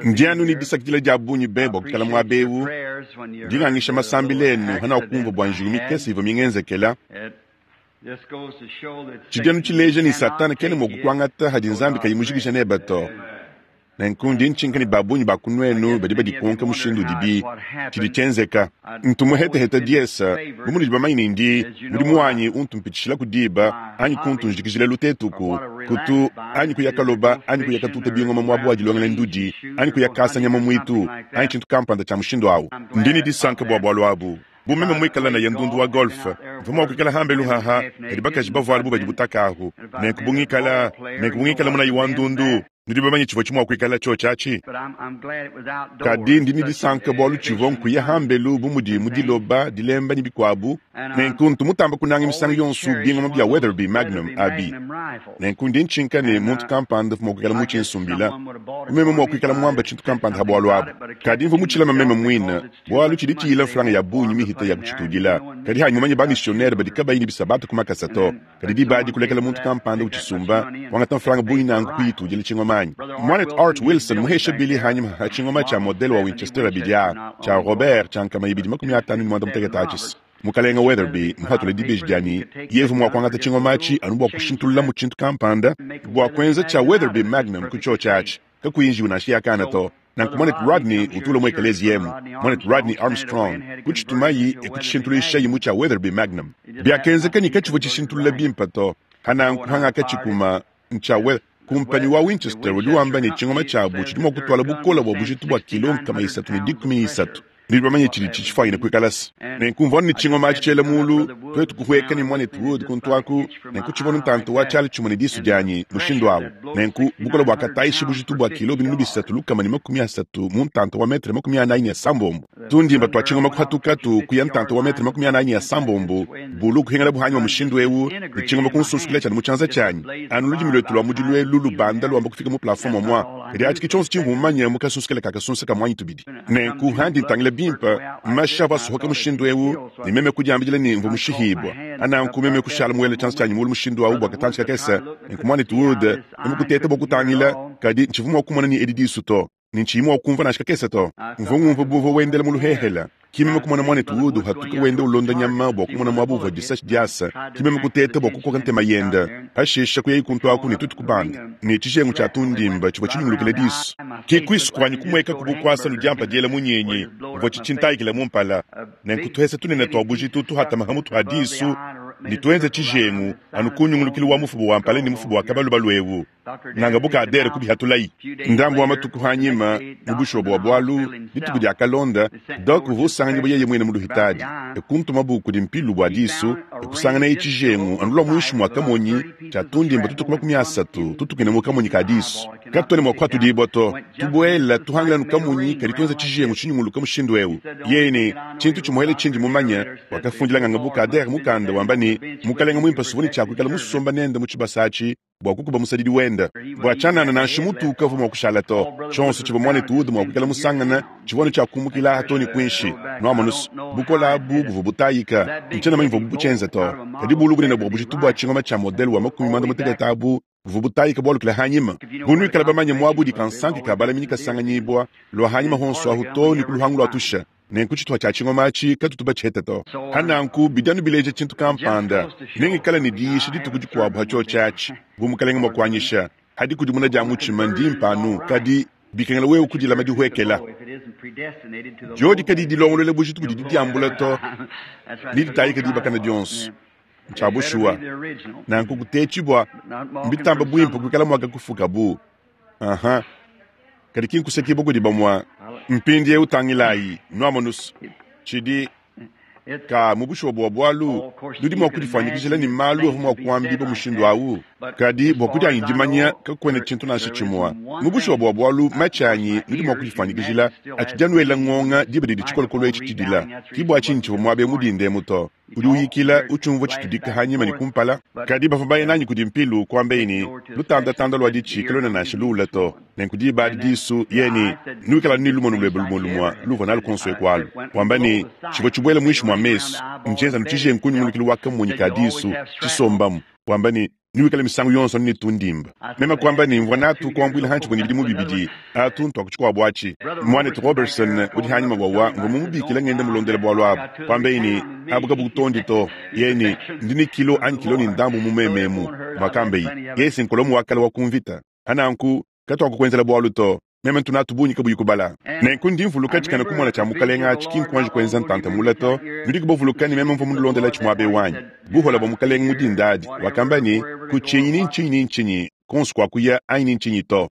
Ndi anu ne disakidila dia bungi be bua kuikala muaba eu. Ndi ngangisha masambila enu hanakumvua bua njiwu mikese ivua mingenzekela. Tshidi anu tshileja ne, Satana kena mua kukuangata hadi Nzambi kayi mujikija nebe to. Nenku ndi ntshinka ne ba bungi ba ku nuenu badi badikonka mushindu udibi tshidi tshienzeka. Ntu muheteheta diesa, bu munudi bamanye ne ndi mudimu wanyi untu mpitshishilaku diba anyi kuntu njikijila lutetuku, kutu anyi kuya kaloba anyi kuya katuta bingoma muaba wa dilongela ndudi anyi kuya kasa nyama muitu anyi tshintu kampanda tshia mushindu au. Ndi ne disanka bua bualu abu. Bu meme muikale naye ndundu wa golf, mvua mua kuikala hambelu haha, kadi bakaji bavuala bu badi butaka ahu. Nenku bu ngikala, nenku bu ngikala munayi wa ndundu, nudi bamanye tshivua tshi mua kuikala tshiotshi atshi? Kadi ndi ne disanka bualu tshivua nkuya hambelu bu mudi mu diloba, dilemba ne bikuabu. Nenku ntu mutamba kunanga misangu yonso bingoma bia Weatherby Magnum abi. Nenku ndi ntshinka ne muntu kampanda uvua mua kuikala mutshinsumbila, bu meme mua kuikala muamba tshintu kampanda ha bualu abu. Kadi mvua mutshilama meme muine, bualu tshidi tshiyila mfranga ya bungi mihita ya kutshitudila. Kadi hanyi mumanye ba-missionnaire badi kabayi ne bisabata ku makasa to. Kadi diba adi kulekela muntu kampanda utshisumba, kuangata mfranga bungi nanku kuyitudila tshingoma anyi? Muanetu Art Wilson muheshe Billy hanyima ha tshingoma tshia modele wa Winchester abidi aa, tshia Robert tshia 258 atshis. Mukalenga Weatherby muhatule dibeji dia ne yevu mua kuangata tshingoma atshi anu bua kushintululamu tshintu kampanda bua kuenza tshia Weatherby Magnum ku tshiotshi atshi, kakuyi njiwu nansha ya kana to. Nanku muanetu Rodney utu ulua mu ekeleziya emu, muanetu Rodney Armstrong, kutshitumayi e kutshishintuluishayi mu tshia Weatherby Magnum. Biakenzeka ne katshivua tshishintulula bimpe to. Hananku hangakatshikuma, ntshia We. Kumpanyi wa Winchester udi wamba ne tshingoma tshiabu tshidi mua kutuala bukole bua bujitu bua kilo 313. Nudi bamanye tshidi tshitshifuanyine kuikala se. Nenku mvua ne tshingoma atshi tshiela muulu, tuetu kuhueka ne muanetu Wood kuntu aku, nenku tshivua ntanta wa tshiala tshimue ne disu dianyi mushindu au. Nenku bukole buakatayisha bujitu bua kilo 3130 mu ntanta wa metre 46. Tundimba tua tshingoma kuhatukatu kuya ntanta wa metre 46, bulu kuhingala buhanyima mushindu eu, ne tshingoma kunsunsukila tshianu mu tshianza tshianyi. Anu ludimi luetu lua mudilu elu lubanda luamba kufika mu plafond muamua, kadi atshi ke tshionso tshimvua mumanye mu kasunsukela ka kasunsa ka muanyi tubidi. Nenku handi ntangila bimpe, mashi avua asohoka mushindu eu, ne meme kudiambidila ne mvua mushihibua. Nanku meme kushala muele tshianza tshianyi mulu mushindu au bua katantshi kakese, nenku muanetu Wood, meme kuteta bua kutangila, kadi ntshivua mua kumona ne edi disu to, ne ntshiyi mua kumvua nansha kakese to. Mvua ngumvua bu uvua wendela mu luhehela. Ki meme kumona muanetu Wood uhatuka wenda ulonda nyama bua kumona muaba uvua disashi diasa. Ki meme kuteta bua kukoka ntema yende. Pashishe kuyayi kuntu aku ne tuetu kubanda, ne tshijengu tshia tundimba tshivua tshinyungulukila disu. Ki kuisu kuanyi kumuekaku bu kuasa nu diampa diela munyinyi uvua tshitshintayikila mu mpala. Nenku tuhesa tunene tua bujitu tuhatama ha mutu ha disu ne tuenza tshijengu anu ku nyungulukilu wa mufuba wa mpala ne mufuba wa kabalubalu eu. Nganga bu Kader kubihatulayi. Ndambu wa matuku anyima, mu bushuwa bua bualu, dituku diakalonda, Doc uvua usanganyibua yeye muine mu luhitadi. E kuntumabu kudi mpilu bua disu, e kusanganaye tshijengu anu lua muinshi mua kamonyi tshia tundimba tutuku 30 tutukine mu kamonyi ka disu. Katuena mua kuhatudibua to. Tubuela tuhangila anu kamonyi kadi tuenza tshijengu tshinyunguluka mushindu eu. Yeye ne, Tshintu tshimuele tshindi mumanye, wakafundila nganga bu Kader mukanda wamba ne, Mukalenge muimpe suvua ne tshia kuikala musomba nende mu tshibasa atshi bua kukuba musadidi wende. Bua tshianana nansha mutu ukavua mua kushala to. Tshionso tshivua muanetu Wood mua kuikala musangane tshivua anu tshia kumukila aha too ne kuinshi. Nuamonu's, bukole abu buvua butayika. Ntshiena mumanye muvuabu butshienze to. Kadi bulu bunene bua bujitu bua tshingoma tshia modele wa 56 abu buvua butayika bualukila hanyima. Bu nuikala bamanye muaba udi kansanke ka balaminyi kasanganyibua, lua hanyima honso ahu too ne ku luhangu lua tusha. Nenku tshituha tshia tshingoma atshi katutu batshihete to. Ha nanku bidi anu bileja tshintu kampanda. Nengikale ne diyisha dituku dikuabu ha tshiotshi atshi, bu Mukelenge mua kuanyisha. Ha dikudimuna dia mutshima ndimpe anu, kadi bikengela wewe kudilama dihuekela. Diodi kadiyi dilongoluela bujitu budi didiambula to, neditayike dibakana dionso. Ntshia bushuwa. Nanku kutetshibua mbitamba buimpe kuikala muakakufukabu. Aha. Kadi ki nkusekibua kudi bamue. Mpindieu tangilayi, nuamonus, tshidi ka mu bushuwa bua bualu, nudi mua kudifuanyikijila ne malu avua mua kuambibua mushindu au. Kadi bua kudianyi dimanya, kakuena tshintu nansha tshimue. Mu bushuwa bua bualu, matshi anyi, nudi mua kudifuanyikijila, atshidi anuela ngonga diba didi tshikolokolo etshi tshidila. Ki bua tshinyi tshivua muaba eu mu dinda emu to. Udi uyikila, utshiumvua tshitudika hanyima ne kumpala. Kadi bavua baye nanyi kudi mpilu, kuambaye ne, Lutandatanda lua ditshi kaluena nansha luula to. Nenku diba adi disu, yeye ne, Nuikala anu ne lumonu luebe lumue lumue luuvua nalu kuonso eku alu. Wamba ne, Tshivua tshibuela muinshi mua mesu, ntshienza anu tshijengu ku nyungulukilu wa kamonyi ka disu, tshisombamu. Wamba ne. Newikale misangu yonso anu ne tundimba. Meme kuamba ne, Mvua natu kuambuila hantshivua ne bidimu bibidi. Atu ntua ku tshikuabu atshi. Muanetu Roberson udi hanyima wawa, mvua mumubikile ngenda mulondela bualu abu. Kuambeyi ne, Abu kabukutondi to. Yeye ne, Ndi ne kilo anyi kilo ne ndambu mu meme emu, muakambeyi. Yeye si nkolomu wa kale wa ku mvita. Pa nanku, katuakukuenzela bualu to. Meme ntu natu bungi kabuyi kubala. Nenku ndi mvuluka tshikena kumona tshia Mukalenga atshi ki nkuanji kuenza ntanta mule to. Nudiku bavuluka ne meme mvua munulondelatshi muaba eu anyi? Buhola bua Mukalenga mu dinda adi, wakamba ne, Kutshinyi ni ntshinyi ni ntshinyi, kuonso kuakuya anyi ni ntshinyi to.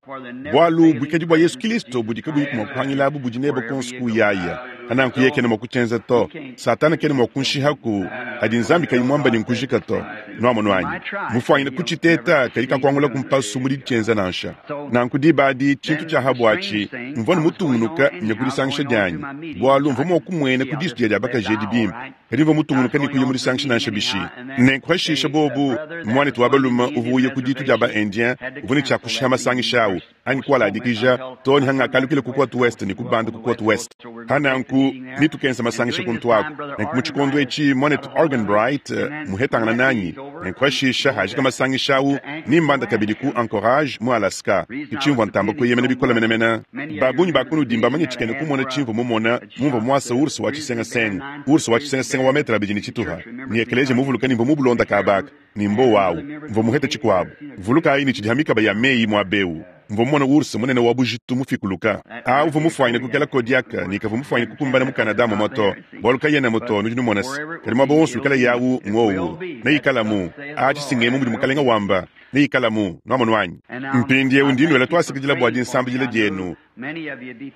Bualu buikadi bua Yesu Kilisto budi kabuyiku mua kuhangila abu budi nebe kuonso kuuyaya. Pananku yeye kena mua kutshienza to. Satana kena mua kunshihaku hadi Nzambi kayi muamba ne nkujika to. Nuamonu anyi? Mufuanyine kutshiteta, kadi kakuangulaku mpasu mu ditshienza nansha. Nanku diba adi, tshintu tshia ha buatshi, mvua ne mutungunuka nya ku disangisha dianyi, bualu mvua mua kumuena ku disu dia dia bakaji edi bimpe, kadi mvua mutungunuka ne kuya mu disangisha nansha bishi. Nenku hashisha bobu, muanetu wa balume uvua uya ku ditu dia ba-Indien uvua ne tshia kushiha masangisha au, anyi kualadikija, too ne hangakalukila ku Cote Ouest ne kubanda ku Cote Ouest. Pa nanku, ne tukenza masangisha kuntu aku. Nenku mu tshikondo etshi, muanetu Arganbright muhetangana nanyi, nenku hashisha hajika masangisha au, ne mbanda kabidi ku Anchorage mu Alaska. Ke tshimvua ntamba kueyemena bikole menemene. Ba bungi ba kunudi mbamanye tshikena kumona tshimvua mumona mumvua muasa ours wa tshisengasenga, ours wa tshisengasenga wa metre abidi ne tshituha, ne ekeleziya muvuluka ne mvua mubulonda kaba aka. Ne mbowa awu, mvua muhete tshikuabu. Vulukayi ne tshidi ha mikaba ya meyi muaba eu. Mvua mumone ours munene wa bujitu mufikuluka. A Uvua mufuanyine kukela Kodiak ne kavua mufuanyine kukumbana mu Canada mumue to, bualu kayenamu to, nudi numona se. Kadi muaba wonso wikala yawu, ngwowu. Neikalamu. Atshi si ngemu mudi Mukalenga wamba. Neikalamu. Nuamonu anyi? Mpindiewu ndi nuela tuasakidila bua dinsambidila dienu.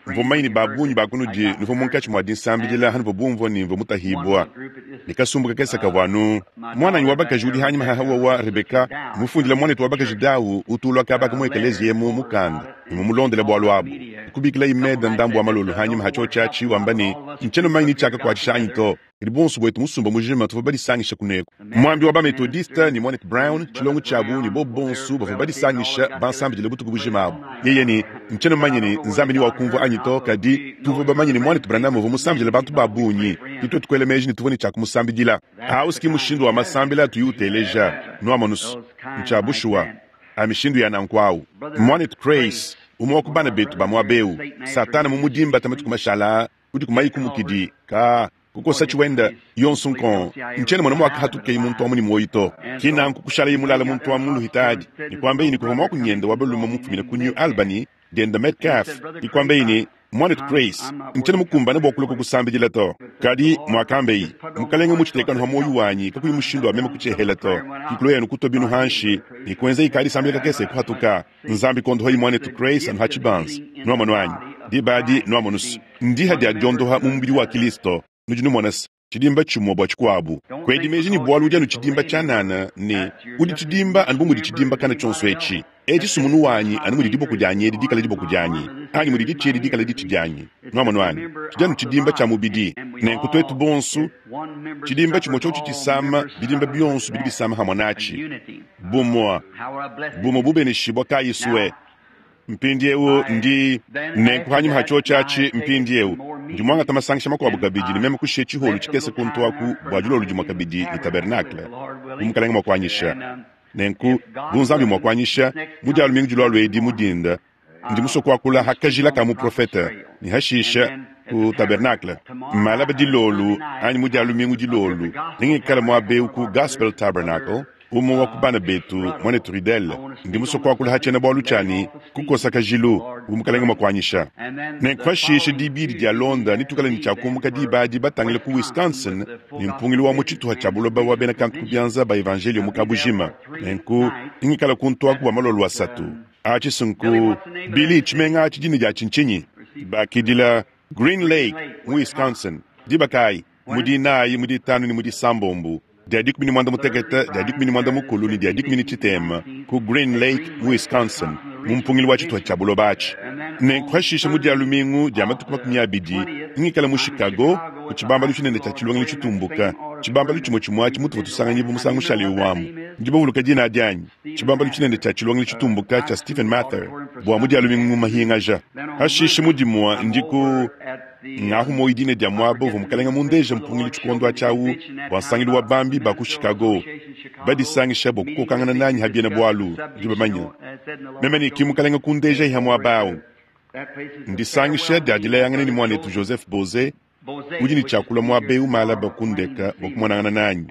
Mvua mumanye ne ba bungi ba kunudi nuvua munkatshi mua dinsambidila hanuvua bumvua ne mvua mutahibua ne kasumbu kakese kavua anu muananyi wa bakaji udi hanyima ha Hawa Rebeka mufundila muanetu wa bakaji Dau utu ulua kaba ka mu ekeleziya emu mukanda ne mumulondele bualu abu. Kubikilayi Meda ndambu wa malolo hanyima ha tshiotshi atshi wamba ne, Ntshiena mumanye ne tshiakakuatshisha anyi to. Kadi buonso buetu musumba mujima tuvua badisangisha kuneku. Muambi wa ba-Methodiste ne Muanetu Brown, tshilongo tshiabu, ne bobu bonso bavua badisangisha bansambidile butuku bujima abu. Yeye ne, Ntshiena mumanye ne Nzambi ni wakumvua anyi to, kadi tuvua bamanye ne Muanetu Branham uvua musambidile bantu ba bungi, ke tuetu kuela meji ne tuvua ne tshia kumusambidila. Au si ki mushindu wa masambila atuyi uteleja, nuamonu's. Ntshia bushuwa. A mishindu ya nanku au. Muanetu Crase, umue wa ku bana betu ba muaba eu, Satana mumudimbata matuku mashala aa, Udi kumayi kumukidi ka kukosa tshiwenda yonsu nkong. Ntshiena mona muakahatukeyi muntu amu ne muoyi to. Ki nanku kushalaye mulala muntu amu mu luhitadi ne kuambaye ne kuvua muakunyende wa balume mufumine ku New Albany diende Metcalf ne kuambaye ne, Muanetu Crase, ntshiena mukumbane bua kulua kukusambidila to. Kadi, muakambeyi, Mukalenge mmutshitekanu ha muoyi wanyi kakuyi mushindu wa meme kutshiehela to. Ki kuloyi anu kutua binu hanshi ne kuenzayi ka disambila kakese kuhatuka. Nzambi kondohayi muanetu Crase anu ha tshibanza. Nuamonu anyi? Diba adi nuamonu's, ndiha dia diondoha mu mubidi wa Kilisto. Nudi numona's, tshidimba tshimue bua tshikuabu. Kuedi meji ne bualu udi anu tshidimba tshianana, ne udi tshidimba anu bu mudi tshidimba kana tshionso etshi. Etshi sumunu wanyi anu mudi diboko dianyi edi dikale diboko dianyi, anyi mudi ditshi edi dikale ditshi dianyi. Nuamonu anyi? Tshidi anu tshidimba tshia mubidi. Nenku tuetu bonso, tshidimba tshimue tshiotshi tshisama, bidimba bionso bidi bisama hamue natshi. Bumue, bumue bubeneshibua kayi sue. Mpindiewu ndi nenku hanyima ha tshiotshi atshi, mpindiewu ndi muangata masangisha makuabu kabidi ne meme kushiya tshiholu tshikese kuntu aku bua dilolo dimue kabidi ne tabernacle, bu Mukalenge mua kuanyisha. Nenku, bu Nzambi mua kuanyisha, mu dia lumingu dilualua edi mu dinda, ndi musue kuakula ha kajila ka muprofete ne hashisha ku tabernacle. Malaba dilolo anyi mu dia lumingu dilolo, nengikale muaba eu ku Gospel Tabernacle, Umue wa ku bana betu, muanetu Ruddell, ndi musue kuakula ha tshiena-bualu tshia ne, Kukosa kajilu, bu Mukalenge mua kuanyisha. Nenku pashishe Dibidi dialonda netuikale ne tshia kumuka diba adi batangile ku Wisconsin ne mpungilu wa mu tshituha tshia buloba wa bena kantu ku bianza ba evanjeliyo mu kabujima. Nenku nengikale kuntu aku bua malolo asatu. Atshi si nku Billy, tshimenga atshi dina diatshi ntshinyi? Bakidila Green Lake mu Wisconsin. Diba kayi? Mu dinayi, mu ditanu ne mu disambombo, dia dikumi ne muanda mutekete, dia dikumi ne muanda mukulu ne dia dikumi ne tshitema ku Green Lake mu Wisconsin mu mpungilu wa tshituha tshia buloba atshi. Nenku hashishe mu dia lumingu dia matuku 20 ngikala mu Chicago ku tshibambalu tshinene tshia tshilongelu tshitumbuka, tshibambalu tshimue tshimue atshi mutuvua tusanganyibua musangu mushale eu amu. Nudi bavuluka dina adi anyi? Tshibambalu tshinene tshia tshilongelu tshitumbuka tshia Stephen Mather bua mu dia lumingu mu mahingaja. Hashishe mu dimue ndi ku Ngahu muoyo dina dia muaba uvua Mukalenge mundeje mpungilu tshikondo atshi au bua nsangilu wa bambi ba ku Chicago. Badisangisha bua kukokangana nanyi ha biena bualu, nudi bamanye. Meme ne ki Mukalenga kundeja ha muaba awu. Ndisangisha dia dilayangana ne muanetu Joseph Boze, udi ne tshia kulua muaba eu malaba kundeka bua kumonangana nanyi.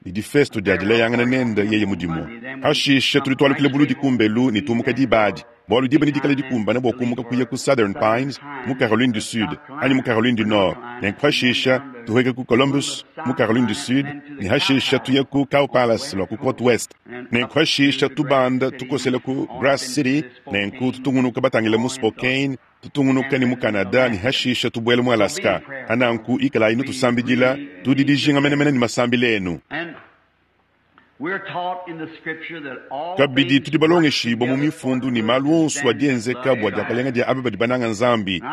Ne difesto dia dilayangana nende yeye mudimu. Hashishe tudi tualukila buludi kumbelu ne tumuka diba adi, bualu diba nedikale dikumbane bua kumuka kuya ku Southern Pines mu Caroline du Sud anyi mu Caroline du Nord, nenku hashisha tuhueke ku Columbus mu Caroline du Sud ne hashisha tuye ku Cow Palace lua ku Cote West, nenku hashisha tubanda tukosela ku Grass City, nenku tutungunuka batangile mu Spokane, tutungunuka ne mu Canada ne hashisha tubuela mu Alaska. Hananku ikalayi nutusambidila, tudi dijinga menemene ne masambila enu. Kabidi tudi balongeshibua mu mifundu ne malu onso adi enzeka bua diakalenga dia aba badi bananga Nzambi.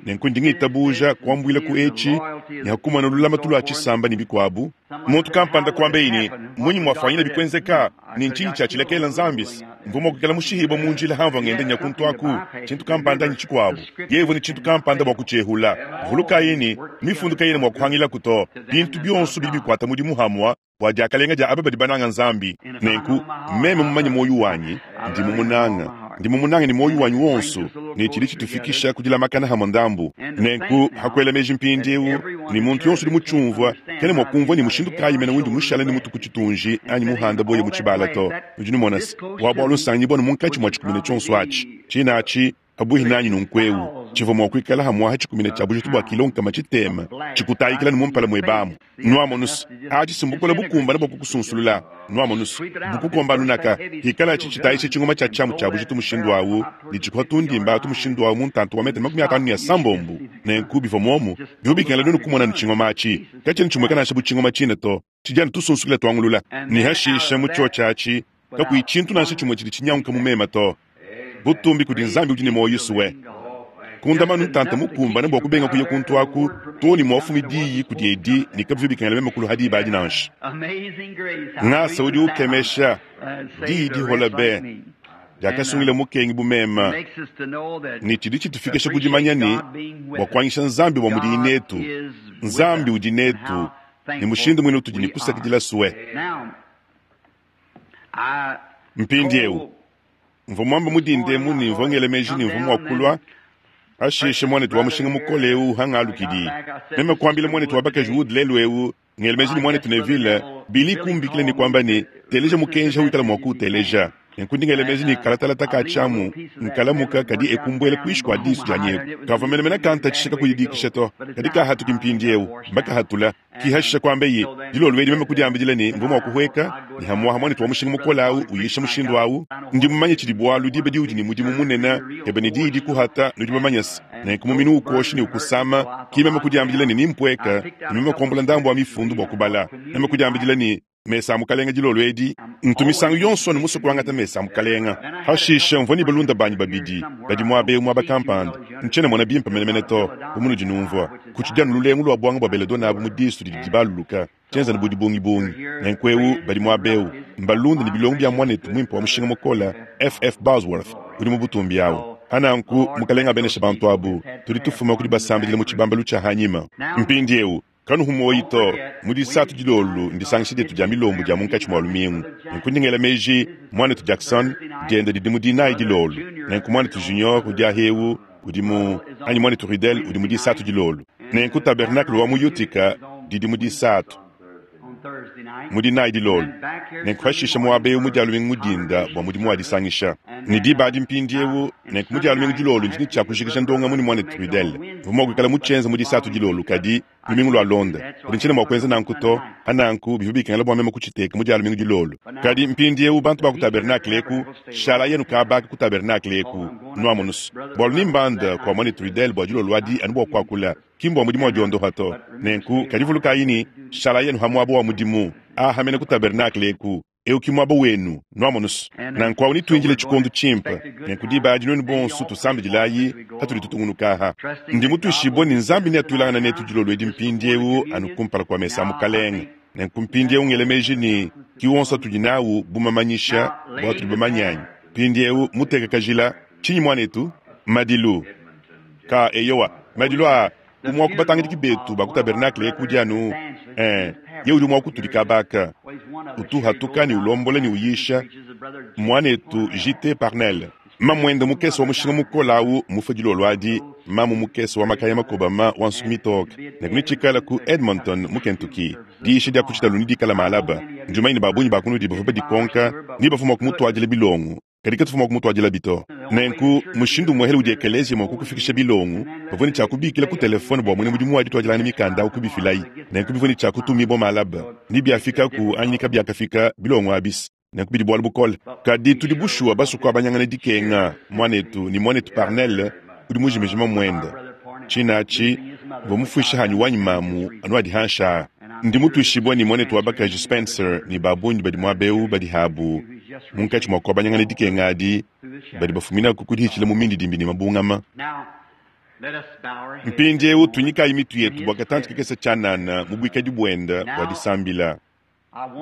Nenku ndi ngitabuja kuambuila ku etshi ne hakumana lulamatu lua tshisamba ne bikuabu. Muntu kampanda kuambeyi ne, Mmunyi muafuanyina bikuenzeka, ne ntshinyi tshiatshilekela Nzambi? Mvua mua kuikala mushihibue mu njila hamvua ngenda nya kuntu aku, tshintu kampanda anyi tshikuabu. Yeye uvua ne tshintu kampanda bua kutshiehula. Vulukayi ne, mifundu kayena mua kuhangilaku to. Bintu bionso bidi bikuata mudimu hamua bua diakalenga dia aba badi bananga Nzambi. Nenku, meme mumanye muoyo wanyi, ndi mumunanga. Ndi mumunanga ne muoyo wanyi wonso, ne tshidi tshitufikisha ku dilamakana hamue ndambu. Nenku, ha kuela meji mpindieu ne muntu yonso udi mutshiumvua, kena mua kumvua ne mushindu kayi mene undi mushale ne mutu ku tshitunji anyi muhanda boye mu tshibala to. Nudi numona se, wa bualu nsangibua ne munkatshi mua tshikumina tshionso atshi. Tshina atshi, pabuihi nanyi nunkuewu, tshivua mua kuikala hamuaha tshikumina tshia bujitu bua kilo 600, tshikutayikila ne mu mpala muebe amu. Nuamonus, atshi si mbukole bukumbane bua kukusunsulula. Nuamonus, bukukomba nunaka, hikalatshi tshitayisha tshingoma tshia tshiamu tshia bujitu mushindu awu, ne tshikuha tundimba atu mushindu awu mu ntantu wa metele 56. Nenku bivua muomu, bivua bikengela nuenu kumona ne tshingoma atshi katshiena tshimueka nansha bu tshingoma tshine to, tshidi anu tusunsukila tuangulula. Ne hashisha mu tshiotshi atshi kakuyi tshintu nansha tshimue tshidi tshinyanguka mu mema to. Butumbi kudi Nzambi udi ne muoyo sue. Kundama anu ntanta mukumbane bua kubenga kuya kuntu aku too ne muafumi diyi kudi edi ne kabivua bikengela meme kuluha diba adi nansha. Ngasa udi ukemesha, diyi dihola be, diakasungila mukengi bu meme, ne tshidi tshitufikisha ku dimanya ne, bua kuanyisha Nzambi bua mudiyi netu, Nzambi udi netu, ne mushindu muine utudi ne kusakidila sue. Mpindieu, mvua muambe mu dinda emu ne mvua ngela meji ne mvua mua kulua pashishe muanetu wa mushinga mukole eu hangalukidi. Meme kuambila muanetu wa bakaji Wood lelu eu, ngela meji ne muanetu Neville, Billy kumbikila ne kuamba ne, teleja mukenji wikala mua kuuteleja. Nenku ndi ngela meji ne kalatalata ka tshiamu nkalamuka kadi ekumbuela kuinshi kua disu dianyi eku. Kavua menemene kantatshisha kakuyidikisha to, kadi kahatuki mpindieu, mbakahatula. Kihashisha kuambeyi, dilolo edi meme kudiambidila ne mvua mua kuhueka ne hamuaha muanetu wa mushinga mukole au uyisha mushindu au. Ndi mumanye tshidi bualu diba diudi ne mudimu munene ebe ne diyi dikuhata, nudi bamanye se, nenku muminu ukoshi ne ukusama. Ki meme kudiambidila ne nimpueka ne meme kuambula ndambu wa mifundu bua kubala. Meme kudiambidila ne, mesa a Mukalenga dilolo edi, ntu misangu yonso anu musue kuangata mesa a Mukalenga. Hashishe mvua ne balunda banyi babidi badi muaba eu muaba kampanda, ntshiena mona bimpe menemene to, bu munudi numvua. Kutshidi anu lulengu lua buanga bua belladonna abu mu disu didi dibaluluka, tshienza anu bu dibungibungi. Nenku eu badi muaba eu mbalunda ne bilongo bia muanetu muimpe wa mushinga mukole, FF. Bosworth, udi mu butumbi awu. Pananku, Mukalenga abeneshe bantu abu. Tudi tufuma ku dibasambidila mu tshibambalu tshia hanyima. Mpindieu, kanuhu muoyi to, mu disatu dilolo ndisangisha dietu dia milombu dia munkatshi mua lumingu. Nenku ndi ngela meji, muanetu Jackson, dienda didi mu dinayi dilolo. Nenku muanetu Junior udi ahewu, udi mu, anyi muanetu Ruddell udi mu disatu dilolo. Nenku tabernacle wa mu Utica didi mu disatu, mu dinayi dilolo. Nenku pashishe muaba eu mu dia lumingu mu dinda bua mudimu wa disangisha. Ne diba adi mpindieu, nenku mu dia lumingu dilolo ndi ne tshia kujikija ndongamu ne muanetu Ruddell. Mvua mua kuikala mutshienza mu disatu dilolo, kadi lumingu lualonda, kadi ntshiena mua kuenza nanku to. Pananku bivua bikengela bua meme kutshiteka mu dia lumingu dilolo. Kadi mpindieu bantu ba ku tabernacle eku, shalayi anu kaba aka ku tabernacle eku, nuamonus, bualu nimbanda kua muanetu Ruddell bua dilolo adi anu bua kuakula, ki mbua mudimu wa diondopa to. Nenku kadi vulukayi ne, shalayi anu ha muaba wa mudimu, aha mene ku tabernacle eku. Eu ki muaba wenu, nuamonus. Nanku awu nituindile tshikondo tshimpe. Nenku diba adi nuenu bonso tusambidilayi patudi tutungunuka aha. Ndi mutuishibue ne Nzambi neatuilangane netu dilolo edi mpindieu anu kumpala kua mesa a Mukalenge. Nenku mpindieu ngela meji ne ki wonso atudi nawu bu mamanyisha bua tudi bamanye anyi? Mpindieu muteka kajila, tshinyi muanetu? Madilu. Ka, eyowa, madilu aa. Umue wa ku batangidiki betu ba ku tabernacle eku udi anu, eh, Ye udi mua kutudika aba aka. Utu uhatuka ne ulombola ne uyisha, mmuanetu J.T. Parnell. Mamuende mukese wa mushinga mukole awu mmufue dilolo adi, mamu mukese wa makaya makobama wa nsuki mitoke. Nenku netshikale ku Edmonton, mu Kentucky. Diyisha dia ku tshitalu nedikale malaba. Ndi mumanye ne ba bungi ba kunudi bavua badikonka ni bavua mua kumutuadila bilongo, kadi katuvua mua kumutuadilabi to. Nenku mushindu umuehele udi ekeleziya mua kukufikisha bilongo, bavua ne tshia kubikila ku telefone bua muena mudimu wa dituadilangana mikanda au kubifilayi. Nenku bivua ne tshia kutumibua malaba. Ni biafikaku anyi ni kabiakafika, bilongo abis. Nenku bidi bualu bukole. Kadi tudi bushuwa basue kuabanyangana dikenga, muanetu, ne muanetu Parnell udi mujimije mamuende. Tshine atshi, mvua mufuishe hanyi wanyi mamu anu adi hanshi aa. Ndi mutuishibue ne muanetu wa bakaji Spencer ne ba bungi badi muaba eu badi habu munkatshi mua kuabanyangana dikenga adi, badi bafuminaku ku dihitshila mu mindidimbi ne mabungama. Mpindieu tuinyikayi mitu yetu bua katantshi kakese tshianana mu buikadi buende bua disambila.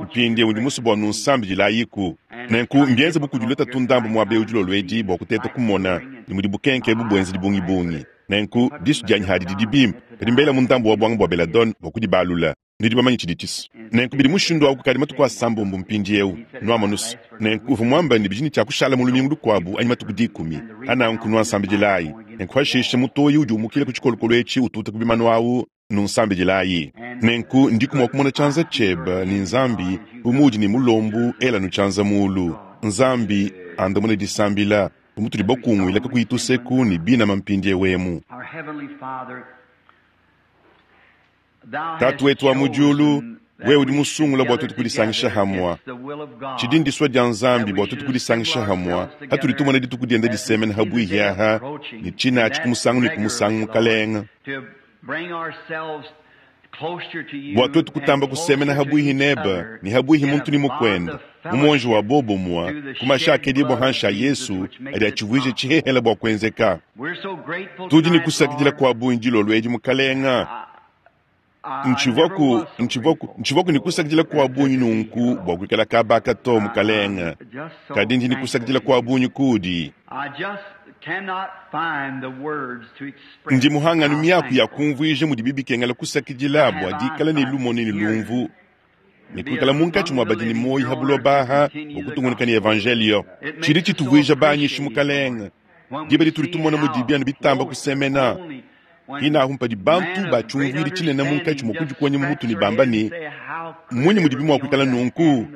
Mpindieu ndi musue bua nunsambidilayiku. Nenku mbienze bu kudi lutatu ndambu muaba eu dilolo edi bua kuteta kumona ne mudi bukenke ebu buenze dibungibungi. Nenku disu dianyi hadi didi bimpe, kadi mbelamu ndambu wa buanga bua belladone bua kudibalula. Nudi bamanye tshidi tshisu. Nenku bidi mushindu au kukadi matuku asambombo mpindieu, nuamonu's. Nenku uvua muambe ne bidi ne tshia kushala mu lumingu lukuabu anyi matuku dikumi. Ananku nuansambidilayi. Nenku pashishe mutoyi udi umukila ku tshikolokolo etshi ututa ku bimanu au, Nunsambidilayi. Nenku ndiku mua kumona tshianza tshiebe ne Nzambi, bu muudi ne mulombu, elanu tshianza muulu. Nzambi andamune disambila, bu mutudi bakunguila kakuyi tuseku ne binama mpindieu emu. Tatu wetu wa mu diulu, wewe udi musungula bua tuetu kudisangisha hamua. Tshidi ndisua dia Nzambi bua tuetu kudisangisha hamua hatudi tumona dituku dienda disemena ha buihi aha, ne tshina atshi ku musangu ne ku musangu, Mukalenga. Bua tuetu kutamba kusemena ha buihi nebe ne ha buihi muntu ne mukuende, mu muonji wa bobumue, ku mashi akedibua hanshi a Yesu adi atshivuija tshihehele bua kuenzeka. Tudi ne kusakidila kua bungi dilolo edi, Mukalenga. Ntshivuaku, ntshivuaku, ntshivuaku ne kusakidila kua bungi nunku bua kuikala kaba aka to, Mukalenga, kadi ndi ne kusakidila kua bungi kudi. Ndi muhanganu miaku ya kumvuija mudibi bikengela kusakidila bua dikala ne lumonu ne lumvu ne kuikala munkatshi mua badi ne muoyo ha buloba aha bua kutungunuka ne evanjelio. Tshidi tshituvuija banyishi, Mukalenga, diba ditudi tumona mudibi anu bitamba kusemena. Hinahu mpadi bantu ba tshiumvuidi tshinene munkatshi mua kudikonya mu mutu ne bamba ne, Mmunyi mudibi mua kuikala nunku?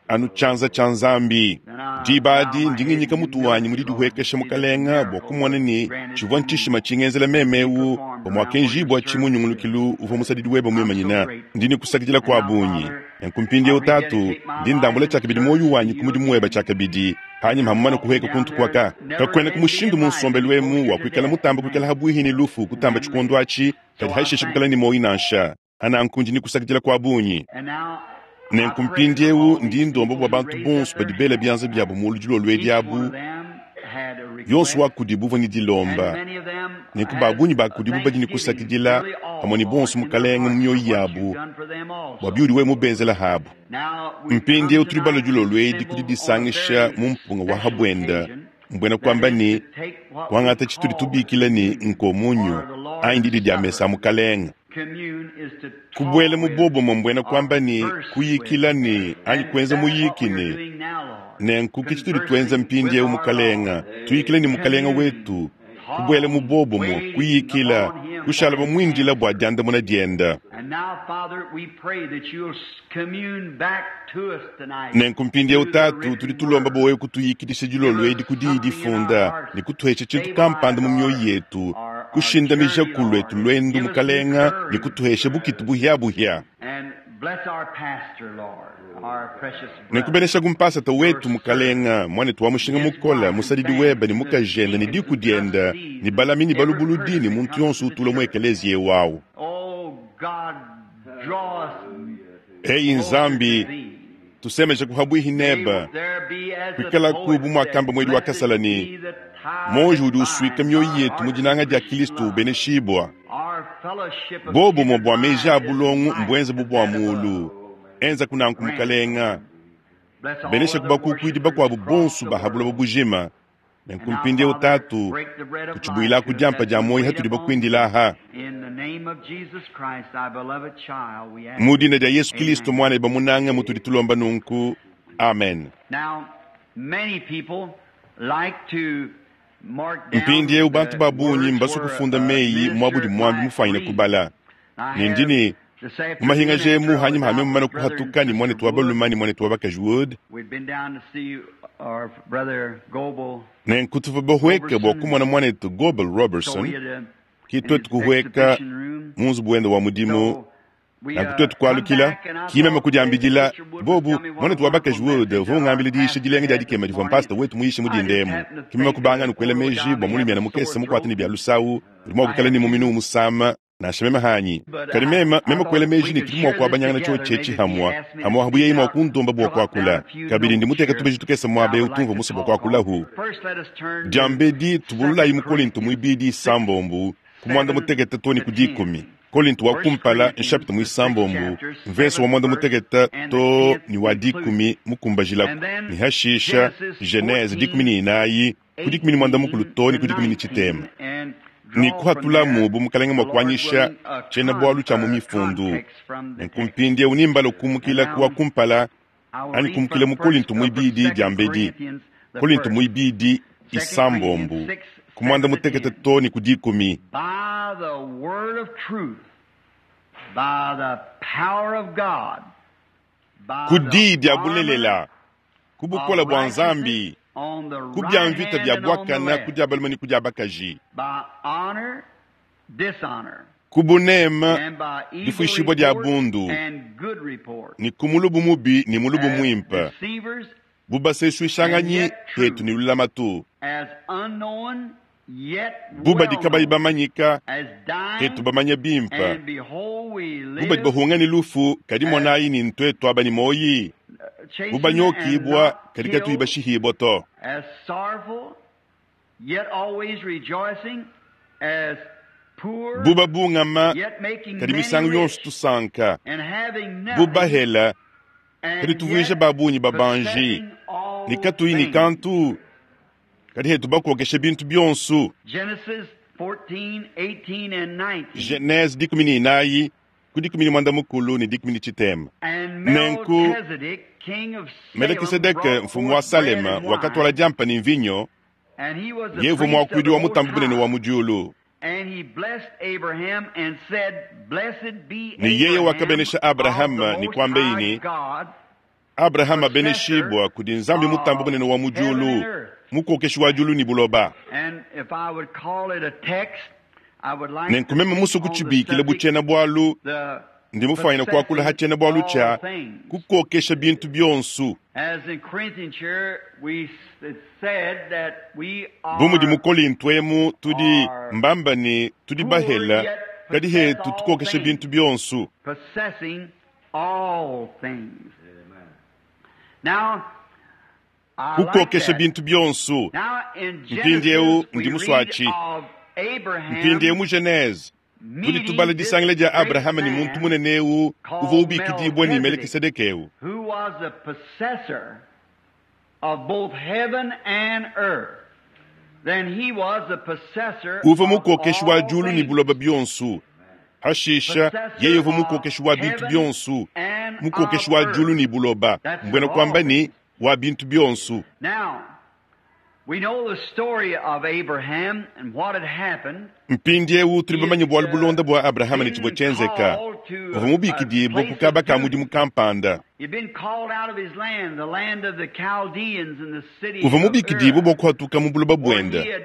Anu tshianza tshia Nzambi. Diba adi ndi nginyika mutu wanyi mu didihuekesha, Mukalenga, bua kumona ne tshivua ntshishima tshingenzela meme eu bua muakenjibua-tshi mu nyungulukilu uvua musadidi webe muimanyina. Ndi ne kusakidila kua bungi. Nenku mpindieu, Tatu, ndi ndambula tshiakabidi muoyo wanyi ku mudimu webe tshiakabidi, panyima ha mumane kuhueka kuntu kuaka. Kakuenaku mushindu mu nsombelu emu wa kuikala mutamba kuikala habuihi ne lufu kutamba tshikondo atshi, kadi hashishe kuikala ne muoyo nansha. Hananku ndi ne kusakidila kua bungi. Nenku mpindieu ndi ndomba bua bantu bonso badi bela bianza biabo mulu dilolo edi abu, yonso wa kudibu uvua ne dilomba. Nenku ba bungi ba kudibu badi ne kusakidila pamue ne bonso Mukalenge mu mioyo yabu bua biudi wewe mubenzela habu. Mpindieu tudi balue dilolo edi ku didisangisha mu mpunga wa ha buenda, mbuena kuamba ne, kuangata tshitudi tubikila ne nkomunyo anyi didi dia mesa a Mukalenge. Kubuela mu buobumue mbuena kuamba ne, kuyikila ne anyi kuenza muyiki ne. Nenku ke tshitudi tuenza mpindieu, Mukalenga, tuyikila ne Mukalenga wetu, kubuela mu buobumue, kuyikila, kushala bamuindila bua diandamuna dienda. Nenku mpindieu, Tatu, tudi tulomba bua wewe kutuyikidisha dilolo edi ku Diyi difunda ne kutuhesha tshintu kampanda mu mioyo yetu, kushindamija ku luetu luendu, Mukalenga, ne kutuhesha bukitu buhia-buhia. Nenkubeneshaku mpasata wetu, Mukalenga, muanetu wa mushinga mukole, musadidi webe ne mukajende ne diku diende, ne balami ne balubuludi ne muntu yonso utula mu ekeleziya eu au. Eyi Nzambi, tusemejaku habuihi nebe, kuikalaku bu muakamba muedi wa kasala ne, Muonji udi usuika mioyo yetu mu dinanga dia Kilisto ubeneshibua. Bobumue bua meji a bulongo mbuenze bu bua muulu. Enzaku nanku, Mukalenga. Beneshaku bakukuidi bakuabu bonso ba ha buloba bujima. Nenku mpindieu Tatu, tutshibuilaku diampa dia muoyo hatudi bakuindila aha. Mu dina dia Yesu Kilisto Muana eba munanga mutudi tulomba nunku. Amen. Mpindieu bantu ba bungi mbasue kufunda meyi muabudi muambi mufuanyine kubala. Ne ndi ne mu mahingaja emu hanyima ha meme mumane kuhatuka ne muanetu wa balume ne muanetu wa bakaji Wood, nenku tuvua bahueke bua kumona muanetu Goble Robertson, ki tuetu kuhueka mu nzubu wende wa mudimu. Nanku tuetu kualukila, ki meme kudiambidila bobu muanetu wa bakaji Wood uvua ungambila diyisha dilenga dia dikema divua mpasta wetu muyishe mu dinda emu. Ki meme kubanga anu kuela meji bua mulumiana mukese mukuate ne bia lusawu udi mua kuikala ne muminu umusama nansha meme hanyi. Kadi meme, meme kuela meji ne tudi mua kuabanyangana tshiotshi etshi hamua hamua habu yeye mua kundomba bua kuakula. Kabidi ndi muteka tubeji tukese muaba eu tumvua musue bua kuakulahu. Diambedi tubululayi mu Kolinto muibidi isambombu ku muanda mutekete too ne ku dikumi. Kolinto wa kumpala nshapita muisambombu mvese wa muanda mutekete too ne wa dikumi mukumbajilaku, ne hashisha Genese 14 ku 13 too ne ku 18. Ne kuhatulamu bu mukalenge mua kuanyisha tshiena-bualu tshia mu mifundu. Nenku mpindieu nimbala kumukila ku wa kumpala anyi kumukila mu Kolinto muibidi diambedi. Kolinto muibidi isambombu ku muanda mutekete too ne ku dikumi. By the word of truth, by the power of God, by Ku the diyi dia armor bulelela, ku bukole of bua righteousness Nzambi, on the ku right bia mvita hand bia and on the buakana ku left, dia balume ne ku dia bakaji, by honor, dishonor, ku buneme and by evil difuishibua dia report bundu, and good report, ne ku mulubu mubi ne mulubu as muimpe, deceivers bu and basesuishanganyi yet hetu true, ne lulamatu, as unknown yet bu badi well kabayi known, bamanyika as hetu dying, bamanya bimpe, and behold we bu badi live bahunga ne lufu kadi as monayi ne ntuetu aba ne moyi, bu chastened and banyokibua not kadi katuyi killed, bashihibua to, as sorrowful, yet always rejoicing, as poor, bu babungama yet making kadi many misangu yonso rich, tusanka, and having bu nothing, bahela kadi and tuvuija yet ba bungi babanji, possessing ne all katuyi ne things. kantu kadi hetu bakokesha bintu bionso. Genesis 14, 18, and 19. Genese 14 ku 13 ne 16. And Nenku Melchizedek, king of Salem, Melekisedeke brought mfumu wa forth bread Salema and wakatwala wine, diampa ne mvinyo, and he was the yevu priest of muakuidi the wa Most mutambu bunene wa High. mu diulu. And he blessed Abraham and said, Blessed be Ne yeye Abraham wakabenesha of the Abrahama ne Most kuamba High ini, God, Abrahama possessor abeneshibua kudi Nzambi mutambu of bunene wa mu heaven and diulu, earth. mukokeshi wa diulu ne buloba. And if I would call it a text, I would like Nenku to meme speak musue on the kutshibikila bu subject, tshiena-bualu, the ndi mufuanyine kuakula ha possessing tshiena-bualu all tshia things. kukokesha bintu bionso. As in Corinthians here, we it said that we Bu mudi mu are Kolinto emu tudi are mbamba ne tudi poor bahela yet kadi possess hetu all tukokesha things, bintu bionso. possessing all things. Now, I like Kukokesha that. bintu bionso. Now in Mpindieu Genesis, ndi we read muswachi. of Mpindieu Abraham mu Genese tudi meeting tubala this disangila dia great Abrahama ne muntu man munene eu uvua called ubikidibua ne Melchizedek, Melekisedeke eu. who was the possessor of both heaven and earth. Then he was the possessor Uvua of mukokeshi wa all diulu ne things. buloba bionso. Hashisha yeye Possessor uvua of mukokeshi wa bintu heaven bionso, and of mukokeshi wa diulu earth. ne buloba, That's mbwena of all kuamba things. ne wa bintu bionso. Now, we know the story of Abraham and what had happened. Mpindieu tudi He bamanye had bualu bulonda bua Abrahama ne tshivua been tshienzeka. called to Uvua a mubikidibue ku place kaba of ka mudimu duty. kampanda. He'd been called out of his land, the land of the Chaldeans and the city Uvua of mubikidibue Ur, bua kuhatuka mu buloba where buende, he had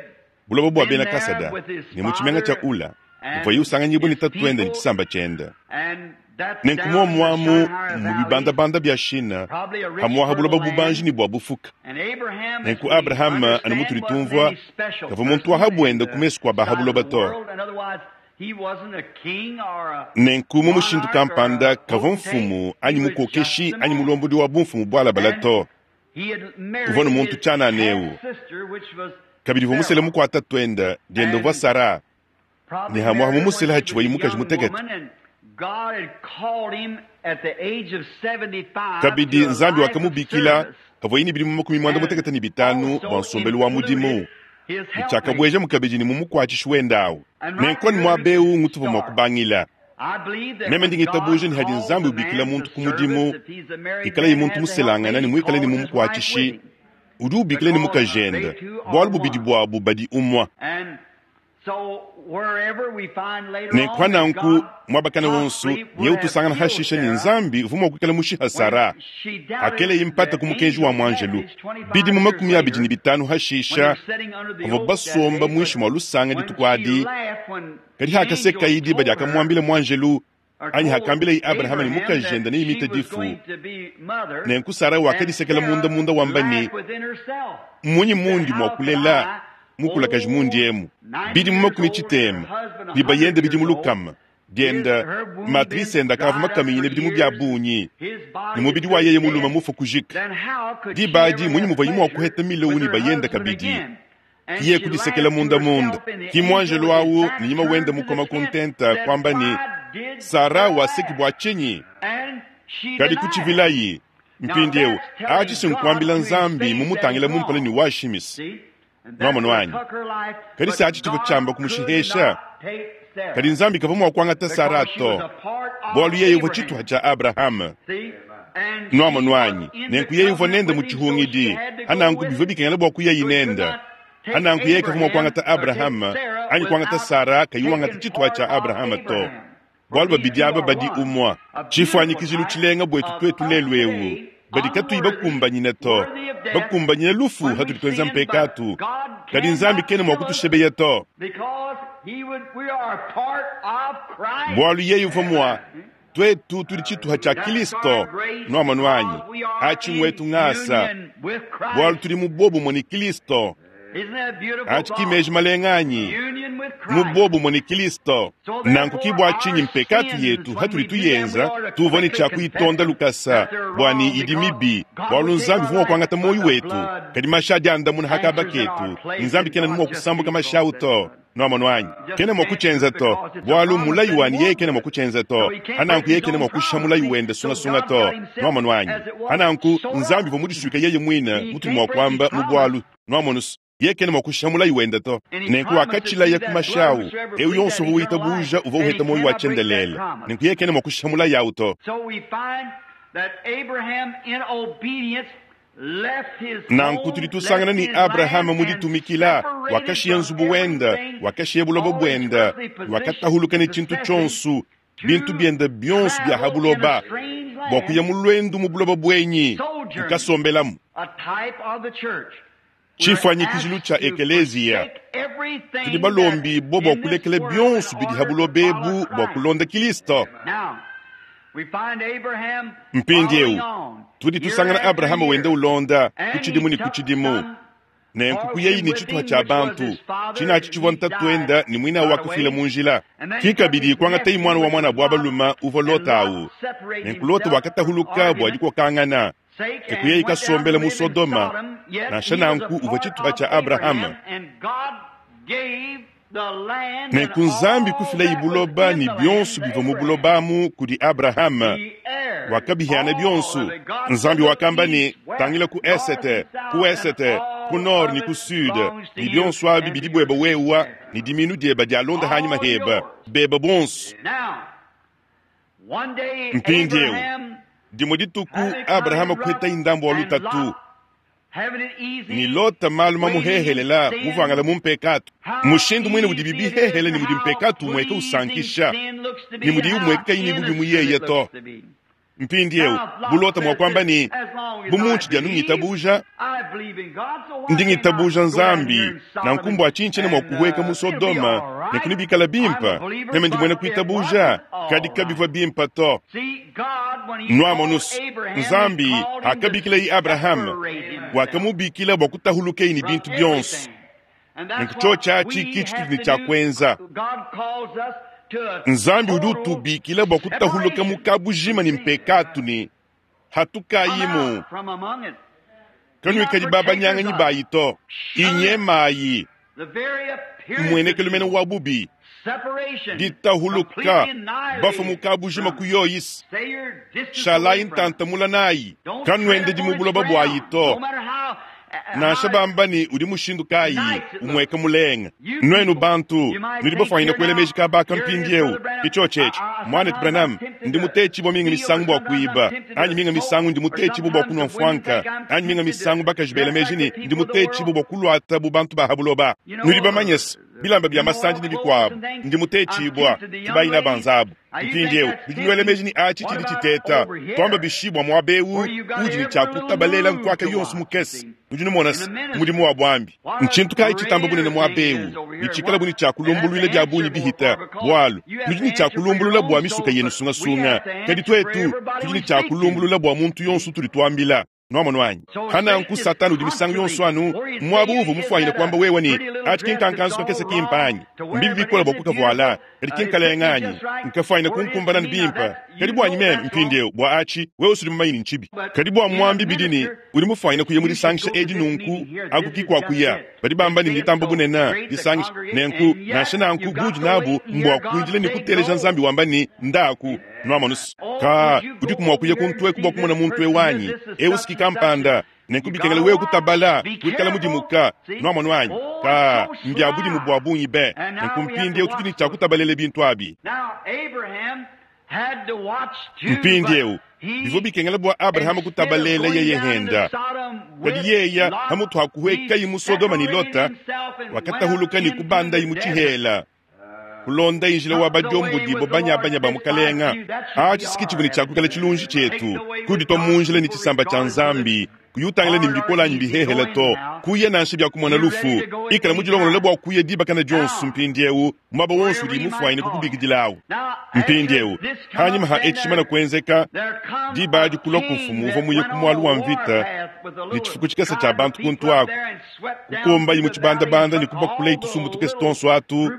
buloba bua been bena there Kasada, with his ne mu tshimenga tshia father Ula, muvuaye and usanganyibua ne his tatuende ne people, tshisamba tshiende. and that's Nenku down in the muomuamu Shinar mu Valley, bibandabanda bia Shina, probably a rich, hamuaha buloba fertile bubanji land. ne bua bufuka. And Abraham, as Nenku we Abrahama anu understand, mutudi wasn't tumvua any special kavua muntu wa person in habuenda ku the mesu kua sight of the bahabuloba to. world, and otherwise he wasn't a king or a Nenku mu mushindu monarch or kampanda a kavua potentate. mfumu He anyi was just mukokeshi a anyi man. mulombodi wa bumfumu bualabala And to. he had Uvua married ne muntu his tshianana eu. half sister, which was Kabidi uvua musele Sarah, mukuata tuenda diende uvua and Sara ne probably hamuaha married her when mumusele she was hatshivuaye a mukaji young mutekete. woman, and Kabidi Nzambi wakamubikila pavuaye ne bidimu 95 bua nsombelu wa mudimu, ne tshiakabuejamu kabidi ne mumukuatshishi wende awu. Nenku anu muaba eu ngutuvua mua kubangila. Meme ndi ngitabuja ne hadi Nzambi ubikila muntu ku mudimu, ikalaye muntu muselangana ne muikale ne mumukuatshishi, udi ubikila ne mukajende, bualu bubidi buabu badi umue. Nenku pa nanku, muaba kana wonso, nyewu tusangana hashisha ne Nzambi uvua mua kuikala mushiha Sara, hakeleye mpata ku mukenji wa muanjelu. Bidimu 25 hashisha, bavua basomba muinshi mua lusanga dituku adi, kadi hakasekayi diba diakamuambila muanjelu, anyi hakambilayi Abrahama ne mukajende neimite difu, nenku Sara wakadisekela munda munda wamba ne, Mmunyi mundi mua kulela mukulakaji mundi emu? Bidimu 60 ne bayende bidimu 100, dienda matrice enda akavua makaminyine bidimu bia bungi, ne mubidi wa yeye mulume mufue kujika. Diba adi mmunyi muvuaye mua kuheta milowu ne bayende kabidi? Kiye kudisekela munda munda. Ki muanjelu awu ne nyima wende mukoma ku ntenta kuamba ne, Sara waseki bua tshinyi? Kadi kutshivilayi. Mpindieu, atshi si nkuambila Nzambi mumutangila mumpala ne washimis. Nwamonu anyi? Kadi se atshi tshivua tshiamba kumushihesha. Kadi Nzambi kavua mua kuangata Sara to, bualu yeye uvua tshituha tshia Abrahama. Nwamonu anyi? Nenku yeye uvua nende mu tshihungidi, hananku bivua bikengela bua kuyayi nende. Hananku yeye kavua mua kuangata Abrahama anyi kuangata Sara kayi wangata tshituha tshia Abrahama to, bualu babidi aba badi umue. Tshifuanyikijilu tshilenga buetu tuetu lelu eu, badi katuyi bakumbanyine to, bakumbanyine lufu hatudi tuenza mpekatu, kadi Nzambi kena mua kutushebeya to, bualu yeye uvua mua tuetu tudi tshituha tshia Kristo. Nwamonu anyi? Atshi ngwetu ngasa, bualu tudi mu bobumue ne Kristo. Atshi ki meji malenga anyi? Mu bobumue ne Kristo. Nanku ki bua tshinyi mpekatu yetu hatudi tuyenza, tuvua ne tshia kuyitonda lukasa, bua ne idi mibi, bualu Nzambi uvua mua kuangata muoyo wetu, kadi mashi adi andamuna ha kaba ketu, ne Nzambi kena mua kusambuka mashi awu to. Nwamonu anyi? Kena mua kutshienza to, bualu mulayi wanyi yeye kena mua kutshienza to. Hananku yeye kena mua kushiha mulayi wende sungasunga to. Nwamonu anyi? Hananku Nzambi uvua mudisuike yeye muine mutudi mua kuamba mu bualu. Nwamonu, yeye kena mua kushiha mulayi wende to. Nenku wakatshilaya ku mashi awu, eu yonso uvua witabuja uvua uheta muoyo wa tshiendelele. Nenku yeye kena mua kushiha mulayi awu to. Nanku tudi tusangana ne Abrahama mu ditumikila wakashiya nzubu wende, wakashiya buloba buende, wakatahuluka ne tshintu tshionso, bintu biende bionso bia ha buloba, bua kuya mu luendu mu buloba buenyi, kukasombelamu. Tshifuanyikijilu tshia ekeleziya, tudi balombibue bua kulekela bionso bidi ha buloba ebu bua kulonda Kristo. Mpindieu tudi tusangana Abrahama wenda ulonda ku tshidimu ne ku tshidimu, nenku kuyayi ne tshituha tshia bantu tshinatshi tshivua ntatuenda ne muina wakafila mu njila. Ki kabidi kuangatayi muana wa muanabu wa balume uvua Lota awu, nenku Lota wakatahuluka bua dikokangana, ke kuyayi kasombela mu Sodoma. Nansha nanku uvua tshituha tshia Abrahama. Nenku Nzambi kufilayi buloba ne bionso bivua mu buloba amu kudi Abrahama, wakabihiana bionso. Nzambi wakamba ne, tangila ku esete, ku wesete, ku nord ne ku sud, ne bionso abi bidi bueba wewa ne diminu dieba dialonda hanyima heba, beba bonso. Mpindieu dimue dituku Abrahama kuhetayi ndambu wa lutatu ne Lota malu mamuhehelela muvuangala mu mpekatu. Mushindu muine udibi bihehele ne mudi mpekatu umueka usankisha, ne mudiyi umueka kayi ne bubi mu yeye to. Mpindieu bu Lota mua kuamba ne, bu muntshidi anu ngitabuja, ndi ngitabuja Nzambi, nanku mbua tshinyi tshiena mua kuhueka mu Sodoma, nenku nebikale bimpe, meme ndi muena kuitabuja, kadi kabivua bimpe to. Nwamonu, Nzambi akabikilayi Abrahama, wakamubikila bua kutahulukeyi ne bintu bionso. Nenku tshiotshi atshi ki tshitudi ne tshia kuenza. Nzambi udi utubikila bua kutahuluka mu kabujima ne mpekatu ne hatukayimu. Kanuikadi babanyanganyi bayi to, inyemayi mmuenekelu mene wa bubi. Ditahuluka bafue mu kabujima ku yoyisi. Shalayi ntanta mula nayi. Kanuendedi mu buloba buayi to. Nansha bamba ne udi mushindu kayi umueka mulenga. Nuenu bantu nudi bafuanyine kuela meji kaba aka mpindiewu. Ke tshiotshi etshi, Muanetu Branham, ndi mutetshibua minga misangu bua kuiba, anyi minga misangu ndi mutetshibua bua kunua mfuanka, anyi minga misangu bakaji bela meji ne ndi mutetshibua bua kuluata bu bantu ba ha buloba. Nudi bamanye se, bilamba bia masandi ne bikuabu, ndi mutetshibua, ke bayina banzabu. Mpindiewu nudi nuela meji ne atshi tshidi tshiteta. Tuamba bishi bua muaba ewu udi ne tshia kutabalela nkuaka yonso mukese? Nudi numona se, mudimu wa buambi ntshintu kayi tshitamba bunene muaba ewu, ne tshikala bu ne tshia kulumbuluila bia bungi bihita, bualu nudi ne tshia kulumbulula bua misuka yenu sungasunga, kadi tuetu tudi ne tshia kulumbulula bua muntu yonso utudi tuambila. Nuamonu anyi? Pa nanku Satana udi misangu yonso anu muaba uuvua mufuanyine kuamba wewe ne, Atshi ki nkankanzu kakese kimpe anyi? Mbibi bikole bua kukavuala, kadi ki nkalenga anyi? Nkafuanyine kunkumbana bimpe. Kadi buanyi meme, mpindieu, bua atshi, wewe usudi mumanye ne ntshibi. Kadi bua muambi bidi ne, udi mufuanyine kuya mu disangisha edi nunku, aku ki kua kuya. Badi bamba ne nditamba bunene, disangisha. Nenku, nansha nanku, buudi nabu mbua kuindila ne kuteleja Nzambi wamba ne, Ndaku. Nuamonu's? Kaa, udiku mua kuya kuntu eku bua kumona muntu eu anyi? Eu si ki kampanda. Nenku bikengela wewe kutabala, kuikala mudimuka. Nuamonu anyi? Kaa, mbia budimu bua bungi be. Nenku mpindieu tudi ne tshia kutabalela bintu abi. Mpindieu, bivua bikengela bua Abrahama kutabalela yeye henda. Kadi yeya, pamutu ha kuhuekayi mu Sodoma ne Lota, wakatahuluka ne kubandayi mu tshihela. Kulondayi njila wa badiombodi bo banyabanya ba mukalenga. Atshi si ke tshivua ne tshia kuikala tshilunji tshietu, kuditua mu njila ne tshisamba tshia Nzambi, kuyi utangila ne mbikole anyi mbihehele to, kuya nansha bia kumona lufu. Ikala mudilongolole bua kuya dibakana dionso mpindieu, muaba wonso udi mufuanyine kukubikidilawu. Mpindieu, panyima ha etshi tshimana kuenzeka, diba adi kulua ku mfumu uvua muye ku mualu wa mvita ne tshifuku tshikese tshia bantu kuntu aku, kukombayi mu tshibandabanda ne kubakulayi tusumbu tukese tuonso atu, ne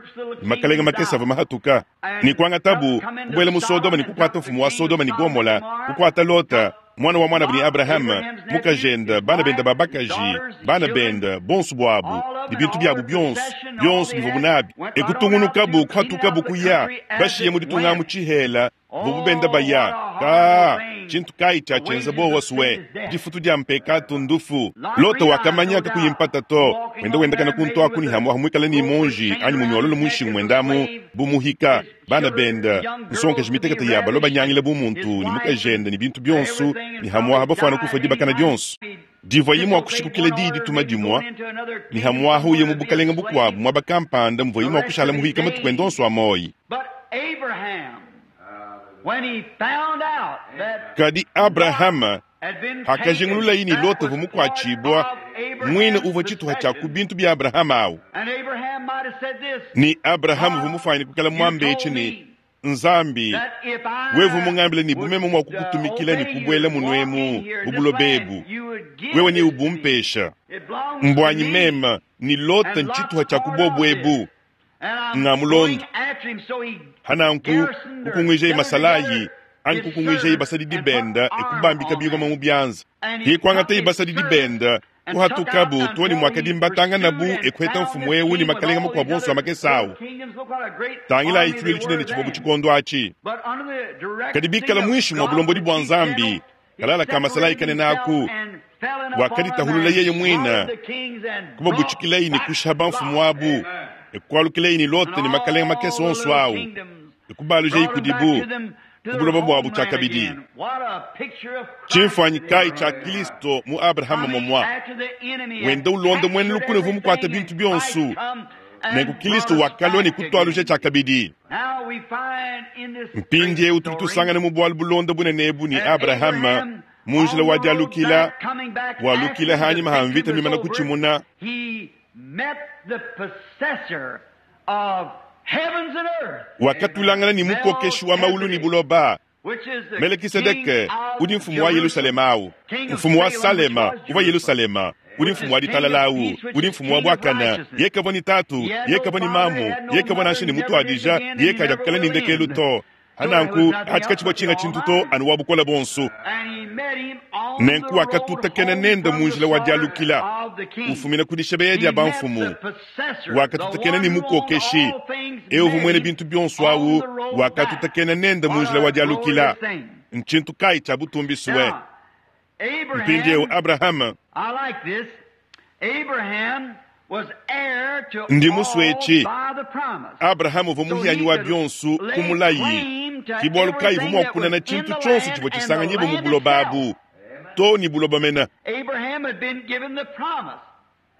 makalenge makese avua mahatuka. Ne kuangatabu, kubuela mu Sodoma ne kukuata mfumu wa Sodoma ne Gomola, kukuata Lota, muana wa muanabu ne Abrahama, mukajende, bana bende ba bakaji, bana bende, bonso buabu, ne bintu biabu bionso, bionso bivuabu nabi. E kutungunukabu, kuhatukabu kuya, bashiye mu ditunga amu tshihela, bobu benda baya. Kaa, tshintu kayi tshiatshienza buowa sue? Difutu dia mpekatu ndufu. Lota wakamanya kakuyi mpata to, wenda wendakana kuntu aku ne hamuaha muikale ne monji anyi munyololo mu nshingu muendamu bu muhika, bana bende, nsongakaji mitekete ya balua banyangila bu muntu ne mukajende ne bintu bionso, ne hamuaha bafuana kufua dibakana dionso. Divuaye mua kushikukila diyi dituma dimua, ne hamuaha uye mu bukalenge bukuabu muaba kampanda muvuaye mua kushala muhika matuku ende onso a muoyo. Kadi Abrahama hakajingululaye ne Lota uvua mukuatshibua, muine uvua tshituha tshia ku bintu bia Abrahama au, ne Abrahama uvua mufuanyine kuikala muambe etshi ne, Nzambi, wewe uvua mungambile ne bu meme mua kukutumikila ne kubuela munuemu mu buloba ebu, wewe neubumpesha. Mbuanyi meme ne Lota ntshituha tshia ku bobu ebu. Nga mulondo. Hananku kukunguijaye masalayi anyi kukunguijaye basadidi benda e kubambika bingoma mu bianza. Ke kuangataye basadidi benda, kuhatukabu too ne muakadimbatanganabu e kuheta mfumu eu ne makalenga makuabu onso a makese au. Tangilayi tshiluilu tshinene tshivua bu tshikondo atshi. Kadi bikala muinshi mua bulombodi bua Nzambi, kalala ka masalayi kanene aku, wakaditahulula yeye muine, kubabutshikilayi ne kushiha bamfumu abu, e kualukilayi ne Lota ne makalenga makese onso au, e kubalujayi kudibu ku buloba buabu tshiakabidi. Tshimfuanyi kayi tshia Kilisto mu Abrahama momua, wenda ulonda muena lukuna uvua mukuate bintu bionso, nenku Kilisto wakalua ne kutualuja tshiakabidi. Mpindieu tudi tusangana mu bualu bulonda bunene ebu ne Abrahama mu njila wa dialukila, walukila hanyima ha mvita mimana kutshimuna, wakatulangana ne mukokeshi wa maulu ne buloba, Melekisedeke, udi mfumu wa Yelushalema au, mfumu wa Salema uvua Yelushalema, udi mfumu wa ditalala au, udi mfumu wa buakana. Yeye kavua ne tatu, yeye kavua ne mamu, yeye kavua nansha ne mutuadija, yeye kadiakukala ne ndekelu to. Hananku achi katshivua tshinga tshintu to anu wa bukole bonso. Nenku wakatutakena nende mu njila wa dialukila ufumina ku dishebeya dia bamfumu. Wakatutakena ne mukokeshi eu uvua muena bintu bionso awu, wakatutakena nende mu njila wa dialukila. Ntshintu kayi tshia butumbi sue? Mpindieu Abrahama, ndi musue etshi. Abrahama uvua muhianyi wa bionso ku mulayi, ke bualu kayi uvua mua kunana tshintu tshionso tshivua tshisanganyibua mu buloba abu, too ne buloba mene.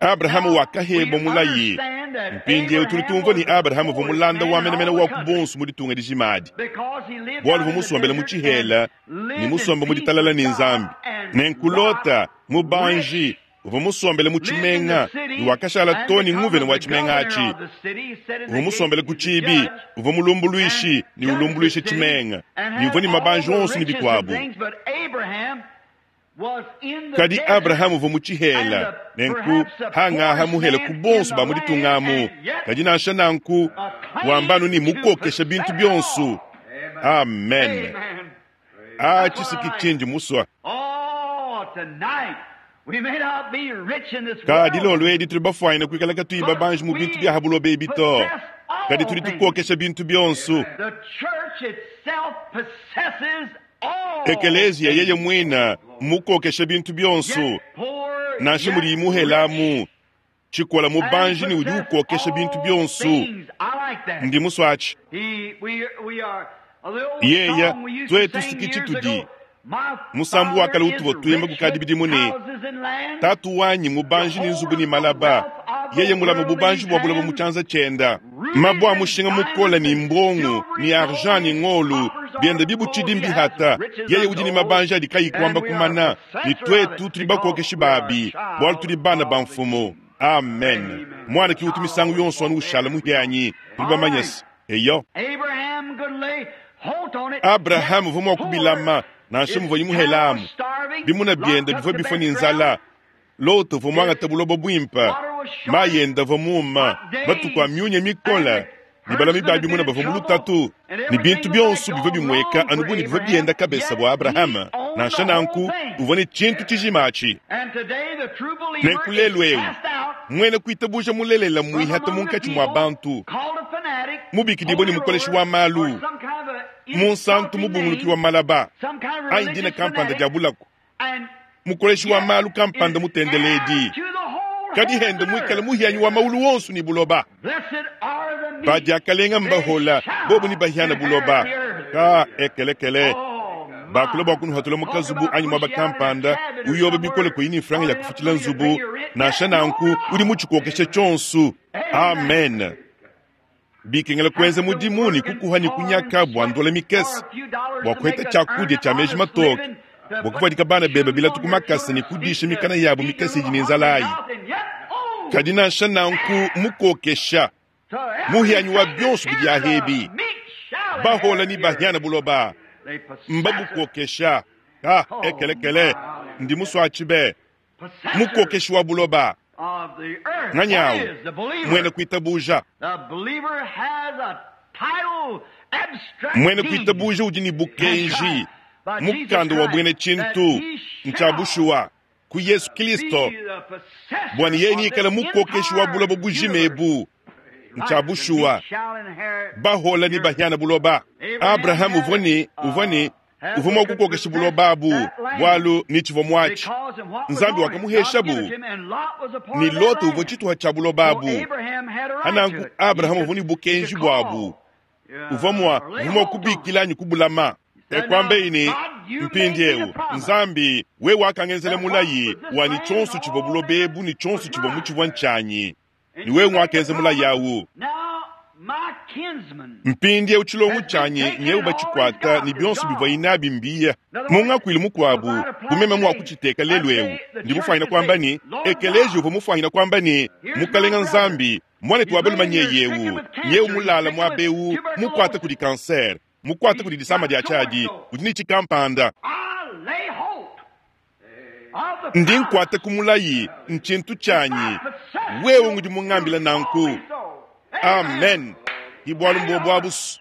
Abrahama wakahebua mulayi. Mpindieu tudi tumvua ne Abrahama uvua mulanda wa menemene wa ku bonso mu ditunga dijima adi, bualu uvua musombele mu tshihela ne musombe mu ditalala ne Nzambi. Nenku Lota, mubanji, uvua musombele mu tshimenga ne wakashala too ne nguvena wa tshimenga atshi. Uvua musombele ku tshiibi, uvua mulumbuluishi ne ulumbuluisha tshimenga, ne uvua ne mabanji onso ne bikuabu. Kadi Abrahama uvua mu tshihela, nenku hangaha muhele ku bonso ba mu ditunga amu. Kadi nansha nanku, wamba anu ne mukokesha bintu bionso. Amen. A tshisiki tshindi musua. Kadi lolo edi tudi bafuanyine kuikala katuyi babanji mu bintu bia ha buloba ebi to, kadi tudi tukokesha bintu bionso. Ekeleziya yeye muine mmukokesha bintu bionso, nansha mudiyi muhelamu tshikola mubanji ne udi ukokesha bintu bionso. Ndi musua atshi. Yeya tuetu siki tshitudi. Musambu wa kale utuvua tuimba kukadi bidimu ne, Tatu wanyi mubanji ne nzubu ne malaba, yeye mulama bubanji bua buloba mu tshianza tshienda. Mabue a mushinga mukole ne mbongo ne argent ne ngolo bienda bibutshidi mbihata. Yeye udi ne mabanji adi kayi kuamba kumana, ne tuetu tudi bakokeshi babi, bualu tudi bana ba mfumu. Amen. Muana ki utu misangu yonso anu ushala muhianyi, tudi bamanye se eyo. Abrahama uvua mua kubilama nansha muvuaye muhelamu. Bimuna biende bivua bifua ne nzala. Lota uvua muangate buloba buimpe, mayi ende avua muuma, matuku a miunya mikole, ne balami ba bimuna bavua mu lutatu, ne bintu bionso bivua bimueka anu bu ne bivua bienda kabesa bua Abrahama. Nansha nanku, uvua ne tshintu tshijima atshi. Nenku lelu eu, muena kuitabuja mulelela mmuihata munkatshi mua bantu, mubikidibue ne mukoleshi wa malu, munsantu mubunguluki wa malaba, anyi dina kampanda dia bulaku, mukoleshi wa malu kampanda mutendeledi, kadi hende muikale muhianyi wa maulu wonso ne buloba. Badiakalenga mbahola bobu ne bahiana buloba. Ka ekelekele bakula bua kunuhatula mu kazubu anyi muaba kampanda uyoba bikole kuyi ne mfranga ya kufutshila nzubu. Nansha nanku udi mutshikokeshe tshionso. Amen. Bikengela kuenza mudimu ne kukuha ne kunyaka bua ndola mikese, bua kuheta tshiakudia tshia meji matoke, bua kuvuadika bana bebe bilatu ku makasa ne kudisha mikana yabo mikese idi ne nzala ayi. Kadi nansha nanku mukokesha, muhianyi wa bionso bidi ahebi, bahola ne bahiana buloba, mbabukokesha. Ah, ekelekele, ndi musuatshi be, mukokeshi wa buloba. Nganyi awu? Muena kuitabuja. Muena kuitabuja udi ne bukenji, mukanda wa buena tshintu ntshia bushuwa ku Yesu Kristo, bua ne yeye neikale mukokeshi wa buloba bujima ebu. Ntshia bushuwa, bahola ne bahiana buloba. Abrahama uvua ne uvua ne uvua mua kukokesha buloba abu, bualu ne tshivua muatshi Nzambi wakamuheshabu, ne Lota uvua tshituha tshia buloba abu. Hananku Abrahama uvua ne bukenji buabu, uvua mua uvua mua kubikila anyi kubulama. E kuambeyi ne, mpindieu Nzambi, wewe wakangenzela mulayi wa ne tshionso tshivua buloba ebu ne tshionso tshivua mutshivua ntshianyi, ne wewe nguakenza mulayi awu. Mpindieu tshilongo tshianyi nyeu batshikuata ne bionso bivuaye nabi mbiya. Mu ngakuilu mukuabu, bu meme mua kutshiteka lelu eu, ndi mufuanyine kuamba ne, ekeleziya uvua mufuanyine kuamba ne, Mukalenga Nzambi, muanetu wa balume nyeye eu, nyeu mulala muaba eu, mukuata kudi kansere, mukuata kudi disama dia tshiadi, udi ne tshikampanda. Ndi nkuata ku mulayi, ntshintu tshianyi. Wewe ngudi mungambila nanku. Amen. Hi bualu mbuobu abusu.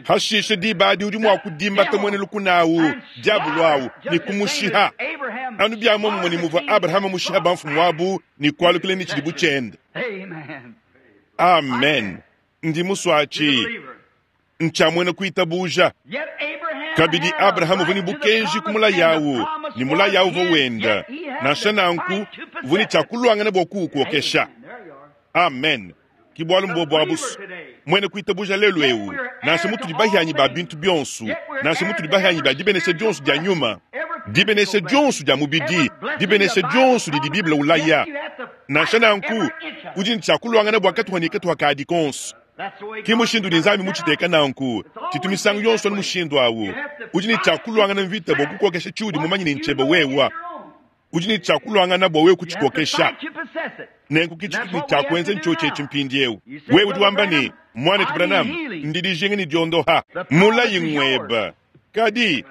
Hashishe diba adi udi mua kudimbata muena lukuna awu, diabolo awu, ne kumushiha. Anu bia muomumue ne muvua Abrahama mushiha bamfumu abu ne kualukila ne tshidibu tshiende. Amen. Ndi musue atshi. Ntshia muena kuitabuja. Kabidi Abrahama uvua ne bukenji ku mulayi awu, ne mulayi awu uvua wenda. Nansha nanku, uvua ne tshia kuluangana bua kuwukokesha. Amen. Ki bualu mbuobu abusu. Muena kuitabuja lelu eu, nansha mutudi bahianyi ba bintu bionso, nansha mutudi bahianyi ba dibenesha dionso dia nyuma, dibenesha dionso dia mubidi, dibenesha dionso didi Bible ulaya, nansha nanku, udi ne tshia kuluangana bua katuha ne katuha kadi konso. Ki mushindu udi Nzambi mutshiteka nanku. Tshitu misangu yonso anu mushindu awu. Udi ne tshia kuluangana mvita bua kukokesha tshiudi mumanye ne ntshiebe wewa. Udi ne tshia kuluangana bua wewe kutshikokesha. Nenku ki tshitudi ne tshia kuenza ntshiotshi etshi mpindiewu. Wewe udi wamba ne, Muanetu Branham, ndi dijinga ne diondoha. Mulayi ng'webe. Kadi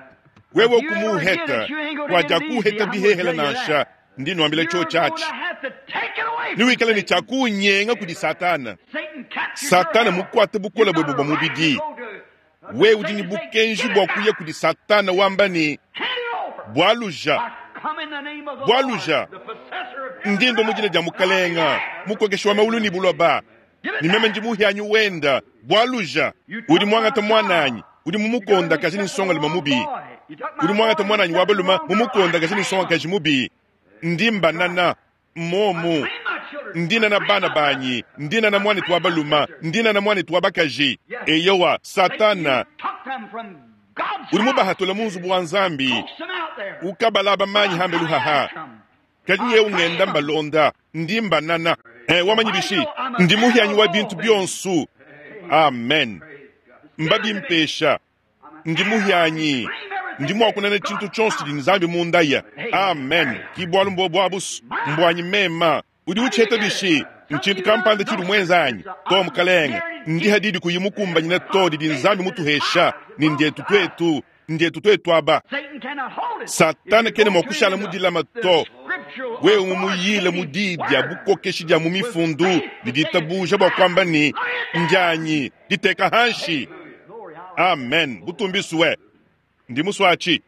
wewe kumuuheta, kuadiakuuheta bihehela nansha. Ndi nuambila tshiotshi atshi. Newikale ne tshia kuunyenga kudi Satana. Satana mukuate bukole buebe bua mubidi. Wewe udi ne bukenji bua kuya kudi Satana wamba ne, Bualuja, bualuja, ndi ndua mu dina dia Mukalenga, mukokeshi wa maulu ne buloba, ne meme ndi muhianyi wenda. Bualuja, udi muangata muananyi, udi mumukondakaje ne nsongalume mubi. Udi muangata muananyi wa balume mumukondakaje ne nsongakaji mubi. Ndi mbanana mmomu, ndi nana bana banyi, ndi nana muanetu wa balume, ndi nana muanetu wa bakaji. Eyowa, Satana udi mubahatula mu nzubu wa Nzambi, ukabalaba manyi hambelu haha. Kadi nyewu ngenda mbalonda, ndi mbanana. Wamanyi bishi? Ndi muhianyi wa bintu bionso. Amen. Mbabimpesha. Ndi muhianyi. Ndi mua kunana tshintu tshionso tshidi Nzambi mundaya. Amen. Ki bualu mbuobu abusu. Mbuanyi mema. Udi utshiheta bishi? Ntshintu kampanda tshidi muenza anyi? To, Mukalenge. Ndi hadidi kuyi mukumbanyina to didi Nzambi mutuhesha, ne ndietu tuetu. Ndietu tuetu aba. Satana kena mua kushala mu dilama to. Wewe mumuyile mu diyi dia bukokeshi dia mu mifundu ne ditabuja bua kuamba ne, Ndianyi, diteka hanshi. Amen. Butumbisue. Ndi musuatshi.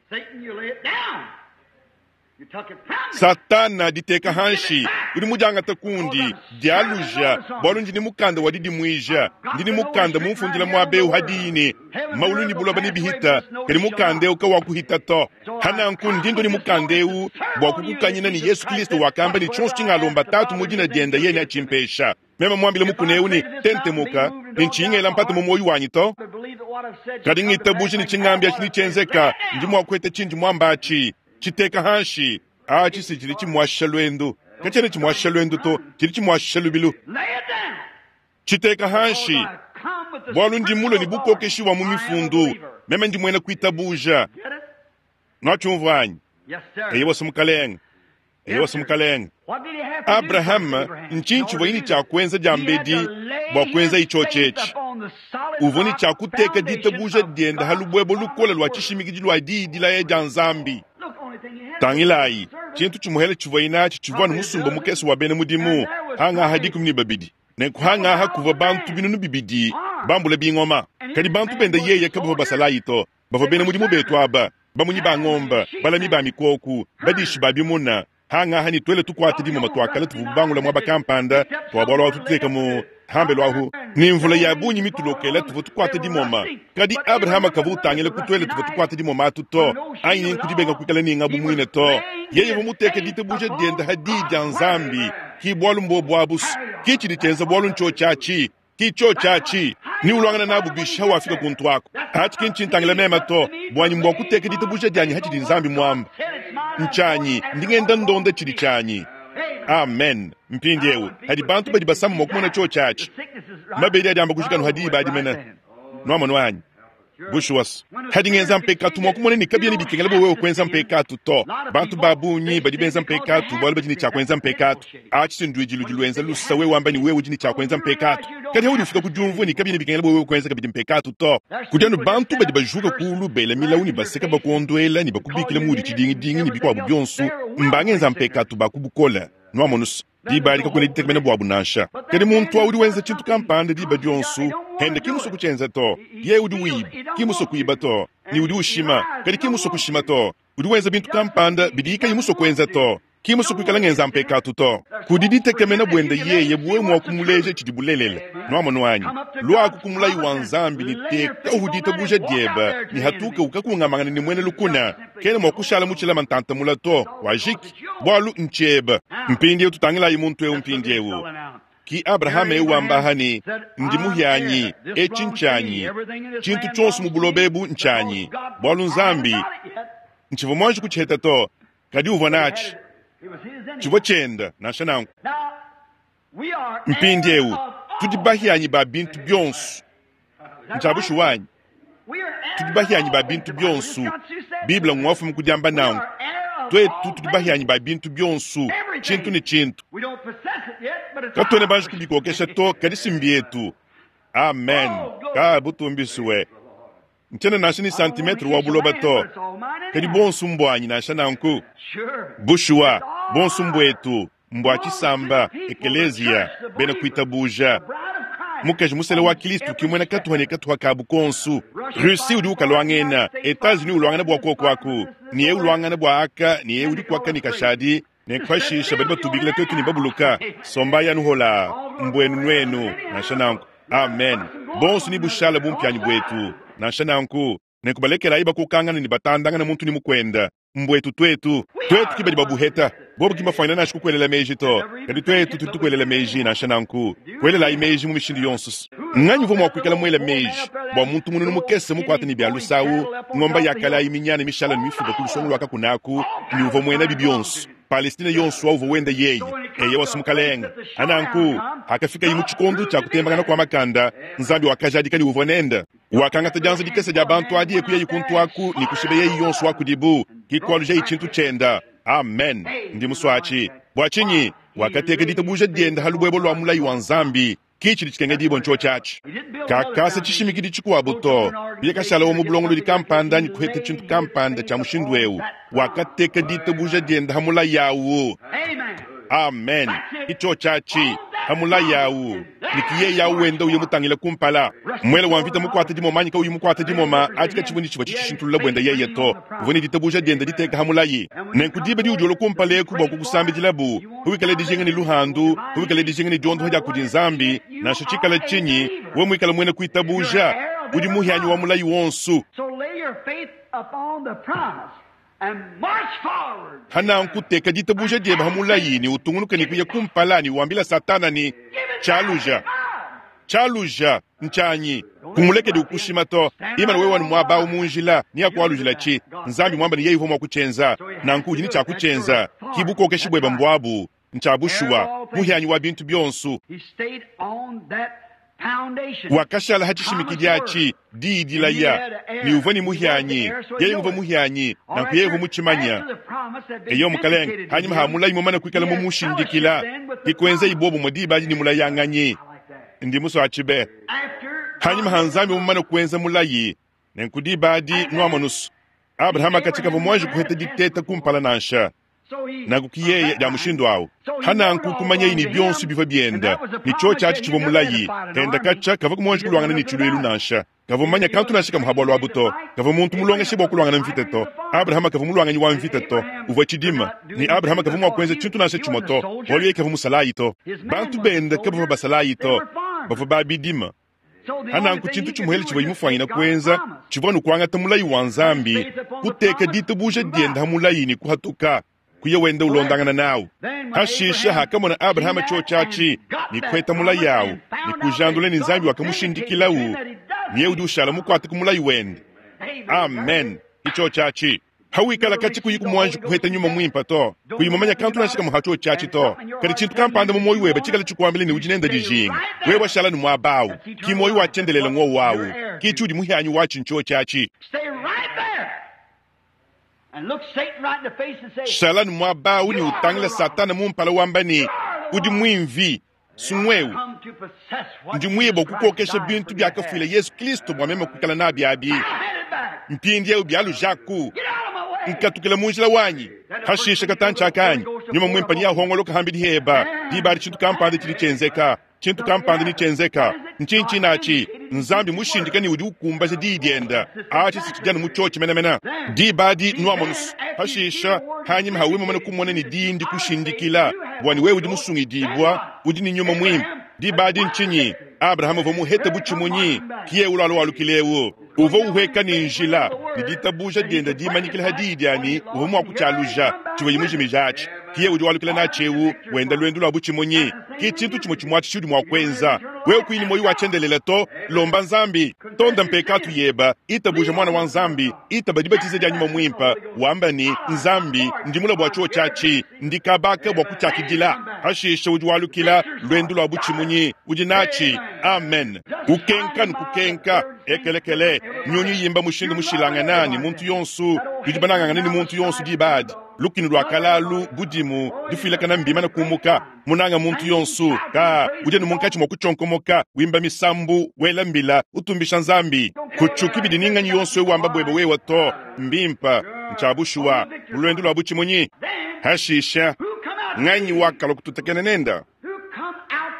Satana, diteka hanshi. Udi mudiangata kundi, dialuja, bualu ndi ne mukanda wa didimuija. Ndi ne mukanda mumfundila muaba eu hadiyi ne, maulu ne buloba nebihita, kadi mukanda eu kawakuhita to. Hananku ndi ndo ne mukanda eu bua kukukanyina ne Yesu Kristo wakamba ne tshionso tshingalomba Tatu mu dina diende yeye neatshimpesha. Meme muambile mukuna eu ne, Tentemuka, ne ntshiyi ngela mpata mu muoyo wanyi to. Kadi ngitabuja ne tshingambi atshi netshienzeka, ndi mua kuheta tshindi muamba atshi. Tshiteka hanshi atshi si tshidi tshimuashisha luendu. Katshiena tshimuashisha luendu to, tshidi tshimuashisha lubilu. Tshiteka hanshi, bualu ndi mulue ne bukokeshi bua mu mifundu. Meme ndi muena kuitabuja. Nuatshiumvua anyi? Eyowa, Mukalenge. Eyowa, Mukalenge. Abrahama, ntshinyi tshivuaye ne tshia kuenza diambedi bua kuenza itshiotshi etshi? Uvua ne tshia kuteka ditabuja diende ha lubuebo lukole lua tshishimikidi lua diyi dilaya dia Nzambi. Tangilayi, tshintu tshimuhele tshivuaye natshi tshivua anu musumba mukese wa bena mudimu, hangaha 12. Nenku hangaha kuvua bantu 2000 bambula bingoma. Kadi bantu bende yeye kabavua basalayi to, bavua bena mudimu betu aba, bamunyi ba ngombe, balami ba mikoku, badishi ba bimuna. Hangaha ne tuele tukuate dimoma tuakale tuvua bangula muaba kampanda tua bualu ahu tuteka mu hambelu ahu, ne mvula ya bungi mitulokela tuvua tukuate dimoma. Kadi Abrahama kavua utangila ku tuele tuvua tukuate dimoma atu to, anyi nkudibenga kuikala ne ngabu muine to. Yeye uvua muteke ditabuja diende ha diyi dia Nzambi. Ki bualu mbuobu abusu. Ki tshidi tshienza bualu ntshiotshi atshi. Ki tshiotshi atshi. Ni uluangana nabu bishi hawafika kuntu aku. Atshi ki ntshintangila mema to. Buanyi mbua kuteka ditabuja dianyi hatshidi Nzambi muamba. Ntshianyi, ndi ngenda ndonda tshidi tshianyi. Amen. Mpindiewu hadi bantu badi basama mua kumona tshiotshi atshi. Mabedi adi amba kujika hadi diba adi mene. Nuamonu anyi? Bushuwa, hadi ngenza mpekatu mua kumona ne kabiena bikengela bua wewe kuenza mpekatu to. Bantu ba bungi badi benza mpekatu bualu badi ne tshia kuenza mpekatu. Atshi si nduidi ludi luenza lusa wewe wamba ne wewe udi ne tshia kuenza mpekatu. Kadi haudi ufika ku diumvua ne kabiena bikengela bua wewe kuenza kabidi mpekatu to. Kudi anu bantu badi bajuka kulu bela milawu ne baseka bakuonduela ne bakubikila muudi tshidingidingi ne bikuabu bionso, mbangenza mpekatu ba ku bukole. Nuamonu? Diba adi kakuena ditekemena buabu nansha. Kadi muntu awu udi wenza tshintu kampanda diba dionso, hende ki musue kutshienza to. Yeye udi wiba, ki musue kuiba to. Ne udi ushima, kadi ki musue kushima to. Udi wenza bintu kampanda bidiye kayi musue kuenza to. Ki musue kuikala ngenza mpekatu to. Kudi ditekemena buende yeye bu wewe mua kumuleja tshidi bulelela. Nuamonu anyi? Luaku ku mulayi wa Nzambi ne tekahu ditabuja diebe ne hatuka ukakungamangana ne muena lukuna. Kena mua kushala mutshilama ntanta mula to. Wajiki. Bualu ntshiebe. Mpindieu tutangilayi muntu eu mpindieu. Ki Abrahama eu wamba aha ne, Ndi muhianyi, etshi ntshianyi, tshintu tshionso mu buloba ebu ntshianyi, bualu Nzambi, ntshivua muanji kutshiheta to, kadi uvua natshi. Tshivua tshienda, nansha nanku. Mpindieu tudi bahianyi ba bintu bionso. Ntshia bushuwa anyi? Tudi bahianyi ba bintu bionso. Bible ngwafuma ku diamba nanku. Tuetu tudi bahianyi ba bintu bionso, tshintu ne tshintu. Katuena banji kubikokesha to, kadi si mbietu. Amen. Ka butumbisue. Ntshiena nansha ne santimetre wa buloba to, kadi buonso mbuanyi nansha nanku. Bushuwa, buonso mbuetu, mbua tshisamba, ekeleziya, bena kuitabuja. Mukaji musela wa Kristo ki muena katuha ne katuha kabu konsu. Russie udi ukaluangena, Etats-Unis uluangana bua kuoku aku, ne eu uluangana bua aka, ne eu udi kuaka ne kashadi, ne pashishe badi batubikila tuetu ne babuluka. Sombayi anu holaa, mbuenu nuenu, nansha nanku. Amen. Bonso ne bushala bumpianyi buetu, nansha nanku. Nenku balekelayi bakokangana ne batandangana muntu ne mukuenda. Mbuetu tuetu. Tuetu ki badi babuheta. Bobu ki mbafuanyina nansha kukuelela meji to. Kadi tuetu tudi tukuelela meji, nansha nanku. Kuelelayi meji mu mishindu yonso. Nnganyi uvua mua kuikala muele meji bua muntu mununu mukese mukuate ne bia lusawu, ngomba ya kale ayi minyane mishale ne mifuba ku lusongo lua kakuna aku, ne uvua muenabi bionso, Palestine yonso wa uvua wenda yeye, eyowa, si mukalenge. A Nanku, hakafikaye mu tshikondo tshia kutembangana kua makanda, Nzambi wakajadika ne uvua nende. Wakangata dianza dikese dia bantu adi e kuyaye kuntu aku ne kushibeyaye yonso wa kudibu, ke kualujaye tshintu tshienda. Amen. Ndi musue atshi. Bua tshinyi? Wakateka ditabuja diende ha lubuebue lua mulayi wa Nzambi. Ki tshidi tshikengedibua ntshiotshi atshi. Kakasa tshishimikidi tshikuabu to. Kuya kashala wa mu bulongolodi kampanda anyi kuheta tshintu kampanda tshia mushindu eu. Wakateka ditabuja diende ha mulayi au. Amen. Ki tshiotshi atshi, ha mulayi au. Ne ki yeye au wenda uya mutangila kumpala. Muele wa mvita mukuate dimoma anyi kauyi mukuate dimoma, atshi katshivua ne tshivua tshitshishintulula buende yeye to. Uvua ne ditabuja diende diteka ha mulayi. Nenku diba diudi ulua kumpala eku bua kukusambidilabu, Huwikale dijinga ne luhandu, huwikale dijinga ne diondoha dia kudi Nzambi, nansha tshikala tshinyi, wewe muikale muena kuitabuja, udi muhianyi wa mulayi wonso. Hananku teka ditabuja diebe ha mulayi ne utungunuke ne kuya kumpala ne wambila Satana ne, Tshialuja, tshialuja, ntshianyi. Kumulekedi ukushima to. Imana wewe anu muaba au mu njila, neakualujilatshi. Nzambi muamba ne yeye uvua mua kutshienza, nanku udi ne tshia kutshienza. Ki bukokeshi buebe mbuabu. Ntshia bushuwa, muhianyi wa bintu bionso. Wakashala ha tshishimikidi atshi, diyi dilaya, ne uvua ne muhianyi. Yeye uvua muhianyi, nanku yeye uvua mutshimanya. Eyo, mukalenge, hanyima ha mulayi mumane kuikala mumushindikila, ke kuenzayi buobumue diba adi ne mulayanganyi. Ndi musue atshi be. Hanyima ha Nzambi mumane kuenza mulayi, nenku diba adi nuamonusu, Abrahama katshia kavua muanji kuheta diteta kumpala nansha. Nanku ki yeye dia mushindu au. Ha nanku kumanyayi ne bionso bivua bienda, ne tshiotshi atshi tshivua mulayi, enda katshia kavua muanji kuluangana ne tshiluilu nansha. Kavua mumanye kantu nansha kamue ha bualu abu to. Kavua muntu mulongeshe bua kuluangana mvita to. Abrahama kavua muluanganyi wa mvita to. Uvua tshidima. Ne Abrahama kavua mua kuenza tshintu nansha tshimue to, bualu yeye kavua musalayi to. Bantu bende kabavua basalayi to. Bavua ba bidima. Ha nanku tshintu tshimuele tshivuaye mufuanyine kuenza tshivua anu kuangata mulayi wa Nzambi, kuteka ditabuja diende ha mulayi ne kuhatuka, kuya wenda ulondangana nawu. Hashishe hakamona Abrahama tshiotshi atshi ne kuheta mulayi au ne kujandula ne Nzambi wakamushindikilawu, ne yeye udi ushala mukuate ku mulayi wende. Amen. Ke tshiotshi atshi. Hawikala katshi kuyi kumuanji kuheta nyuma muimpe to, kuyi mumanya kantu nansha kamue ha tshiotshi atshi to, kadi tshintu kampanda mu muoyo webe tshikale tshikuambila ne udi nende dijinga, wewe washala ne muaba au. Ki muoyo wa tshiendelele ngowu au, ki tshiudi muhianyi watshi ntshiotshi atshi. Shala ne muaba au ne utangila Satana mu mpala wamba ne, Udi muimvi, sungueu. Ndi muye bua kukokesha bintu biakafuila Yezu Kristo bua meme kuikala nabi abi. Mpindieu bialujaku. Nkatukila mu njila wanyi. Hashisha katantshi akanyi, Nyuma Mwimpe neahongoloka hambidi heba. Diba adi tshintu kampanda tshidi tshienzeka. Tshintu kampanda netshienzeka. Ntshinyi tshinatshi? Nzambi mushindika ne udi ukumbaja Diyi dienda. Atshi si tshidi anu mu tshiotshi menemene. Diba adi nuamonu's. Hashisha, hanyima ha wewe mumane kumona ne Diyi ndikushindikila, bua ne wewe udi musungidibua, udi ne Nyuma Muimpe. Diba adi ntshinyi? Abrahama uvua muhete butshimunyi, ki yewu lualu walukila ewu. Uvua uhueka ne njila, ne ditabuja dienda dimanyikila ha diyi dia ne uvua mua kutshialuja tshivuaye mujimija atshi. Ki yewu udi walukila natshi ewu, wenda luendu lua butshimunyi. Ki tshintu tshimue tshimue atshi tshiudi mua kuenza. Wewe kuyi ne muoyo wa tshiendelele to, lomba Nzambi, tonda mpekatu yeba, itabuja Muana wa Nzambi, itaba dibatiza dia Nyuma Muimpe, wamba ne, Nzambi, ndi mula bua tshiotshi atshi, ndi kabaka bua kutshiakidila. Pashishe udi walukila luendu lua butshimunyi, udi natshi. Amen. Kukenka ne kukenka, ekelekele, nyunyu yimba mushindu mushilangana ne muntu yonso, tudi banangangane ne muntu yonso diba adi. Lukinu lua kalalu, budimu, difuilakana mbimane kumuka. Munanga muntu yonso, ka udi anu munkatshi mua kutshionkomoka, wimba misambu, wela mbila, utumbisha Nzambi. Kutshuki bidi ni nganyi yonso eu wamba buebe wewe to. Mbimpe, ntshia bushuwa, mu luendu lua butshimunyi. Hashishe, nganyi wakalua kututakena nenda?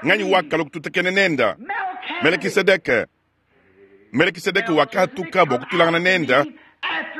Nganyi wakalua kututakena nenda? Melekisedeke. Melekisedeke wakahatuka bua kutuilangana nenda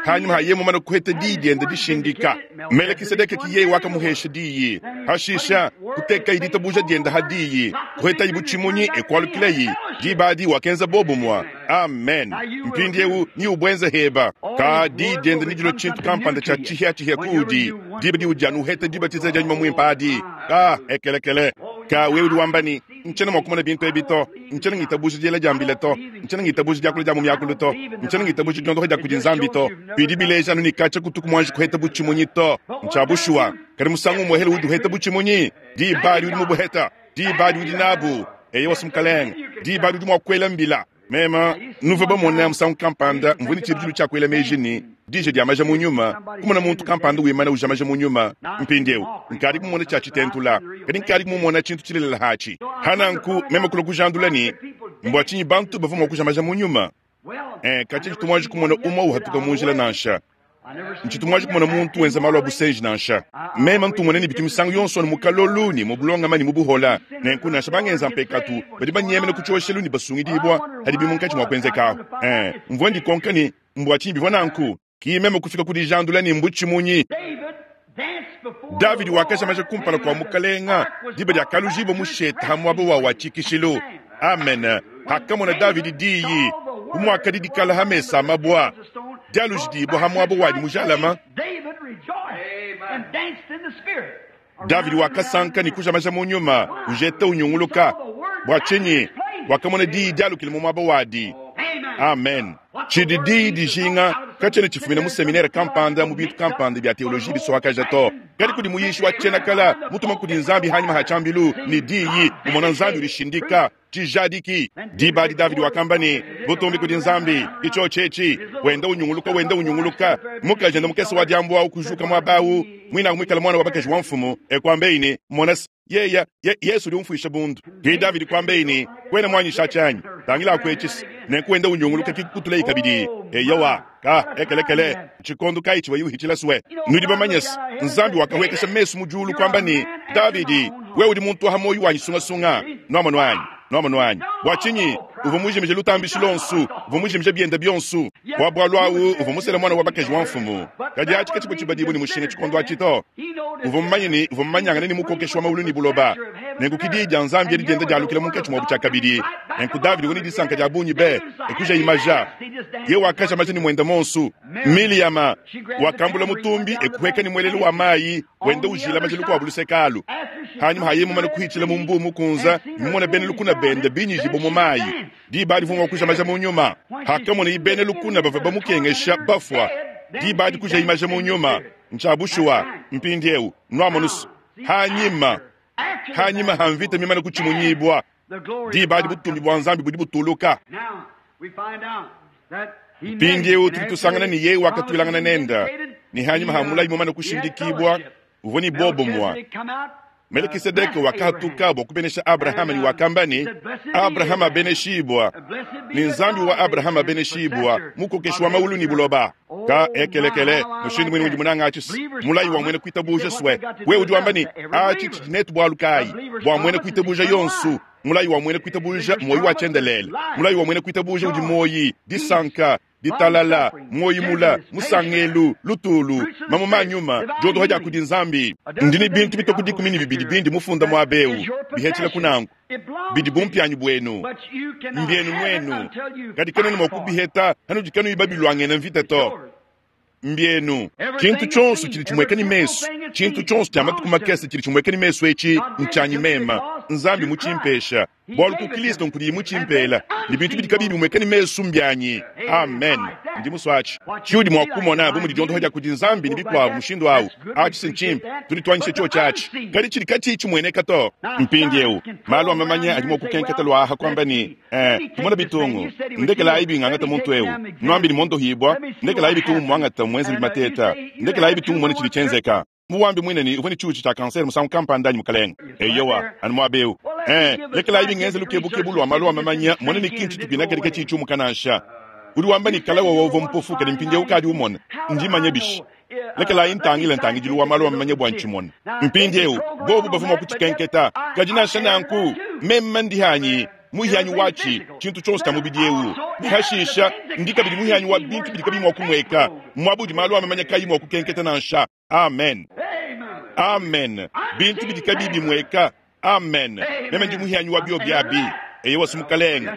hanyima ha yeye mumane kuheta diyi diende dishindika. Melekisedeke ki yeye wakamuhesha diyi. Hashisha kutekayi ditabuja diende ha diyi, kuhetayi butshimunyi e kualukilayi. Diba adi wakenza bobumua. Amen. Mpindiewu ni ubuenze heba. Ka diyi diende nedilue tshintu kampanda tshia tshihiatshihia kuudi diba diudi anu uheta dibatiza dia Nyuma Muimpe adi. Ka ekelekele. Ka wewe udi wamba ne, Ntshiena mua kumona bintu ebi to. Ntshiena ngitabuja diela dia mbila to. Ntshiena ngitabuja diakula dia mu miakulu to. Ntshiena ngitabuja diondoka dia kudi Nzambi to. Bidi bileja anu ne katshia kutuku muanji kuheta butshimunyi to. Ntshia bushuwa. Kadi musangu umuehele udi uheta butshimunyi, diba adi udi mubuheta. Diba adi udi nabu. Eyowa, Mukalenge. Diba adi udi mua kuela mbila. Mema, nuvua bamone musangu kampanda, mvua ne tshibidilu tshia kuela meji ne, dija dia maja mu nyuma, kumona muntu kampanda wimana uja maja mu nyuma. Mpindieu, nkadi kumumona tshia tshitentula, kadi nkadi kumumona tshintu tshilelela atshi. Pa nanku, meme kulua kujandula ne, mbua tshinyi bantu bavua mua kuja maja mu nyuma? Eh, katshia tshitu muanji kumona umue uhatuka mu njila nansha. Ntshitu muanji kumona muntu wenza malu a busenji nansha. Meme ntu mmona ne bitu misangu yonso anu mu kalolu ne mu bulongame ne mu buhola. Nenku nansha bangenza mpekatu, badi banyemena ku tshioshelu ne basungidibua padibi munkatshi mua kuenzekahu. Ee, mvua ndikonka ne, Mbua tshinyi bivua nanku? Ki meme kufika ku dijandula ne mbutshimunyi. Davidi wakajamaja kumpala kua mukalenga diba diakalujibua mushete ha muaba wa wa tshikishilu. Amen. Hakamona Davidi diyi bu muakadi dikala ha mesa a mabua dialujidibua ha muaba wadi mujalama, Davidi wakasanka ne kujamaja mu nyuma, ujeta unyunguluka. Bua tshinyi? Wakamona diyi dialukile mu muaba wadi. Amen. Tshidi diyi dijinga katshiena tshifumina mu seminere kampanda, mu bintu kampanda bia teoloji bisoakaja to, kadi kudi muyishi wa tshiena-kala mutuma kudi Nzambi hanyima ha tshiambilu ne diyi, umona Nzambi udishindika. Tshijadiki. Diba adi Davidi wakamba ne, Butumbi kudi Nzambi, ke tshiotshi etshi. Wenda unyunguluka, wenda unyunguluka. Mukajende mukese wa diambu au kujuka muaba au, muinaku muikale muana wa bakaji wa mfumu, e kuambeyi ne, Mona se, yeye, ye, Yesu udi umfuisha bundu. Ke Davidi kuambeyi ne, Kuena muanyisha atshi anyi? Tangilaku etshi se. Nenku wenda unyunguluka ke kukutulayi kabidi. Eyowa, ka, ekelekele, ntshikondo kayi tshivuaye uhitshila sue? Nudi bamanye se, Nzambi wakahuekesha mesu mu diulu kuamba ne, Davidi, wewe udi muntu wa muoyo wanyi sungasunga. Nuamonu anyi? Nuamonu anyi? Bua tshinyi? Uvua mujimije lutambishi luonso, uvua mujimije biende bionso. Bua bualu awu uvua musele muana wa bakaji wa mfumu. Kadi atshi katshivua tshibadibue ne mushinga tshikondo atshi to. Uvua mumanye ne, uvua mumanyangane ne Mukokeshi wa mawulu ne buloba. Nenku ki diyi dia Nzambi edi dienda dialukila munkatshi muabu tshiakabidi. Nenku Davidi uvua ne disanka dia bungi be, e kujayi maja. Yeye wakaja maja ne muende muonso. Miliyama wakambula mutumbi e kuhueka ne muelelu wa mayi wenda ujila maja lukuabu luseke alu. Hanyima ha yeye mumane kuhitshila mu mbuu mukunza ne mumone bena lukuna bende binyijibue mu mayi, diba adi uvua mua kuja maja mu nyuma. Hakamonaye bena lukuna bavua bamukengesha bafua, diba adi kujaye maja mu nyuma. Ntshia bushuwa. Mpindieu nuamonu's, hanyima, hanyima ha mvita mimane kutshimunyibua, diba adi butumbi bua Nzambi budi butuluka. Mpindieu tudi tusangana ne yeye wakatuilangana nende, ne hanyima ha mulayi mumane kushindikibua, uvua ne bobumue. Melekisedeke wakahatuka bua kubenesha Abrahama ne wakamba ne, Abrahama abeneshibua, ne Nzambi wa Abrahama abeneshibua, mukokeshi wa maulu ne buloba. Ka ekelekele, mushindu muine udi munanga atshi mulayi wa muena kuitabuja swe. Wewe udi wamba ne, atshi tshidi netu bualu kayi? Bua muena kuitabuja yonsu, mulayi wa muena kuitabuja muoyo wa tshiendelele. Mulayi wa muena kuitabuja udi muoyi, disanka, ditalala, muoyi mula, musangelu, lutulu, mamuma a nyuma, diodoha dia kudi Nzambi. Ndi ne bintu bitue ku 12 bindi mufunda muaba eu, bihetshila ku nanku, bidi bumpianyi buenu, mbienu nuenu, kadi kanuena mua kubiheta hanudi kanuyi babiluangena mvita to. Mbienu. Tshintu tshionso tshidi tshimueka ne mesu, tshintu tshionso tshia matuku makese tshidi tshimueka ne mesu etshi ntshianyi mema, Nzambi mutshimpesha, bualu ku Kristo nkudiye mutshimpela, ne bintu bidi kabiyi bimueka ne mesu mbianyi. Amen. Ndi musue atshi. Tshiudi mua kumona bu mudi diondoha dia kudi Nzambi ne bikuabu mushindu au, atshi si ntshimpe, tudi tuanyisha tshiotshi atshi, kadi tshidi katshiyi tshimueneka to. Mpindieu, malu a mamanya adi mua kukenketa luaha kuamba ne, Eh, tumona bitungu, ndekelayi bingangata muntu eu, nuambi ne mondohibua, ndekelayi bitungu muangata muenze bimateta, ndekelayi bitungu muone tshidi tshienzeka. Muwambi muine ne uvua ne tshiuchi tshia kansere musangu kampanda anyi mukalenge? Eyowa, anu muaba eu. Eh, lekelayi bingenze lukebukebu lua malu a mamanya muone ne kintu tshituina kadi katshiyi tshiumuka nansha. Udi wamba ne kale wewe uvua mpofu kadi mpindieu ukadi umona. Ndimanye bishi? Lekelayi ntangile ntangidilu wa malu a mamanya bua ntshimone. Mpindieu bobu bavua mua kutshikenketa, kadi nansha nanku meme ndihanyi muhianyi watshi tshintu tshionso tshia mubidi eu, ne hashisha ndi kabidi muhianyi wa bintu bidi kabiyi mua kumueka, muaba udi malu a mamanya kayi mua kukenketa nansha. Amen, amen. Bintu bidi kabiyi bimueka. Amen. Meme ndi muhianyi wa biobi abi. Eyowa, si mukalenge,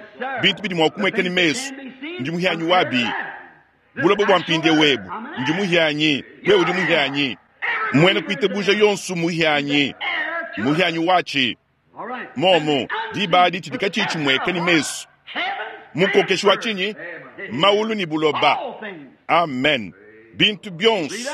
bintu bidi mua kumueka ne mesu, ndi muhianyi wabi. Buloba bua mpindieu ebu, ndi muhianyi, wewe udi muhianyi. Muena kuitabuja yonso muhianyi, muhianyi watshi. Momu diba adi tshidi katshiyi tshimueka ne mesu, mukokeshi wa tshinyi? Maulu ne buloba. Amen. Bintu bionso.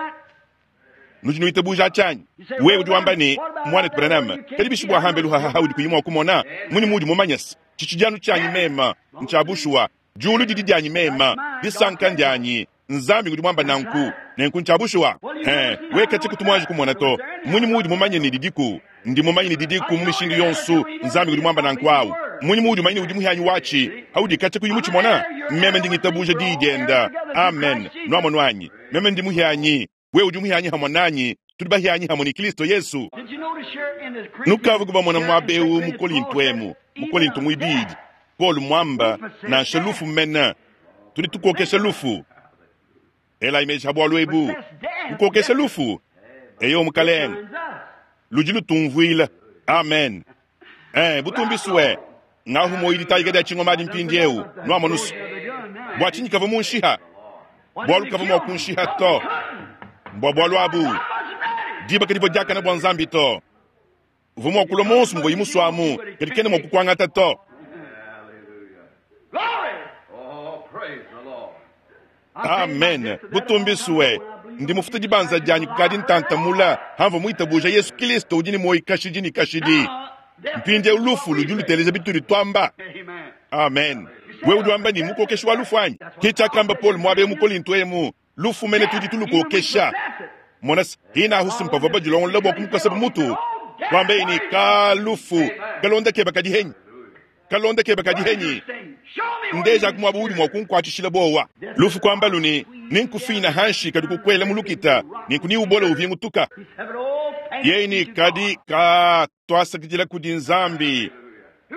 Nudi nuitabuja tshianyi? Wewe udi wamba ne, Muanetu Branham, kadi bishi bua hambelu hahaha udi kuyi mua kumona? Munyi muudi mumanye se tshitshidi anu tshianyi mema? Ntshia bushuwa. Diulu didi dianyi mema, disanka ndianyi. Nzambi ngudi muamba nanku, nenku ntshia bushuwa. Eh, we katshia kutu muanji kumona to. Munyi muudi mumanye ne didiku? Ndi mumanye ne didiku mu mishindu yonso. Nzambi ngudi muamba nanku awu. Munyi muudi mumanye ne udi muhianyi watshi, haudi katshia kuyi mutshimona? Meme ndi ngitabuja diyi dienda. Amen. Nuamonu anyi? Meme ndi muhianyi, wewe udi muhianyi hamue nanyi, tudi bahianyi hamue ne Kristo Yesu. Nukavua kubamona muaba eu mu Kolinto emu, mu Kolinto muibidi, Paulo muamba, nansha lufu mene, tudi tukokesha lufu. Elayi meji ha bualu ebu, kukokesha lufu. Eyo mukalenge, ludi lutumvuila. Amen. Eh, butumbi sue ngahu moyi ditayika dia tshingoma adi mpindieu nuamonusu. Bua tshinyi kavua munshiha? Bualu kavua mua kunshiha to. Mbua bualu abu diba kadivua diakana bua Nzambi to. Uvua mua kulua monsu muvua musuamu, kadi kena mua kukuangata to. Amen. Butumbi sue ndi mufuta dibanza dianyi kukadi ntantamula hamvua muitabuja Yesu Kristo udi ne muoyo kashidi ne kashidi. Mpindieu lufu ludi luteleja bitudi tuamba. Amen. Wewe udi wamba ne mukokeshi wa lufu anyi? Ke tshiakamba Paul muaba eu mu Kolinto emu, lufu mene tudi tulukokesha. Mona se, hina ahusu mpavua badilongolola bua kumukosa bu mutu. Kuamba ne ka lufu kalonda keba kadi henyi. Kalonda keba kadi henyi. Ndeja ku muaba udi mua kunkuatshishila bowa. Lufu kuamba luni, ninkufina hanshi kadi kukwela mu lukita, ninku ni ubola uvingutuka. Yeye ni kadi ka twasakidila kudi Nzambi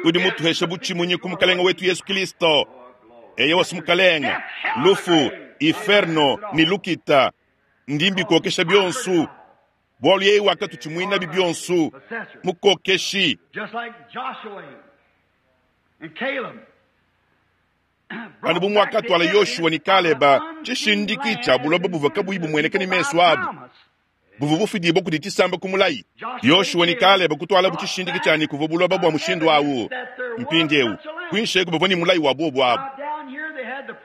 udi mutuhesha butshimunyi ku mukalenge wetu Yesu Kristo. Eye wasi mukalenge, lufu, inferno ni lukita ndi mbikokesha bionso, bualu yeye wakatutshimuina bi bionso, mukokeshi. Just like Joshua and Caleb. Anu bu muakatuala Yoshua ne Kaleba tshishindiki tshia buloba buvua kabuyi bumueneka ne mesu abu, buvua bufidibua kudi tshisamba ku mulayi. Yoshua ne Kaleba kutualabu tshishindiki tshia ne kuvua buloba bua mushindu awu. Mpindieu kuinshi eku bavua ne mulayi wa bobu abu.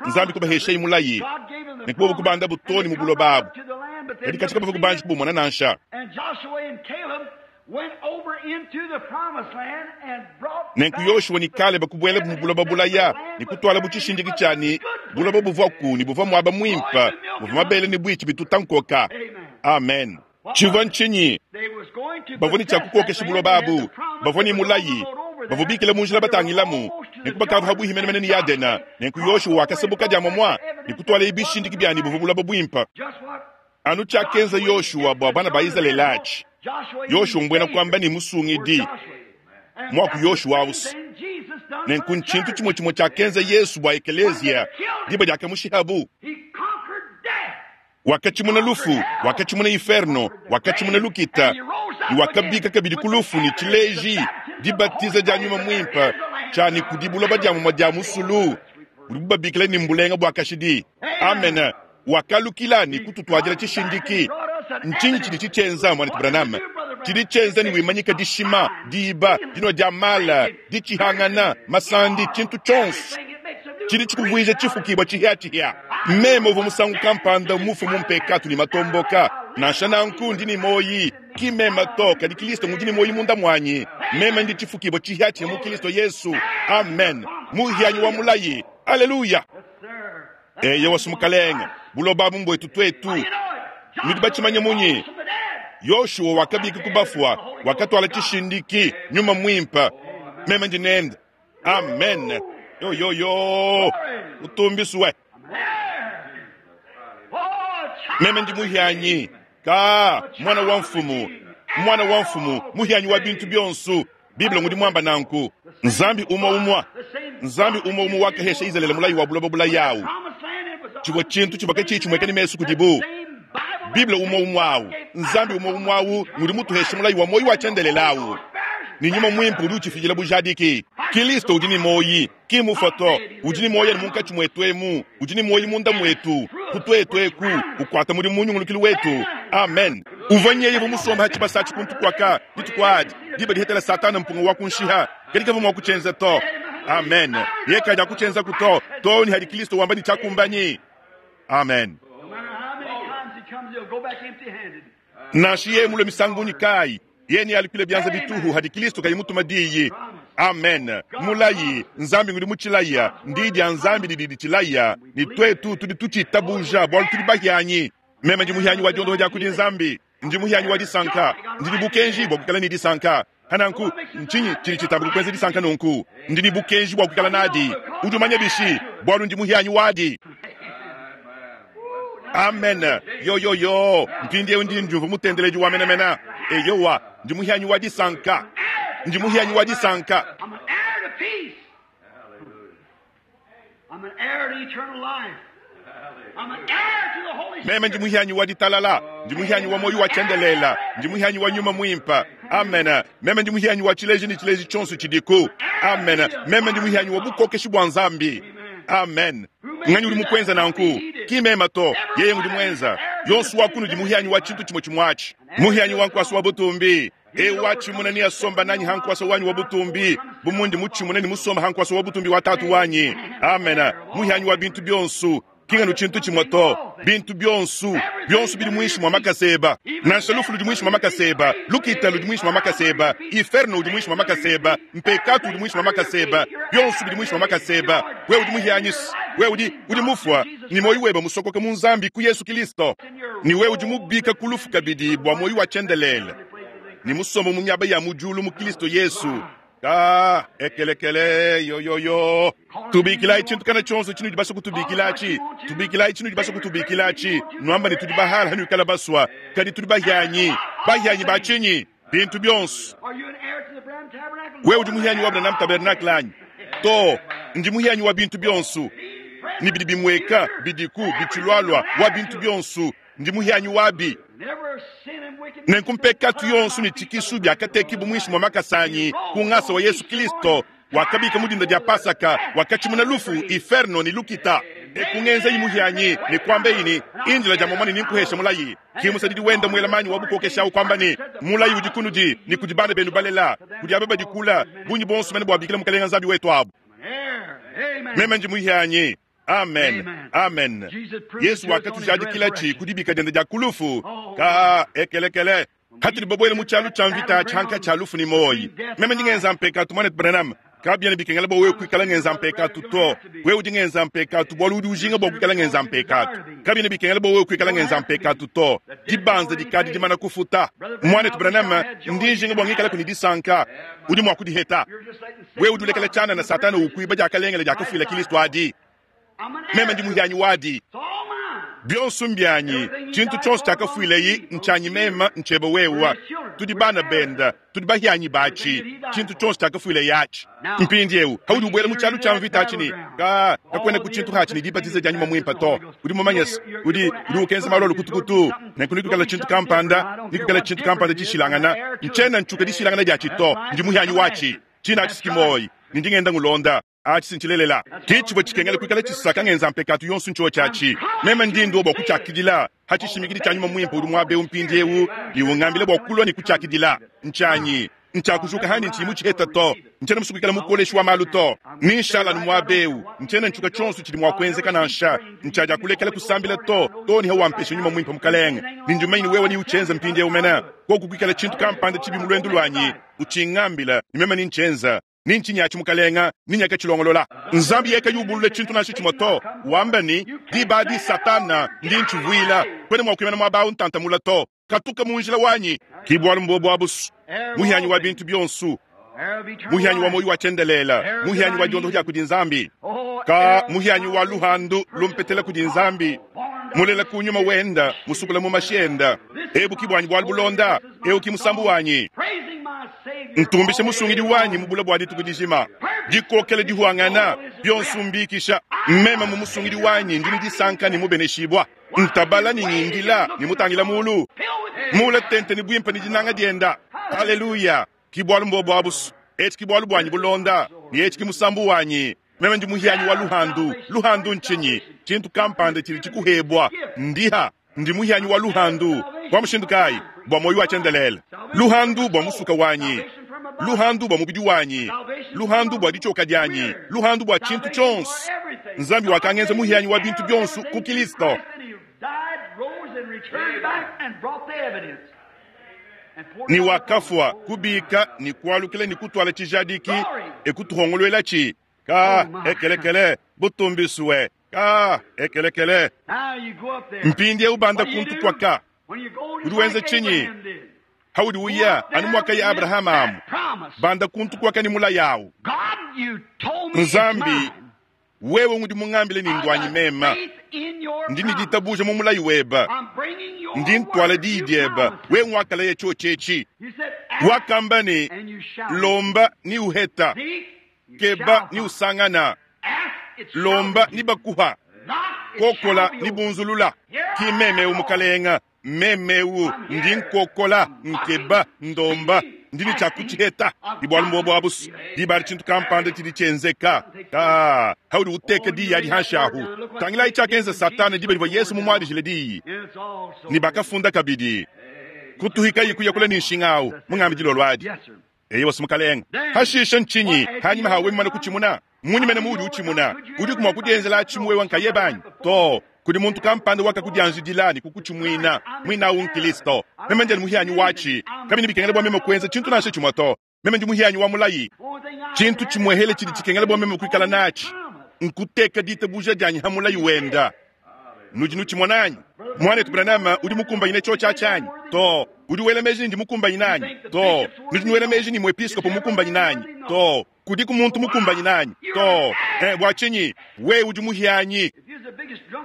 Nzambi kubaheshayi mulayi ne kubobu kubandabu too ne mu buloba abu, kadi katshia kabavua kubanji kubumona nansha. And Joshua and Caleb went over into the promised land and brought Nenku Yoshua ne Kaleba kubuelabu mu buloba bulaya ne kutualabu tshishindiki tshia ne buloba buvuaku ne buvua muaba muimpe, buvua mabele ne buitshi bituta nkoka. Amen. Tshivua ntshinyi? Bavua ne tshia kukokesha buloba abu, bavua ne mulayi, bavua bikale mu njila batangilamu, nenku bakavua pabuipi menemene ne Yadena. Nenku Yoshua wakasabuka dia muamua ne kutualaye bishindiki bia ne, buvua buloba buimpe. Anu tshiakenza Yoshua bua bana ba Izalele atshi. Yoshua mbuena kuamba ne, Musungidi, muaku Yoshua ausi. Nenku ntshintu tshimue tshimue tshiakenza Yesu bua ekeleziya diba diakamushihabu. Wakatshimuna lufu, wakatshimuna inferno, wakatshimuna lukita, ne wakabika kabidi ku lufu ne tshileji dibatiza dia Nyuma Muimpe tshia ne kudi buloba dia mumue dia musulu udibu babikila ne mbulenga bua kashidi. Amen. Wakalukila ne kututuadila tshishindiki. Ntshinyi tshidi tshitshienza, muanetu Branham? Tshidi tshienza ne wimanyika dishima, diiba, dinua dia mala, ditshihangana, masandi, tshintu tshionso. Tshidi tshikuvuija tshifukibua tshihiatshihia. Meme uvua musangu kampanda mufue mu mpekatu ne matomboka, nansha nanku ndi ne muoyi, ki meme to, kadi Kilisto ngudi ne muoyi munda muanyi. Meme ndi tshifukibua tshihiatshihia mu Kilisto Yesu. Amen. Muhianyi wa mulayi. Aleluya. Eyowa, Mukalenge, buloba abu mbuetu tuetu. Nudi batshimanye munyi? Yoshua wakabika ku bafua, wakatuala tshishindiki, Nyuma Muimpe. Meme ndi nende. Amen. Yo yo yo. Utumbiswe. Meme ndi muhianyi ka mwana wa mfumu, mwana wa mfumu, muhianyi wa bintu bionso. Bible ngudi muamba nanku. Nzambi umue umue, Nzambi umue umue wakahesha Izalele mulayi wa buloba bulayawu. Tshivua tshintu tshivua katshiyi tshimueka ne mesu kudibu. Bible umue umue awu, Nzambi umue umue awu ngudi mutuhesha mulayi wa muoyo wa tshiendelele awu. Ne Nyuma Muimpe udi utshifidila bujadiki. Kilisto udi ne muoyi, ki mufue to, udi ne muoyo anu munkatshi muetu emu, udi ne muoyi munda muetu, ku tuetu eku, ukuata mudimu mu nyungulukilu wetu. Amen. Uvua nyeye bu musombe ha tshibasa atshi kuntu kuaka dituku adi, diba dihetela Satana mpunga wa kunshiha, kadi kavua mua kutshienza to. Amen. Yeye kadi akutshienzaku to, too ne hadi Kilisto wamba ne tshiakumbanyi. Amen. No matter how many times he comes, he'll go back empty-handed. Nansha yeye mulue misangu bungi kayi, yeye nealukile bianza bituhu hadi Kilisto kayi mutuma diyi. Amen. Mulayi, Nzambi ngudi mutshilaya, ndi dia Nzambi didi ditshilaya, ne tuetu tudi tutshitabuja bualu tudi bahianyi. Meme ndi muhianyi wa diondoha dia kudi Nzambi, ndi muhianyi wa disanka, ndi ne bukenji bua kuikala ne disanka. Hananku, ntshinyi tshidi tshitamba kukuenza disanka nunku? Ndi ne bukenji bua kuikala nadi. Udi umanya bishi? Bualu ndi muhianyi wadi. Amen. Yo yo yo, mpindieu ndi ndiumvua mutendeledi wa menemene. Eyowa, ndi muhianyi wa disanka, ndi muhianyi wa disanka. I'm an heir to peace. I'm an heir to eternal life. I'm an heir to the Holy Meme ndi Spirit. muhianyi wa ditalala, ndi muhianyi wa muoyo wa tshiendelela, ndi muhianyi wa nyuma muimpe. Amen. Meme ndi muhianyi wa tshileji ne tshileji tshionso tshidiku. Amen. Meme ndi muhianyi wa bukokeshi bua Nzambi. Amen. Nganyi udi mukuenza nanku? Ki meme to, yeye ngudi muenza. Yonso wa kunudi muhianyi wa tshintu tshimue tshimue atshi. Muhianyi wa nkuasa wa butumbi. Ewu watshimuna ne asomba nanyi ha nkuasa wanyi wa butumbi, bu mundi mutshimune ne musomba ha nkuasa wa butumbi wa tatu wanyi. Amen. Muhianyi wa bintu bionso. Kinganu tshintu tshimue to, bintu bionso, bionso bidi muinshi mua makaseba. Nansha lufu ludi muinshi mua makaseba, lukita ludi muinshi mua makaseba, inferno udi muinshi mua makaseba, mpekatu udi muinshi mua makaseba, bionso bidi muinshi mua makaseba. Wewe udi muhianyisi, wewe udi udi mufua, ne muoyo webe musokoka mu Nzambi ku Yesu Kilisto, ne wewe udi mubika ku lufu kabidi bua muoyo wa tshiendelele, ne musomba mu miaba ya mu diulu mu Kilisto Yesu. Ka ekelekele yo yo yo. Tubikilayi tshintu kana tshionso tshinudi basue kutubikilatshi, tubikilayi tshinudi basue kutubikilatshi. Nuamba ne tudi bahala hanuikala basua, kadi tudi bahianyi. Bahianyi ba tshinyi? Bintu bionso. Are you an heir to the Branham Tabernacle? Wewe udi muhianyi wa Branham Tabernacle anyi? To, ndi muhianyi wa bintu bionso. Ne bidi bimueka, bidiku, bitshilualua, wa bintu bionso. Ndi muhianyi wabi. Never sin and wickedness. Nenku mpekatu yonso ne tshikisu biakatekibu muinshi mua makasanyi ku ngasa wa Yesu Kilisto, wakabika mu dinda dia Pasaka, wakatshimuna lufu, inferno ne lukita. Ekungenzeyi muhianyi ne kuambeyi ne indila dia momane ninkuhesha mulayi. Ki musadidi wenda muela manyi wa bukokesha awu kuamba ne mulayi udi kunudi ne kudi bana benu balela, kudi aba badi kula, bungi bonso mene bua bikila Mukalenga Nzambi wetu abu. I'm an heir. Amen. Meme ndi muhianyi. Amen. Amen. Yesu wakatujadikilatshi ku dibika diende dia kulufu ka ekelekele. Hatudi babuele mu tshialu tshia mvita tshianka tshia lufu ne moyi. Meme ndi ngenza mpekatu muanetu Branham. Kabiena bikengela bua wewe kuikala ngenza mpekatu to. Wewe udi ngenza mpekatu bualu udi ujinga bua kuikala ngenza mpekatu. Kabiena bikengela bua wewe kuikala ngenza mpekatu to. Dibanza dikadi dimana kufuta. Muanetu Branham, ndi njinga bua ngikalaku ne disanka. Udi mua kudiheta. Wewe udi ulekela tshianana Satana ukuiba diakalengele diakafuila Kilisto adi. Meme ndi muhianyi wadi. Bionso mbianyi, tshintu tshionso tshiakafuileyi ntshianyi meme, ntshiebe wewe. Tudi bana bende, tudi bahianyi batshi, tshintu tshionso tshiakafuileyi atshi. Mpindieu haudi ubuela mu tshialu tshia mvita atshi ne ka kakuena ku tshintu hatshi ne dibatiza dia nyuma muimpe to. Udi mumanye se, udi udi ukenza malu a lukutukutu, nenku nikuikala tshintu kampanda, nikuikala tshintu kampanda tshishilangana. Ntshiena ntshuka dishilangana diatshi to, ndi muhianyi watshi. Tshina atshi si muoyi, ne ndi ngenda ngulonda. Atshi si ntshilelela. Ke tshivua tshikengela kuikala tshisaka ngenza mpekatu yonso ntshiotshi atshi. Meme ndi ndua bua kutshiakidila ha tshishimikidi tshia nyuma muimpe udi muaba eu mpindieu ne ungambila bua kulua ne kutshiakidila. Ntshianyi. Ntshiakujuka handi ntshiyi mutshiheta to. Ntshiena musue kuikala mukoleshi wa malu to. Ne nshala anu muaba eu. Ntshiena ntshuka tshionso tshidi mua kuenzeka nansha. Ntshiadiakulekela kusambila to, too ne hawampesha nyuma muimpe Mukalenge. Ne ndi mumanye ne wewe neutshienze mpindieu mene. Koku kuikala tshintu kampanda tshibi mu luendu luanyi, utshingambila, ne meme nentshienze. Ni ntshinyi atshi, Mukalenga? Ni nyakatshilongolola. Nzambi yeye kayi ubulula tshintu nansha tshimue to, wamba ne, Diba adi, Satana, ndi ntshivuila. Kuena mua kuimana muaba awu ntanta mula to. Katuka mu njila wanyi. Ki bualu mbuobu abusu, muhianyi wa bintu bionsu, muhianyi wa muoyo wa tshiendelele, muhianyi wa diondoho dia kudi Nzambi, ka muhianyi wa luhandu lumpetela kudi Nzambi, mulela ku nyuma wenda, musukula mu mashi enda. Ebu ki buanyi bualu bulonda, eu ki musambu wanyi. Ntumbishe musungidi wanyi mu bula bua dituku dijima. Dikokela dihuangana, bionso mbikisha. Meme mu musungidi wanyi ndi ne disanka ne mubeneshibua. Ntabala ne ngindila ne mutangila mulu. Mula tente ne buimpe ne dinanga dienda. Haleluya! Ki bualu mbobu abusu. Etshi ki bualu buanyi bulonda, ne etshi ki musambu wanyi. Meme ndi muhianyi wa luhandu. Luhandu ntshinyi? Tshintu kampanda tshidi tshikuhebua. Ndiha. Ndi muhianyi wa luhandu. Bua mushindu kayi? Bua muoyo wa tshiendelele. Luhandu bua musuka wanyi, luhandu bua mubidi wanyi, luhandu bua ditshioka dianyi, luhandu bua tshintu tshionso. Nzambi wakangenza muhianyi wa bintu bionso ku Kilisto. Ne wakafua, kubika ne kualukila ne kutuala tshijadiki e kutuhongoluelatshi. Ka ekelekele butumbisue. Ka ekelekele. Mpindieu banda kuntu kuaka. Udi wenza tshinyi haudi uya anu muakaya Abrahama amu? Banda kuntu kuaka ne mulayi awu. Nzambi, wewe ngudi mungambile ne nduanyi meme. Ndi ne ditabuja mu mulayi webe. Ndi ntuala diyi diebe. Wewe nguakalaya tshiotshi etshi. Wakamba ne, Lomba ne uheta, keba ne usangana, lomba ne bakuha, kokola ne bunzulula. Ki meme eu Mukalenga, meme eu ndi nkokola, nkeba, ndomba, ndi ne tshia kutshiheta. Di bualu mbuobu abusu, diba adi tshintu kampanda tshidi tshienzeka. Ka haudi uteka diyi adi hanshi ahu. Tangilayi tshiakenza Satana diba divua Yesu mumuadijile diyi. Ne bakafunda kabidi, Kutuhikayi kuyakula ne nshinga awu, mungambi dilolo adi. Eyowa, Mukalenge. Hashishe ntshinyi hanyima ha wewe mumane kutshimuna? Mmunyi mene muudi utshimuna? Udiku mua kudienzela atshi wewe nkayebe anyi? Too, kudi muntu kampanda wakakudianjidila ne kukutshimuina. Muine au n'Kristo. Meme ndi muhianyi watshi. Kabiena bikengela bua meme kuenza tshintu nansha tshimue to. Meme ndi muhianyi wa mulayi. Tshintu tshimuehele tshidi tshikengela bua meme kuikala natshi nkuteka ditabuja dianyi ha mulayi wenda. Nudi nutshimona anyi? Muanetu Branham, udi mukumbanyine tshiotshi atshi anyi? Too. Udi wela meji ne ndi mukumbanyine anyi? Too. Nudi nuela meji ne muepiskopo mmukumbanyine anyi? Too. Kudiku muntu mukumbanyine anyi? Too. Eh, bua tshinyi? Wewe udi muhianyi.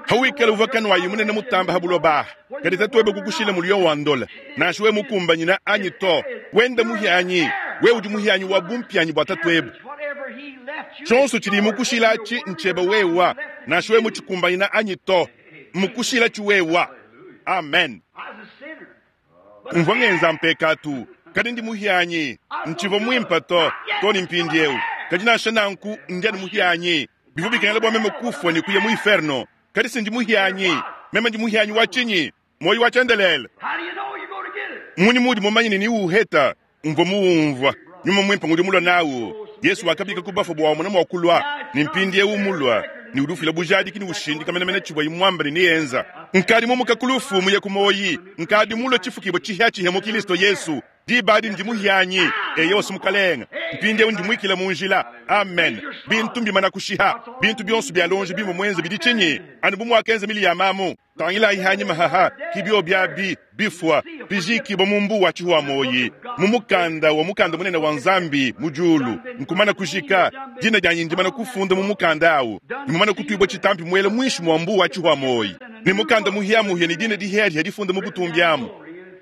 Hawikala uvua kanuayi munene mutamba ha buloba aha, kadi tatuebe kukushila muliyo wa ndola, nansha wewe mukumbanyine anyi to. Wenda muhianyi. Wewe udi muhianyi wa bumpianyi bua tatuebe. Tshionso tshidi mukushila atshi ntshiebe wewa, nansha wewe mutshikumbanyina anyi to. Mmukushila tshi wewa. Amen. Mvua ngenza mpekatu, kadi ndi muhianyi. Ntshivua muimpe to, to ne mpindieu. Kadi nansha nanku, ndi anu muhianyi. Bivua bikengela bua meme kufua ne kuya mu inferno, kadi si ndi muhianyi. Meme ndi muhianyi wa tshinyi? Muoyo wa tshiendelele. Mmunyi muudi mumanye ne niwuheta? Mvua muwumvua. Nyuma Muimpe ngudi mulua nawu. Yesu wakabika ku bafue bua wamona mua kulua, ne mpindieu mulua. Ne udi ufila bujadiki ne ushindika menemene tshivuaye muambe ne neenza. Nkadi mumuka ku lufu muye ku muoyi. Nkadi mulue tshifukibua tshipiatshipia mu Kilisto Yesu. Diba adi ndi muhianyi, eyowa Mukalenge. Mpindieu ndi muikile mu njila. Amen. Bintu mbimana kushiha. Bintu bionso bia lonji bimvua muenze bidi tshinyi? Anu bu muakenza Miliyama amu. Tangilayi hanyima haha, ki biobi abi bifua, bijikibua mu mbuwa tshihua muoyi, mu mukanda wa mukanda munene wa Nzambi mu diulu. Nkumana kujika, dina dianyi ndimana kufunda mu mukanda awu, ne mumana kutuibua tshitampi muela muinshi mua mbuwa tshihua muoyi, ne mukanda muhiamuhia ne dina dihiadihia difunda mu butumbi amu.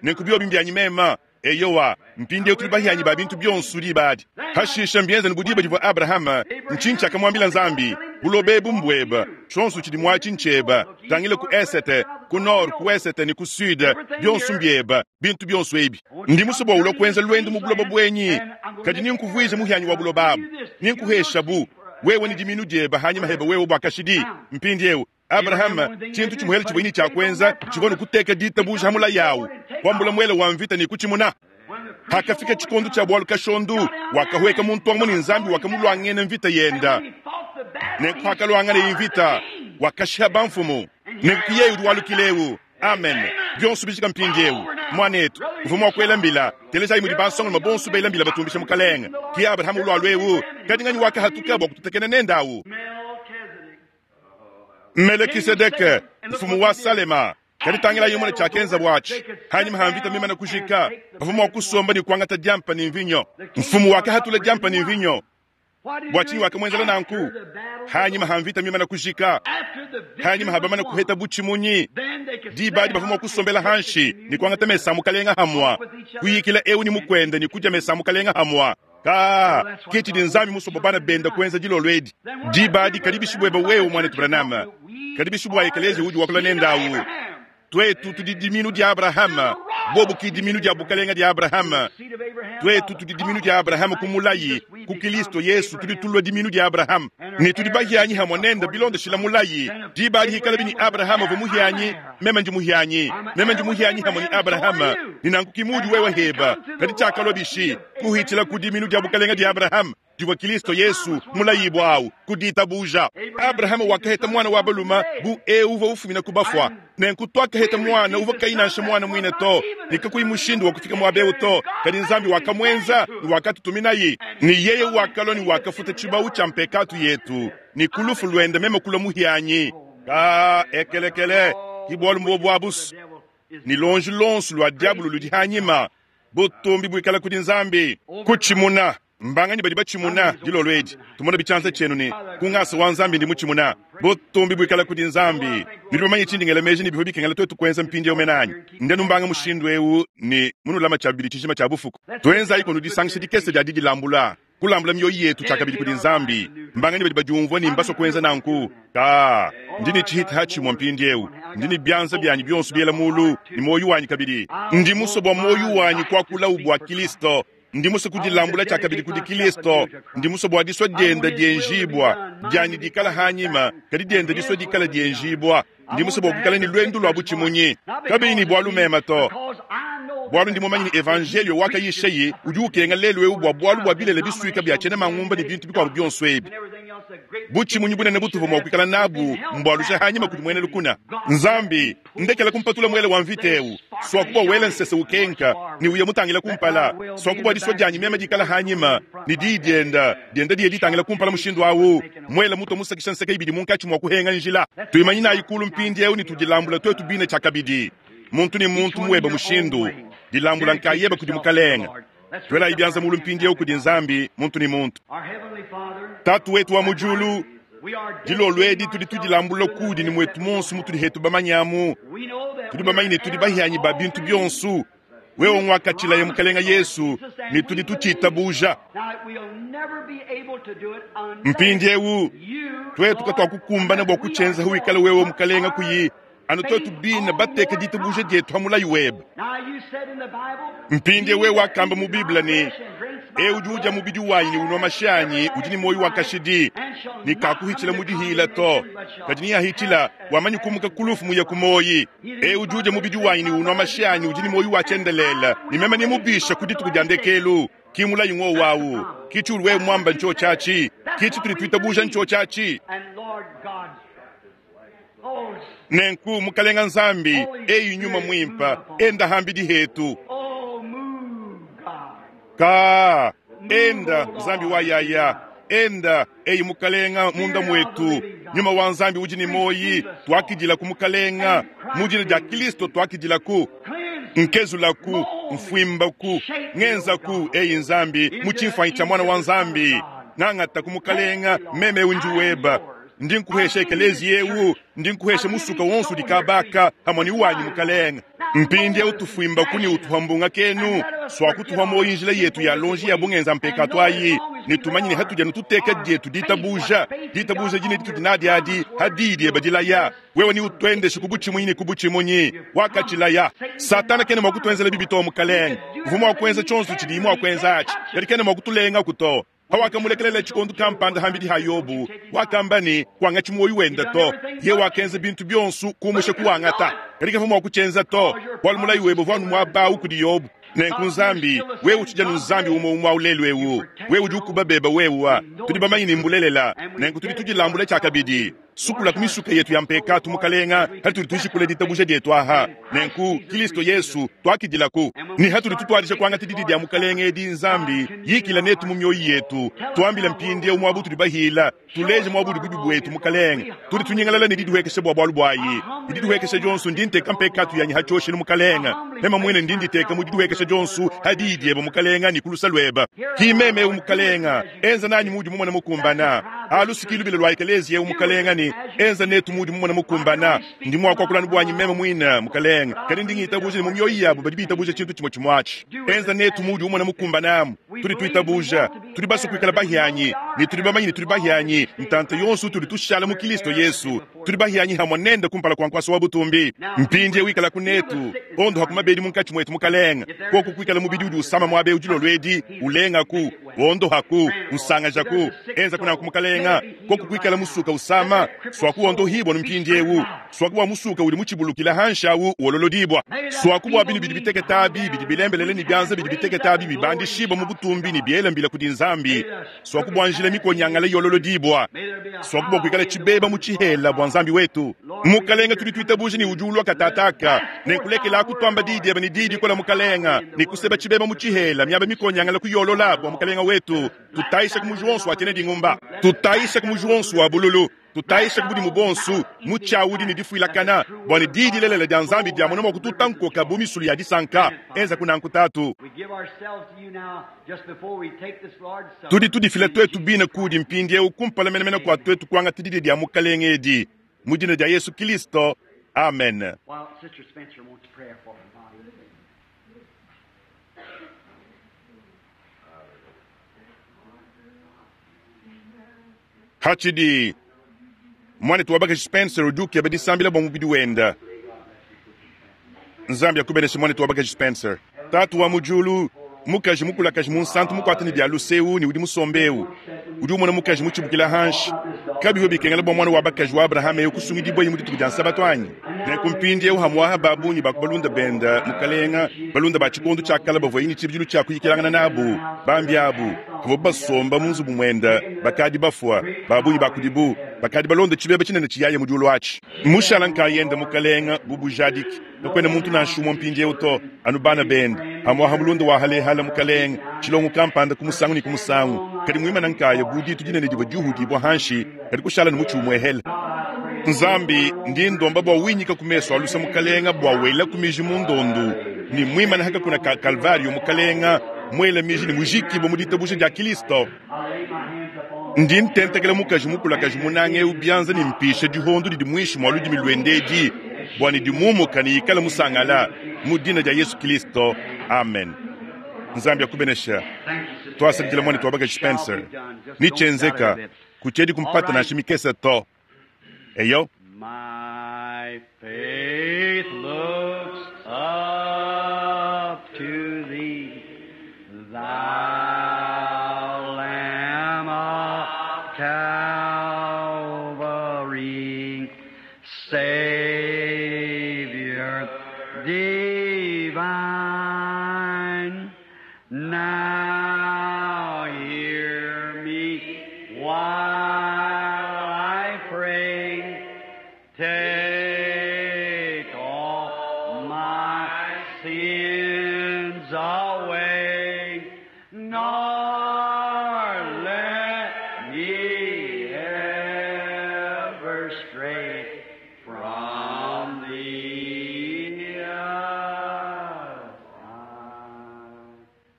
Nenku biobi mbianyi mema. Eyowa, mpindieu tudi bahianyi ba bintu bionso diba adi. Hashishe mbienza ne bu diba divua Abrahama, ntshinyi tshiakamuambila Nzambi? Buloba ebu mbueba, tshionso tshidi muatshi ntshieba. Tangila ku esete, ku nord, ku esete ne ku sud, bionso mbieba, bintu bionso ebi. Ndi musue bua ulua kuenza luendu mu buloba buenyi, kadi nenkuvuije muhianyi wa buloba abu, nenkuheshabu, wewe ne diminu diebe hanyima hebe wewe bua kashidi. Mpindieu Abrahama, tshintu tshimuhele tshivua ne tshia kuenza tshivua ne kuteka ditabuja ha mulayi awu, kuambula muele wa mvita ne kutshimuna. Hakafika tshikondo tshia bualu kashondu, wakahueka muntu amu ne Nzambi wakamuluangena mvita yenda. Nenku hakaluanganaye mvita, wakashiha bamfumu. Nenku yeye udi walukila eu. Amen. Bionso bijika mpindieu. Muanetu, uvua mua kuela mbila. Telejayi mudi bansongalume bonso bela mbila batumbisha Mukalenge. Ki Abrahama ulualua eu, kadi nganyi wakahatuka bua kututekena nende awu? Melekisedeke, mfumu wa Salema. Kadi tangilayi umone tshiakenzabu atshi. Hanyima ha mvita mimane kujika, bavua mua kusomba ne kuangata diampa ne mvinyo. Mfumu wakahatula diampa ne mvinyo. Bua tshinyi wakamuenzela nanku? Hanyima ha mvita mimane kujika, hanyima ha bamane kuheta butshimunyi, diba adi bavua mua kusombela hanshi ne kuangata mesa a mukalenga hamua, kuyikila eu ne mukuende ne kudia mesa a mukalenga hamua. Ka, ke tshidi Nzambi musue bua bana bende kuenza dilolo edi. Diba adi kadi bishi buebe wewe, muanetu Branham? Kadi bishi bua ekeleziya udi wakula nende awu? Tuetu tudi diminu dia Abrahama, bobu ki diminu dia bukalenga dia Abrahama. Tuetu tudi diminu dia Abrahama ku mulayi, ku Kilisto Yesu tudi tulua diminu dia Abrahama, ne tudi bahianyi hamue nende bilondeshila mulayi. Diba adi hikalabi ne Abrahama uvua muhianyi, meme ndi muhianyi, meme ndi muhianyi hamue ne Abrahama, ne nanku ki muudi wewe heba. Kadi tshiakalua bishi? Kuhitshila ku diminu dia bukalenga dia Abrahama divua Kilisto Yesu mulayibua awu ku ditabuja. Abrahama wakaheta muana wa balume bu eu uvua ufumina ku bafua. Nenku tuakaheta muana uvua kayi nansha muana muine to, ne kakuyi mushindu wa kufika muaba eu to, kadi Nzambi wakamuenza ne wakatutuminayi. Ne yeye wakalua ne wakafuta tshibawu tshia mpekatu yetu, ne ku lufu luende meme kulua muhianyi. Ka ekelekele, ki bualu mbuobu abusu, ne luonji luonso lua diabolo ludi hanyima. Butumbi buikale kudi Nzambi. Kutshimuna. Mbanganyi badi batshimuna dilolo edi? Tumona bitshianza tshienu ne, ku ngasa wa Nzambi ndi mutshimuna. Butumbi buikale kudi Nzambi. Nudi bamanye tshindi ngela meji ne bivua bikengela tuetu kuenza mpindieu mene anyi? Ndenu mbanga mushindu eu ne munulama tshia bibidi tshijima tshia bufuku. Tuenzayi kunu disangisha dikese dia didilambula, kulambula mioyo yetu tshiakabidi kudi Nzambi. Mbanganyi badi badiumvua ne mbasue kuenza nanku? Ka, ndi ne tshihita tshimue mpindieu. Ndi ne bianza bianyi bionso biela mulu ne muoyo wanyi kabidi. Ndi musue bua muoyo wanyi kuakulawu bua Kilisto. Ndi musue kudilambula tshiakabidi kudi Kilisto. Ndi musue bua disua diende dienjibua, dianyi dikala hanyima, kadi diende disua dikala dienjibua. Ndi musue bua kuikala ne luendu lua butshimunyi, kabiyi ne bualu mema to, bualu ndi mumanye ne evanjelio wakayishayi udi ukenga lelu eu bua bualu bua bilele bisuika bia tshiena mangumba ne bintu bikuabu bionso ebi. Butshimunyi bunene butuvua mua kuikala nabu mbualusha hanyima kudi muena lukuna. Nzambi, ndekela kumpatula muele wa mvita eu, suaku bua wela nsese ukenka ne uya mutangila kumpala, suaku bua disua dianyi meme dikala hanyima ne diyi dienda dienda diye ditangila kumpala mushindu awu, muele mutua musakisha nseke ibidi munkatshi mua kuhenga njila. Tuimanyinayi kulu mpindieu ne tudilambula tuetu bine tshiakabidi, muntu ne muntu muebe mushindu. Dilambula nkayebe kudi Mukalenge. Tuelayi bianza mulu mpindieu kudi Nzambi, muntu ne muntu. Tatu wetu wa mu diulu, dilolo edi tudi tudilambula kudi ne muetu monso mutudi hetu bamanyamu. Tudi bamanye ne tudi bahianyi ba bintu bionso. Wewe nguakatshilaye Mukalenge Yesu ne tudi tutshitabuja. Mpindieu tuetu katuakukumbana bua kutshienza wikale wewe Mukalenge kuyi anu tuetu bine bateke ditabuja dietu ha mulayi webe. Mpindieu wewe wakamba mu Bible ne, eu udi udia mubidi wanyi ne unua mashi anyi udi ne muoyo wa kashidi, ne kakuhitshila mu dihila to, kadi neahitshila wamanyi kumuka ku lufu muye ku muoyi. Eu udi udia mubidi wanyi ne unua mashi anyi udi ne muoyo wa tshiendelele, ne meme nemubisha ku dituku dia ndekelu. Ki mulayi ngowu awu, ki tshiudi wewe muamba ntsho tshiatshi, ki tshitudi tuitabuja ntsho tshiatshi. Nenku Mukalenga Nzambi, eyi Nyuma Mwimpa, enda hambidi hetu. Ka, enda, Nzambi wa yaya, enda, eyi Mukalenga munda mwetu. Nyuma wa Nzambi udi ne moyi, tuakidila ku Mukalenga. Mu dina dia Kristo tuakidila ku. Nkezulaku, mfwimbaku, ngenzaku, eyi Nzambi, mu tshimfuanyi tshia mwana wa Nzambi. Ngangata ku Mukalenga, meme undi weba. Ndi nkuhesha ekelezi yewu, ndi nkuhesha musuka wonso udi kabaka, hamwe ni wanyi Mukalenga. Mpindi utufwimbaku ni utuhambunga kenu, swakutuha moyi njila yetu ya lonji ya bungenza mpekatu ayi. Ni tumanyine hatuja nututeka dietu ditabuja, ditabuja jine ditu dinadi adi, hadidi ebadilaya. Wewe ni utwendeshe kubuchimunyi ni kubuchimunyi, wakachilaya. Satana kene mwakutwenzela bibi to Mukalenga. Mvumo wa kwenza chonso chidi mwa kwenza achi. Yali kene mwakutulenga kuto. Hawakamulekelela chikondo kampanda hambidi ha Yobu, wakamba ni kwanga chimoyi wenda to. Ye wakenza bintu byonsu kumusha kuwangata. Katika mvumo wa kuchenza to. Walumulayi webo vwanu mwabau kudi Yobu. Nenku Nzambi, wewe uchija Nzambi umo umwa ulelu ewu. Wewe udi ukubabeba wewa. Tudi bamanyi ni mbulelela. Nenku tudi tudilambula chakabidi. Sukula kumisuka yetu ya mpekatu Mukalenga, hali tudi tushikule ditabuja dietu aha. Nenku Kristo Yesu twakidilaku. Ni hatuli tutwalisha kwangata didi dia Mukalenga edi Nzambi, yikila netu mu mioyo yetu. Tuambile mpindi umwa butu dibahila, tuleje mwa budu bibi bwetu Mukalenga. Tudi tunyingalala ne didiwekesha bwa bwalu bwayi. Didiwekesha Johnson ndi nteka mpekatu yanyi hachoshile Mukalenga. Mema mwene ndi nditeka mu didiwekesha Johnson hadi idieba Mukalenga ni kulusa lweba. Kimeme Mukalenga, enza nanyi mudi mumona mukumbana. Alusikilu bile lwa ekelezi ye Mukalenga ni enza netu mudi mumona mukumbana. Ndi mwakwa kulanu bwanyi mema mwina Mukalenga. Kali ndi ngitabuja ni mumyoyo yabo badi bitabuja chintu chimwe chimwachi. Enza netu mudi umona mukumbana. Tudi tuitabuja, tudi basu kuikala bahianyi, ni tudi bamanyi ni tudi bahianyi. Ntanta yonso tudi tushala mu Kristo Yesu. Tudi bahianyi hamwe nenda kumpala kwa nkwaso wa butumbi. Mpindi wikala kunetu, ondo hakumabedi munkachi mwetu Mukalenga. Koko kuikala mubidi udi usama mwabe ujilo lwedi, ulenga ku, ondo haku, usanga jaku. Enza kuna ku Mukalenga, koko kuikala musuka usama, swaku ondo hibo mpindi ewu. Swaku wa musuka udi muchibulukila hanshawu wololodibwa. Swaku wa binu bidi biteketa bi, bidi bilembelele ni byanza bidi biteketa bi, bibandishiba mu butumbi ni biela mbila kudi Nzambi. Swaku bwa njila mikonyangala yololodibwa. Swaku bwa kuikala chibeba mu chihela bwa Nzambi wetu. Mukalenga tudi tuitabuja ni ujulwa katataka. Nenkulekela kutwamba didi eba ni didi kola Mukalenga. Ni kuseba chibeba mu chihela miaba mikonyangala kuyolola bwa Mukalenga wetu. Tutaisha kumujuonso atene dingumba. Tutaisha kumujuonso wa bululu. Tutaisha kubudi mubonsu muchaudi ni difuilakana bwana didi lelela dia Nzambi dia mona mwakututankoka bumisulu ya disanka enza kuna nkutatu. Tudi tudifila twetu bina kudi mpindi eu kumpala menemene kwa twetu kwanga tididi dia Mukalenga edi mu dina dia Yesu Kristo, amen. Hachidi mwana tuwabaka Spencer uduke badisambila bwa mubidi wenda. Nzambi akubeneshe mwana tuwabaka Spencer. Tatu wa mujulu, mukaji mukulakaji munsantu mukwatani bya luseu ni udi musombeu. Udi umona mukaji muchibukila hanshi. Kabiwe bikengela bwa mwana wa bakaji wa Abraham eu kusungidibwa yimu dituku dia nsabato anyi. Nenku mpindi eu hamwaha babunyi bakubalunda benda mukalenga balunda ba chikondo cha kala bavua yini chibijilu cha kuyikilangana nabu bambi abu bavua basomba mu nzubu mwenda bakadi bafua babunyi bakudibu bakadi balonda chibeba chinene chiyaye mu diulu achi. Mushala nkayenda mukalenga bubujadiki nokwena muntu nansha mpindi eu to anu bana benda hamwaha mulunda wa halehala mukalenga chilongo kampanda kumusangu ni kumusangu kadi mwimana nkaya buditu dinene divua diuhudibwa hanshi kadi kushala ni muchi umwehela. Nzambi ndi ndomba bwa winyika kumeso alusa mukalenga bwa wela kumiji mundondu ni mwimana haka kuna ka Kalvario mukalenga mwela miji ni mujikibo mu ditabusha dia Kristo. Ndi ntentekela mukaji mukulakaji munange eu byanza ni mpisha dihondo didi mwishi mwa ludimi lwendedi bwa ni dimumuka ni ikala musangala mu dina dia Yesu Kristo, amen. Nzambi akubenesha. Twasabidila mwana twabaka Spencer nichenzeka kuchedi kumpata na shimikesa to. Eyo. My faith looks up to thee, thou Lamb of Calvary, Savior divine. Now hear me while I pray. Take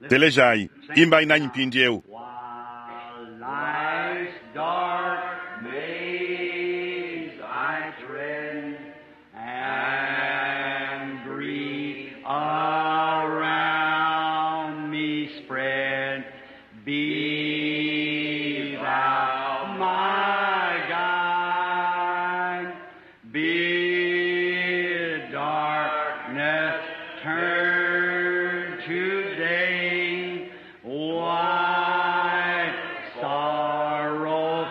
Telejayi, imbayi nanyi mpindieu. While life's dark maze I tread, and grief around me spread, be thou my guide. Bid darkness turn to day, wipe sorrow,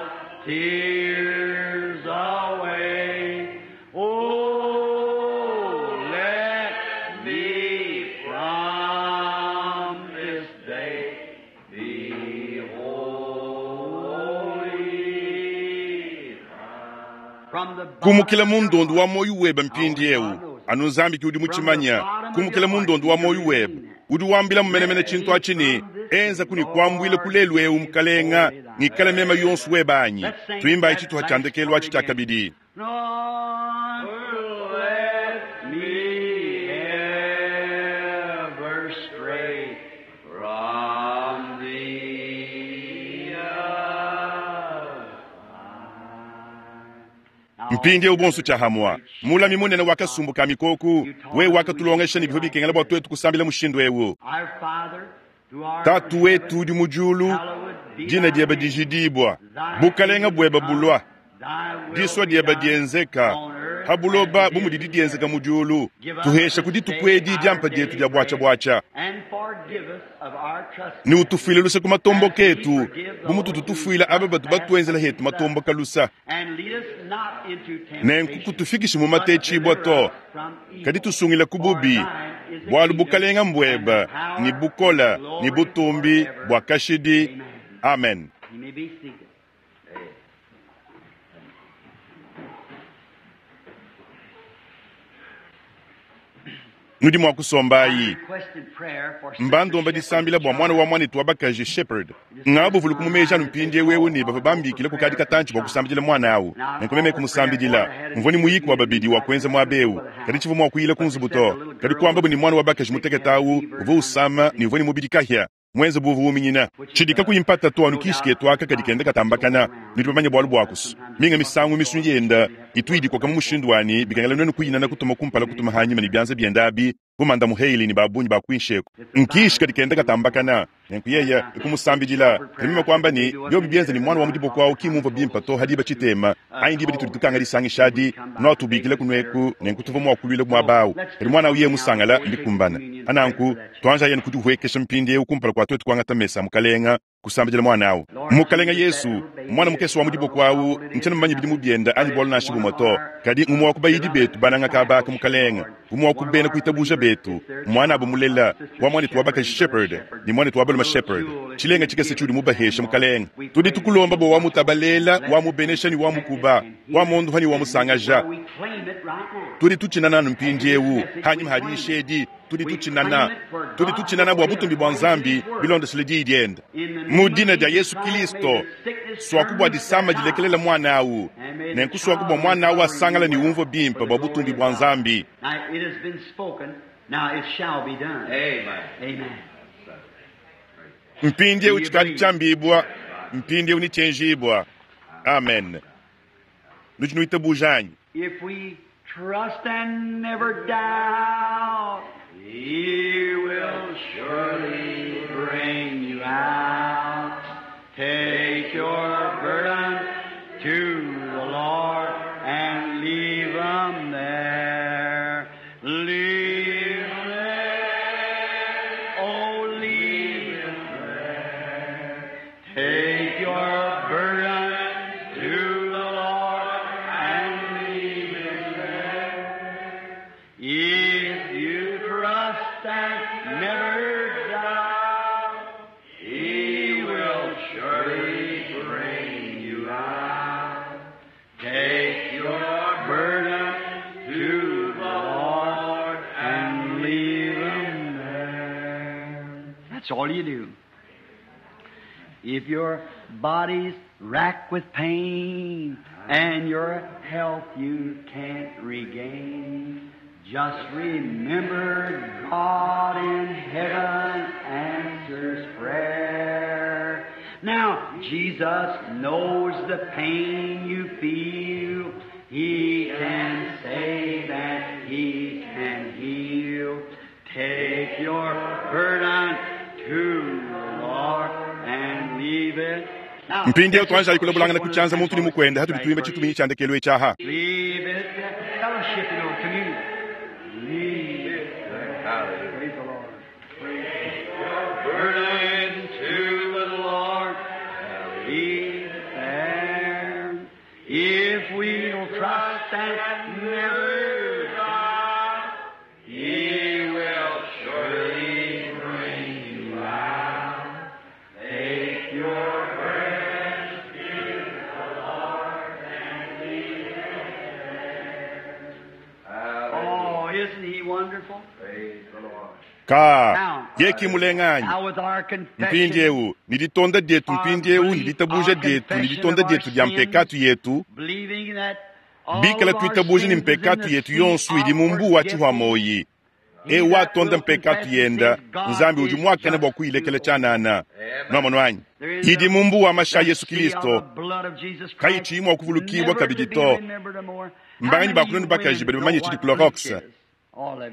tears away. Oh, let me from this day be holy. From the Kumukila mundondu wa moyo webe mpindieu anu nzambi ki udi mutshimanya kumukila mundondu wa moyo webe udi wambila mumenemene tshintu atshini enza kuni kuambuila kulelu ewu mukalenga ngikale mema yonso webe anyi tuimbayi tshituha tshia ndekelu atshi tshia kabidi. Lord, let me ever stray from thee. Mpindieu bonso tshiahamwa mulami munene wa kasumbu ka mikoku we wakatulongesha ne bivua bikengela bua tuetu kusambila mushindu ewu. Our Father, who art Tatu in wetu heaven, udi mu diulu, hallowed be dina thy diebe name. dijidibua, Thy bukalenga kingdom buebe come, bulua, thy will disua be diebe done dienzeka on earth ha buloba as it bu mudi is in didienzeka heaven. mu diulu. Give us Tuhesha this ku dituku day edi our diampa dietu daily dia bread, bwacha-bwacha and forgive us of our trespasses, ne utufuile luse ku matombo as we ketu forgive bu mututu those who tufuila aba batu trespass batuenzela hetu against us. matombo kalusa. And lead us not into Nenku temptation, kutufikishi mu but matechibwa deliver to us from kadi evil. tusungila ku For bubi thine is the bwalu kingdom, bukalenga and the mbweba ni power, and bukola the ni glory butumbi forever. bwa kashidi. Amen. Amen. You may be seated. Nudi mua kusombayi. Requested prayer for Sister Mbandomba Shepherd's disambila bua mwana child. wa mwanetu wa bakaji Shepherd ngabuvulu kumumeja anu mpindiewu ewu ne bavua bambikile kukadi katantshi bua kusambidila mwana awu nenku meme kumusambidila mvua ni muyiki wa babidi wa kuenza muaba ewu kadi tshivua mua kuyila ku nzubu to kadi kuambabu ni mwana wa bakaji mutekete awu uvua usama ne uvua ne mubidi kahia mwenze buvu uminyina tshidi kakuyi mpata to anu kishi ketu aka kadi kenda katambakana nudi bamanye bualu buakusu minga misangu misunyi yenda itu idikoka mu mushindu wani bikengela nuenu kuyinana kutuma kumpala kutuma hanyima ne bianza bienda abi bumanda muheili ni babunyi bakwinsheko nkishi kadi kenda katambakana nenku yeya ikumusambidila kadi kwamba ni byobi bienza ni mwana wa mudiboko awu kimumva bimpa to hadiba tshitema anyi diba ditudi tukanga disangishadi noatubikile kunueku nenku tuva mua kulwila muaba awu kadi mwana awu ye musangala mbikumbana ananku twanja yenu kudihuekesha mpindiewu kumpala kua twetu kuangata mesa mukalenga kusambidila mwana awu mukalenga Yesu mwana mukese wa mudiboko awu ntshiena mumanye bidi mubienda anyi bualu nansha bumue to kadi ngumue wa kubayidi betu bananga kabaka mukalenga umue wa kubena kuitabuja betu mwana abu mulela wa mwanetu wa bakaji Shepherd ni mwanetu wa balume Shepherd tshilenga tshikese tshiudi mubahesha mukalenga tudi tukulomba bo wamutabalela wamubenesha ni wamukuba wamondoha ni wamusangaja We claim it right now. tudi tutshinana anu mpindiewu hanyima hadishedi tudi tutshinana bua butumbi bua nzambi bilondeshele diyi dienda mu dina dia Yesu Kristo swaku bua disama dilekelela mwana awu nenku swaku bua mwana awu asangala ni umvo bimpe bua butumbi bua nzambi. Now it has been spoken, now it shall be done. Amen. Amen. Mpindiewu tshikadi tshiambibwa mpindiewu ni tshienjibwa. Amen. Nudi nuitabuja anyi? If we trust and never doubt, He will surely bring you out. Take your burden to the Lord and leave 'em there. Leave 'em there. Oh, leave 'em there. Take your burden to the Lord and leave it there. If you trust and never doubt, He will surely bring you out. Take your burden to the Lord and leave 'em there. That's all you do. If your body's racked with pain and your health you can't regain, Just remember God in heaven answers prayer. Now, Jesus knows the pain you feel. He can save and He can heal. Take your burden to the Lord and leave it. Now, mpindieu tuanjayi kulabulangana kutshianza muntu ni mukwenda hatudi tuimba tshituminyi tshia ndekelu etshiaha Leave it. Fellowship, you know, communion. Leave it. Praise the Lord. Praise your burden to the Lord. Leave it there. If we'll trust and never doubt, He will surely bring you out. Take your burden to the Lord and leave it there. Oh, isn't He wonderful? Praise the Lord. Ka yeki mulenganyi Now with our confession, mpindieu ni ditonda dietu mpindieu ni ditabuja dietu ni ditonda dietu dia mpekatu yetu believing that all bikala of our tuitabuja ni sins is in mpekatu the yetu sea yonsu idi of mu mbu wa forgetfulness. tshihwa e watonda mpekatu yenda nzambi udi muakane bua kuyilekela tshianana nwamonu idi mu mbu wa masha yesu kristo kayichiyi mua kuvulukibwa kabidi to mbanganyi bakulonda bakaji badi bamanye tshidi clorox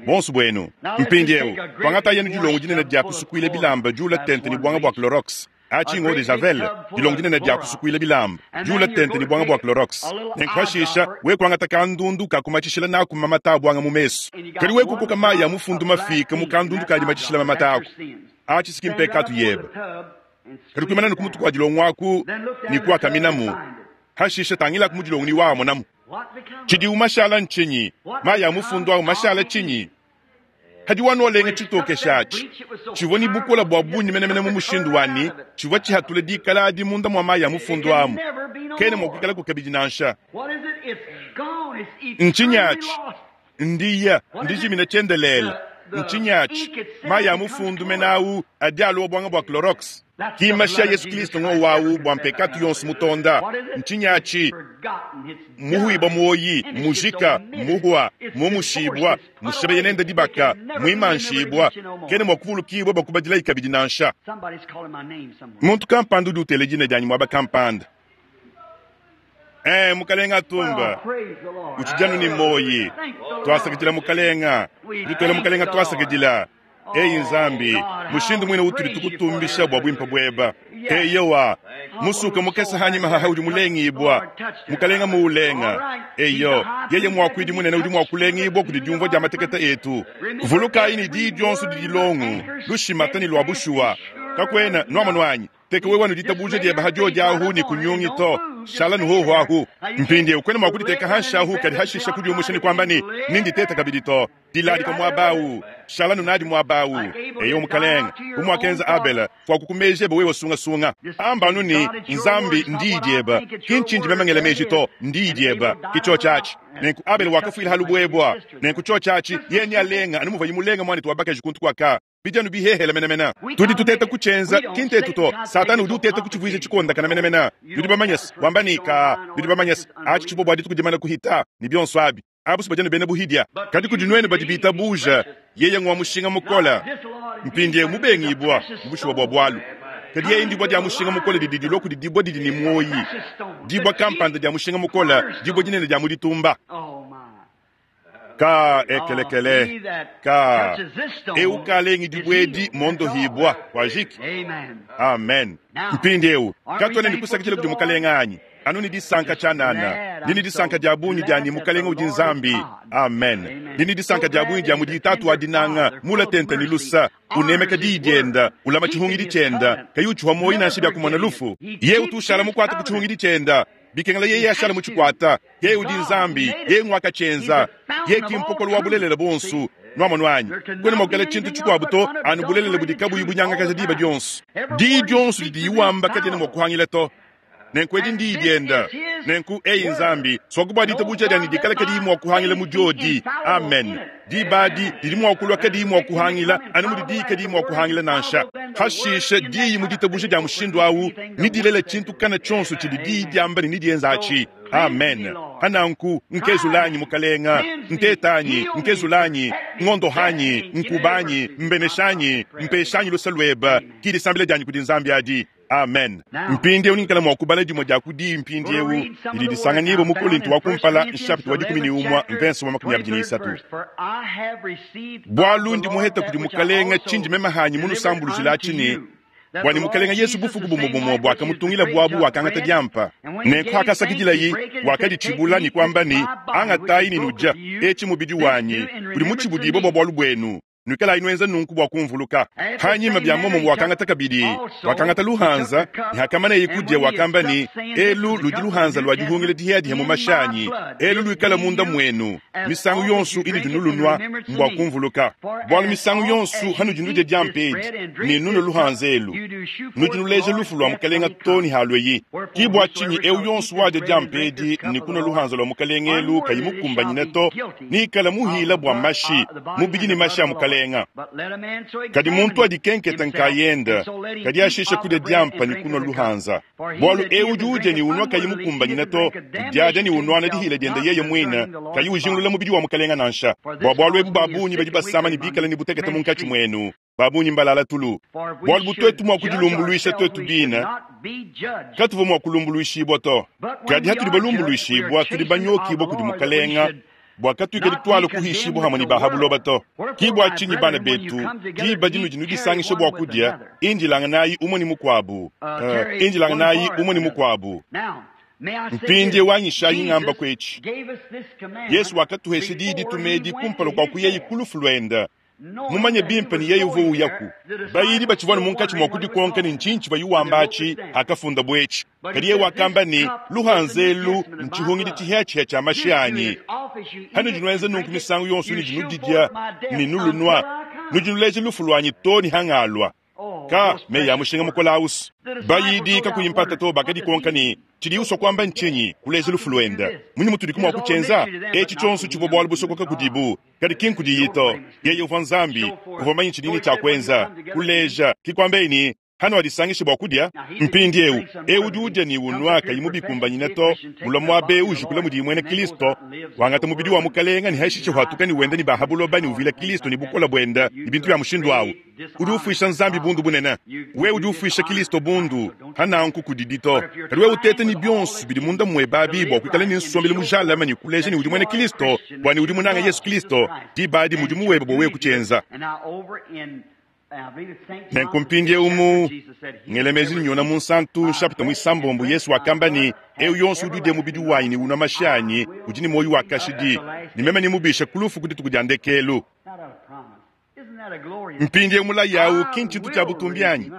bonso bwenu mpindieu twangata yenu dilongo dinene dia kusukuila bilamba diula tente ni bwanga bua clorox achingo de javel dilongo dinene dia kusukuila bilamba diula tente ni bwanga bua clorox nenkuhashisha wekuangata kandundu kakumatshishila naku mamata a bwanga mu mesu kadi wekukoka mayi a mufundu mafika mu kandundu kadi matshishila mamata aku achisiki mpekatu yeba kadi kuimana ni kumutu kua dilongo aku ni kuakaminamu hashisha tangilaku mu dilongo ni waamonamu tshidi umashala nchinyi mayi a mufundu awu mashala tshinyi hadi wanolenga tshitokesha atshi tshivua ni bukola bua bungi menemene mu mushindu wani tshivua tshihatula dikala adi munda mua mayi a mufundu amu kene mua kuikalaku kabidi nansha Ntshinyi atshi? Ndiya ndijimina tshiendelela ntshinyi atshi mayi a mufundu menawu adi aluwa bwanga bua clorox kimasha yesu kristo ngo wawu bua mpekatu yonso mutonda ntshinyi atshi muhuibwa muoyi mujika muhwa mumushibwa mushebeye nenda dibaka mwimanshibwa kene mua kuvulukibwa bua kubadilayi kabidi nansha Somebody's calling my name somewhere. muntu kampanda udi utela dina dianyi muaba kampanda eh mukalenga atumba Praise the Lord. utshijanu ni moyi twasakidila mukalenga tutwela mukalenga twasakidila eyi nzambi mushindu mwine utuli tukutumbisha bua bwimpa bweba eyowa musuka mukesa hanyima haha udi mulengibwa mukalenga muulenga eyo yeye mwakwidi munene udi mwakulengibwa kudi diumvua dia mateketa etu vulukayi ni diyi dionso didi longu lushimata ni lwa bushuwa kakwena nwamonu anyi teke wewe nuditabuja dieba hadio diahu ni kunyungi to shala nuhoho ahu mpindiewu kwena mwakuditeka hanshi ahu kadi hashisha kudiumusha ni kwamba ni ninditeta kabidi to diladika muabawu shala nunadi muabawu eyo mukalenga umwakenza abela fwakukumejeba wewe sungasunga ambanu ni nzambi ndiidyeba kinchinji memangela meji to ndiidyeba kicho chachi nenku abele wakafwila halubwebwa nenku cho chachi yeni alenga anumuva yimulenga mwana tuwabakaji kuntu kwaka bijanu bihehela menemena tudi tuteta kuchenza kintetu to satani udi uteta kuchivuiza chikondakana menemena nudi bamanyasi wamba ni ka nudi bamanyasi achi chibo bwadi tukudimana kuhita ni bionso abi abusi bajanu bena buhidya kadi kudi nwenu badi bitabuja yeye ngwa mushinga mukola mpindie mubengibwa mubushuwa bwa bwalu kadi yeye ndibwa dia mushinga mukola didi dilua kudi dibwa didi ni mwoyi dibwa kampanda dia mushinga mukola dibwa dinene dia muditumba Oh my. ka ekelekele ka eukalengi dibwedi mondohibwa kwajiki Amen. amen mpindiewu katwene ndikusakidila kudi mukalenga anyi anu ni disanka tshianana ndini disanka dia bungi dianyi mukalenga udi nzambi amen ndini disanka dia bungi dia mudi tatu wa dinanga mula tente ni lusa unemeka diyi dienda ulama tshihungidi tshienda kayi utshiwa moyi nansha bia kumona lufu ye utu ushala mukwata ku tshihungidi tshienda bikengela yeye ashala mutshikwata yeye udi nzambi yeye ngwakatshienza ye kimpokolo wa bulelela bonsu nwamonu anyi kwene mwakukela tshintu tshikuabu to anu bulelela budi kabuyi bunyangakaja diba dionso diyi dionso didi iwamba kadiena mua kuhangila to nenku edi ndiyi dienda nenku eyi nzambi swakubwa ditabuja dianyi dikala kadiyi mua kuhangila mu diodi amen diba adi didi mua kulua kadiyi mua kuhangila anu mudi diyi kadiyi mua kuhangila nansha hashishe diyi mu ditabuja dia mushindu awu nidilela tshintu kana tshionso tshidi diyi diamba ne nidienza atshi. Amen. Hananku nkezulanyi mukalenga, ntetanyi, nkezulanyi, ngondohanyi, nkubanyi, mbeneshanyi, mpeshanyi lusa lweba, ki disambila dyanyi kudi Nzambi adi. Amen. Mpindieu ninkala mua kubala dimue dia ku diyi mpindieu didi disanganyibua mu Kolinto wa kumpala nshapita wa 11 mvenso wa 23. Bualu ndi muheta kudi mukalenga tshindi meme hanyi munusambulujila atshi bwani mukalenga Yesu bufuku bumwe bumwe bwakamutungila bwabu wakangata diampa nenku hakasakidilayi wakaditshibula ni kwamba ni angatayi ni nuja etshi mubidi wanyi udi mutshibudibwa bwa bwalu bwenu nwikalayi nwenza nunku bwa kumvuluka. Hanyima bya momo wakangata kabidi wakangata luhanza ni hakamana kudya wakamba ni elu ludi luhanza lwa dihungila dihiyadiha mu mashanyi elu lwikala munda mwenu misangu yonsu ili dinulunwa mbwa kumvuluka. Bwalu misangu yonsu hanu dinudya diampa edi ni nunu luhanza elu nudi nuleja lufu lwa mukalenga to ni halweyi. Ki bwa tshinyi eu yonsu wadya diampa edi ni kunwa luhanza lwa mukalenga elu kayi mukumbanyina to nikala muhila bwa mashi mubidi ni mashi a mukalenga. Kadi muntu adikenketa nkayenda kadi ashisha kudya diampa ni kunwa luhanza. Bwalu eu udi udya ni unwa kayi mukumbanyina to udyadya ni unwana dihila dienda yeye mwina kayi ujingulula mubidi wa mukalenga nansha. Bwa bwalu ebu babunyi badi basama ni bikala ni butekete munkatshi mwenu babunyi mbalala tulu. Bwalu butwetu mwa kudilumbuluisha twetu bina katuva mwa kulumbuluishibwa to. Kadi hatudi balumbuluishibwa tudi banyokibwa kudi mukalenga bwa katwike ditwala kuhishibwa hamwe ni bahabuloba to. Ki bwa tshinyi bana betu diba dinudi nudisangisha bwa kudya indilanga nayi umwe ni mukwabu indilanga nayi umwe ni mukwabu. Mpindie wanyishayi ng'amba kwetshi Yesu wakatuhesha diyi ditumedi kumpala kwa kuyeyi kulufu lwenda mumanye bimpe ni yeye uvo uyaku. Bayidi batshivwana munkatshi mwa kudikonka ni ntshintshi bayiwamba atshi akafunda bwetshi. Kadi yeye wakamba ni luhanza elu ntshihungidi tshihiatshiha tshia mashi anyi. Hanu dinwenza nunku misangu yonsu ni dinudidya ni nulunwa nudinuleja lufu lwanyi to ni hang'alwa. Ka meyi ya mushinga mukola ausu. Bayidi kakuyimpata to bakadikonka ni tshidi uswa kwamba ntshinyi kuleja lufu lwenda munyi mutudi kumwa kutshenza etshi tshonso tshivua bwalu busokoka kudibu kadi ki nkudiyi to. Yeye uvua Nzambi uvua manyi tshidini tshia kwenza kuleja kikwambeni hano adisangishe bwa kudya mpindi eu udi udya ni unwa kayi mubikumbanyina to mulwa mwabe ujikula mudi mwene Kristo wangata mubidi wa mukalenga ni haishiche hwatuka ni wenda ni bahabuloba ni uvila Kristo ni bukola bwenda ni bintu bya mushindu awu. Udi ufwisha Nzambi bundu bunene we udi ufwisha Kristo bundu hananku kudidito. Kadi we utete ni byonso bidi munda mwe babi bwa kwikala ni nsombele mujalama ni kuleja ni udi mwene Kristo bwani udi munanga Yesu Kristo dibadi mudi muwebe bwa we kuchenza. Nenku mpindie umu ngelemezi nyona munsantu nshapita mwisambombo Yesu wakamba ni eu yonso udi udya mubidi wanyi ni unwa mashi anyi udi ni moyo wa kashidi ni meme ni mubisha kulufu kudituku dya ndekelu. Mpindie mulayi awu ki ntshintu tshia butumbi anyi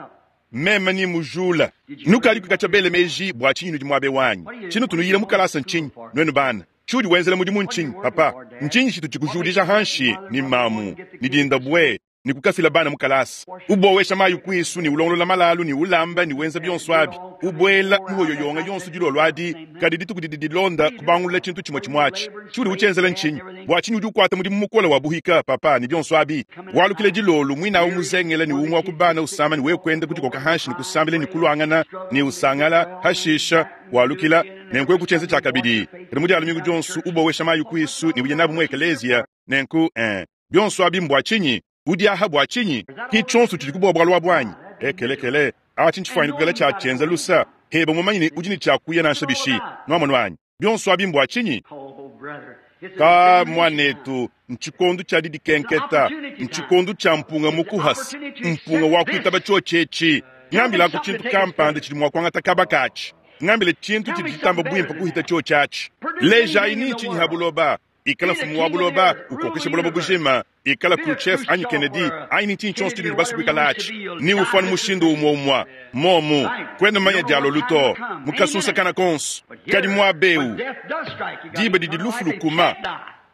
meme ni mujula nukali kukatsha bele meji bwa tshinyi nudi muabe wanyi tshinu tunuyila mukalasa ntshinyi nwenu bana tshiudi wenzela mudimu ntshinyi papa ntshinyi tshitu tshikujudija hanshi ni mamu ni dinda bwe ni kukafila bana mukalasa ubowesha mayi kwisu ni ulongolola malalu ni ulamba ni wenza byonso abi ubwela muhoyoyonga yonso dilolo adi kadi dituku didi dilonda kubangulula tshintu tshimwe tshimwatshi tshiudi utshenzela ntshinyi bwa tshinyi udi ukwata mudimu mukola wa buhika papa ni byonso abi walukile dilolo mwinawu muzengela ni umwa kubana usama ni wekwenda kudikoka hanshi ni kusambila ni kulwangana ni usangala hashisha walukila nenku ekutshenza tshia kabidi kadi mudi alumingu dyonso ubowesha mayi kwisu ni uye nabu mu ekelezia nenku byonso abi mbwa tshinyi udi aha bwa tshinyi ki tshonso tshidi kubwa bwalu bwanyi ekelekele atshi ntshifwanyi kukala tshia tshenza lusa heba mumanyi ni udi ni tshiakuya nansha bishi nwamonu wanyi byonso abi mbwa tshinyi ka mwanetu ntshikondo tshia didikenketa ntshikondo tshia mpunga mukuhasa mpunga wa kuitaba tshotshetshi ngambila ku tshintu kampanda tshidi mua kuangata kaba katshi ngambile tshintu tshidi tshitamba bwimpa kuhita tshotshatshi lejayi ni tshinyi ha buloba ikala fumu wa buloba ukokesha buloba bujima ikala Khrushchev anyi Kennedy anyi ntshinyi tshonso tshidi basu kuikala atshi ni ufana mushindu umwe umwa momu kwenda manya dialo luto mukasunsa kana konso kadi mwabeu diba didi lufu lukuma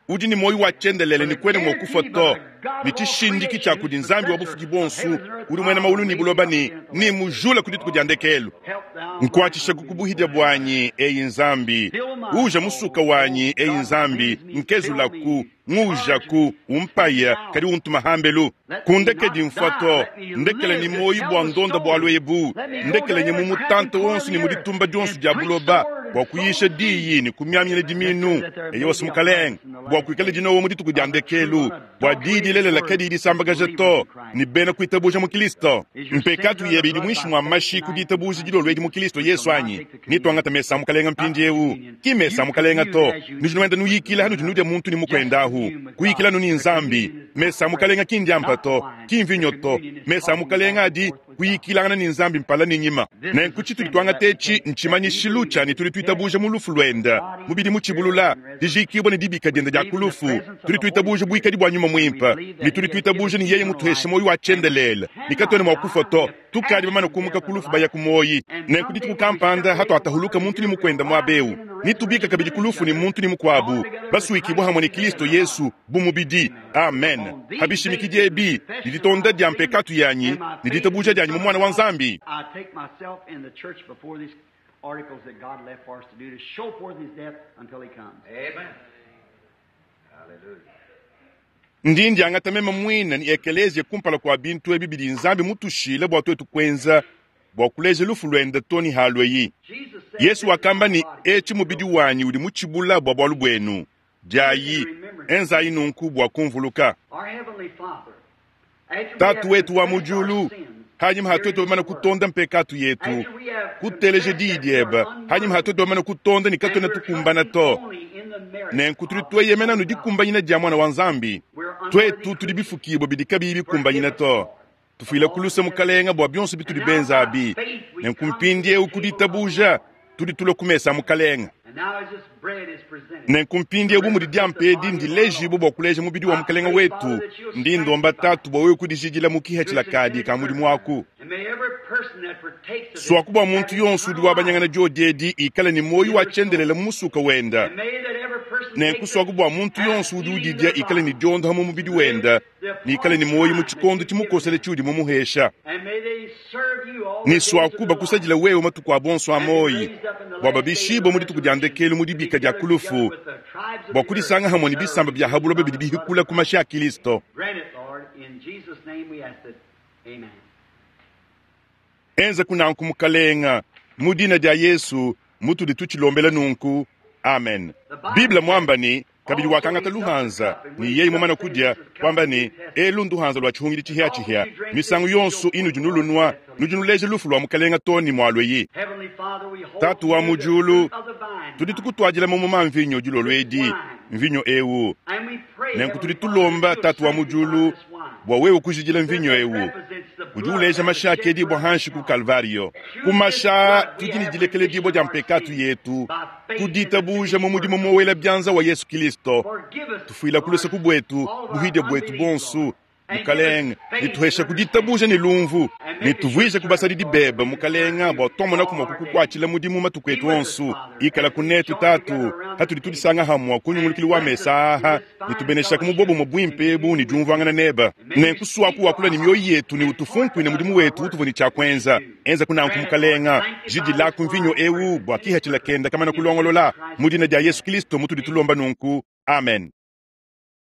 udi ni moyo wa tshendelele ni kwenda mwa kufa to ni tshishindiki tshia kudi Nzambi wa bufuki bonsu udi mwena maulu ni buloba ni mujula kudi tuku dia ndekelu nkwatshisha kukubuhidya bwanyi eyi Nzambi uja musuka wanyi eyi Nzambi nkezulaku ngujaku umpaya kadi untuma hambelu kundekedi mfwa to ndekele ni moyi bwa ndonda bwa lwebu ndekele ni mumutante wonso ni muditumba dyonso dia buloba. Bua kuyisha diyi ne kumiamina diminu, eyowa Mukalenge, bua kuikale dinowa mu dituku dia ndekelu, bua diyi dilelela kadiyi disambakaja to ne bena kuitabuja mu Kristo. Mpekatu yebe idi muinshi mua mashi ku ditabuja dilolo edi mu Kristo Yesu anyi? Netuangate mesa a Mukalenge mpindieu. Ki mesa a Mukalenge to. Nudi nuenda nuyikila hanudi nudia muntu ne mukuende ahu. Kuyikila anu ne Nzambi. Mesa a Mukalenge ki ndiampa to, ki mvinyo to. Mesa a Mukalenge adi kuyikilangana ne Nzambi mpala ne nyima. Nenku tshitudi tuangata etshi ntshimanyishilu tshia ne tudi tuitabuja mu lufu luende, mubidi mutshibulula, dijiikibua ne dibika diende dia ku lufu. Tudi tuitabuja buikadi bua Nyuma Muimpe, ne tudi tuitabuja ne yeye mutuheshe muoyo wa tshiendelele, ne katuena mua kufua to. Tukadi bamane kumuka ku lufu baya ku muoyi. Nenku dituku kampanda hatuatahuluka muntu ne mukuende muaba eu, netubika kabidi ku lufu ne muntu ne mukuabu, basuikibua hamue ne Kilisto Yesu bu mubidi. Amen. Ha bishimikidi ebi, ne ditonda dia mpekatu yanyi ne ditabuja dianyi mu Muana wa Nzambi, ndi ndiangata meme muine ne ekeleziya kumpala kua bintu ebi bidi Nzambi mutushile bua tuetu kuenza bua kuleja lufu luende to ne halueyi. Yesu wakamba ne, Etshi mubidi wanyi udi mutshibula bua bualu buenu. Diayi, enzayi nunku bua kumvuluka. Tatu wetu wa mu diulu, hanyima ha tuetu bamane kutonda mpekatu yetu, kuteleja diyi diebe, hanyima ha tuetu bamane kutonda ne katuena tukumbana to, nenku tudi tueyemena anu dikumbanyina dia Muana wa Nzambi. Tuetu tudi bifukibua bidi kabiyi bikumbanyina to. Tufuile ku luse, Mukalenge, bua bionso bitudi benza abi. Nenku mpindieu ku ditabuja tudi tulua ku mesa a Mukalenge. Nenku mpindieu bu mudi diampa edi ndilejibue bua kuleja mubidi wa Mukalenge wetu, ndi ndomba Tatu bua wewe kudijidila mu kihatshila kadi ka mudimu aku. Suaku bua muntu yonso udi wabanyangana diodi edi ikale ne muoyo wa tshiendelele mu musuka wenda. Nenku suaku bua muntu yonso udi udidia ikale ne diondoha mu mubidi wenda ne ikale ne muoyo mu tshikondo tshimukosele tshiudi mumuhesha. Ne suaku bakusadila wewe matuku abo onso a muoyo, bua babishibue mu dituku dia ndekelu mu dibika dia ku lufu, bua kudisanga hamue ne bisamba bia ha buloba bidi bihikula ku mashi a Kilisto. Enza kunanku, Mukalenga, mu dina dia Yesu mutudi tutshilombela nunku. Amen. Bible muamba ne, Kabidi wakangata luhanza, ne yeye mumane kudia, kuamba ne, Elu nduhanza lua tshihungidi tshihiatshihia. Misangu yonso inudi nulunua, nudi nuleja lufu lua Mukalenga too ne mualueyi. Tatu wa mu diulu, tudi tukutuadila mamuma a mvinyo dilolo edi, mvinyo eu. Nenku tudi tulomba, Tatu wa mu diulu, bua wewe kujidila mvinyo eu udi uleja mashi akedibua hanshi ku Kalvario. Ku mashi aa tudi ne dilekeledibua dia mpekatu yetu ku ditabuja mu mudimu mowela bianza wa Yesu Kilisto. Tufuila ku luse ku buetu buhidia buetu buonso, Mukalenge, ne tuhesha ku ditabuja ne lumvu, ne tuvuije ku basadidi bebe, Mukalenge, bua tuamonaku mua kukukuatshila mudimu matuku etu onso. Ikala ku netu, Tatu, hatudi tudisanga hamua ku nyungulukilu wa mesa aha, ne tubeneshaku mu bobumue buimpe ebu ne diumvuangana nebe. Nenku suaku wakula ne mioyo yetu ne utufunkuine mudimu wetu utuvua ne tshia kuenza. Enzaku nanku, Mukalenga. Jidilaku mvinyo eu bua kihatshila kenda kamana kulongolola. Mu dina dia Yesu Kilisto mutudi tulomba nunku. Amen.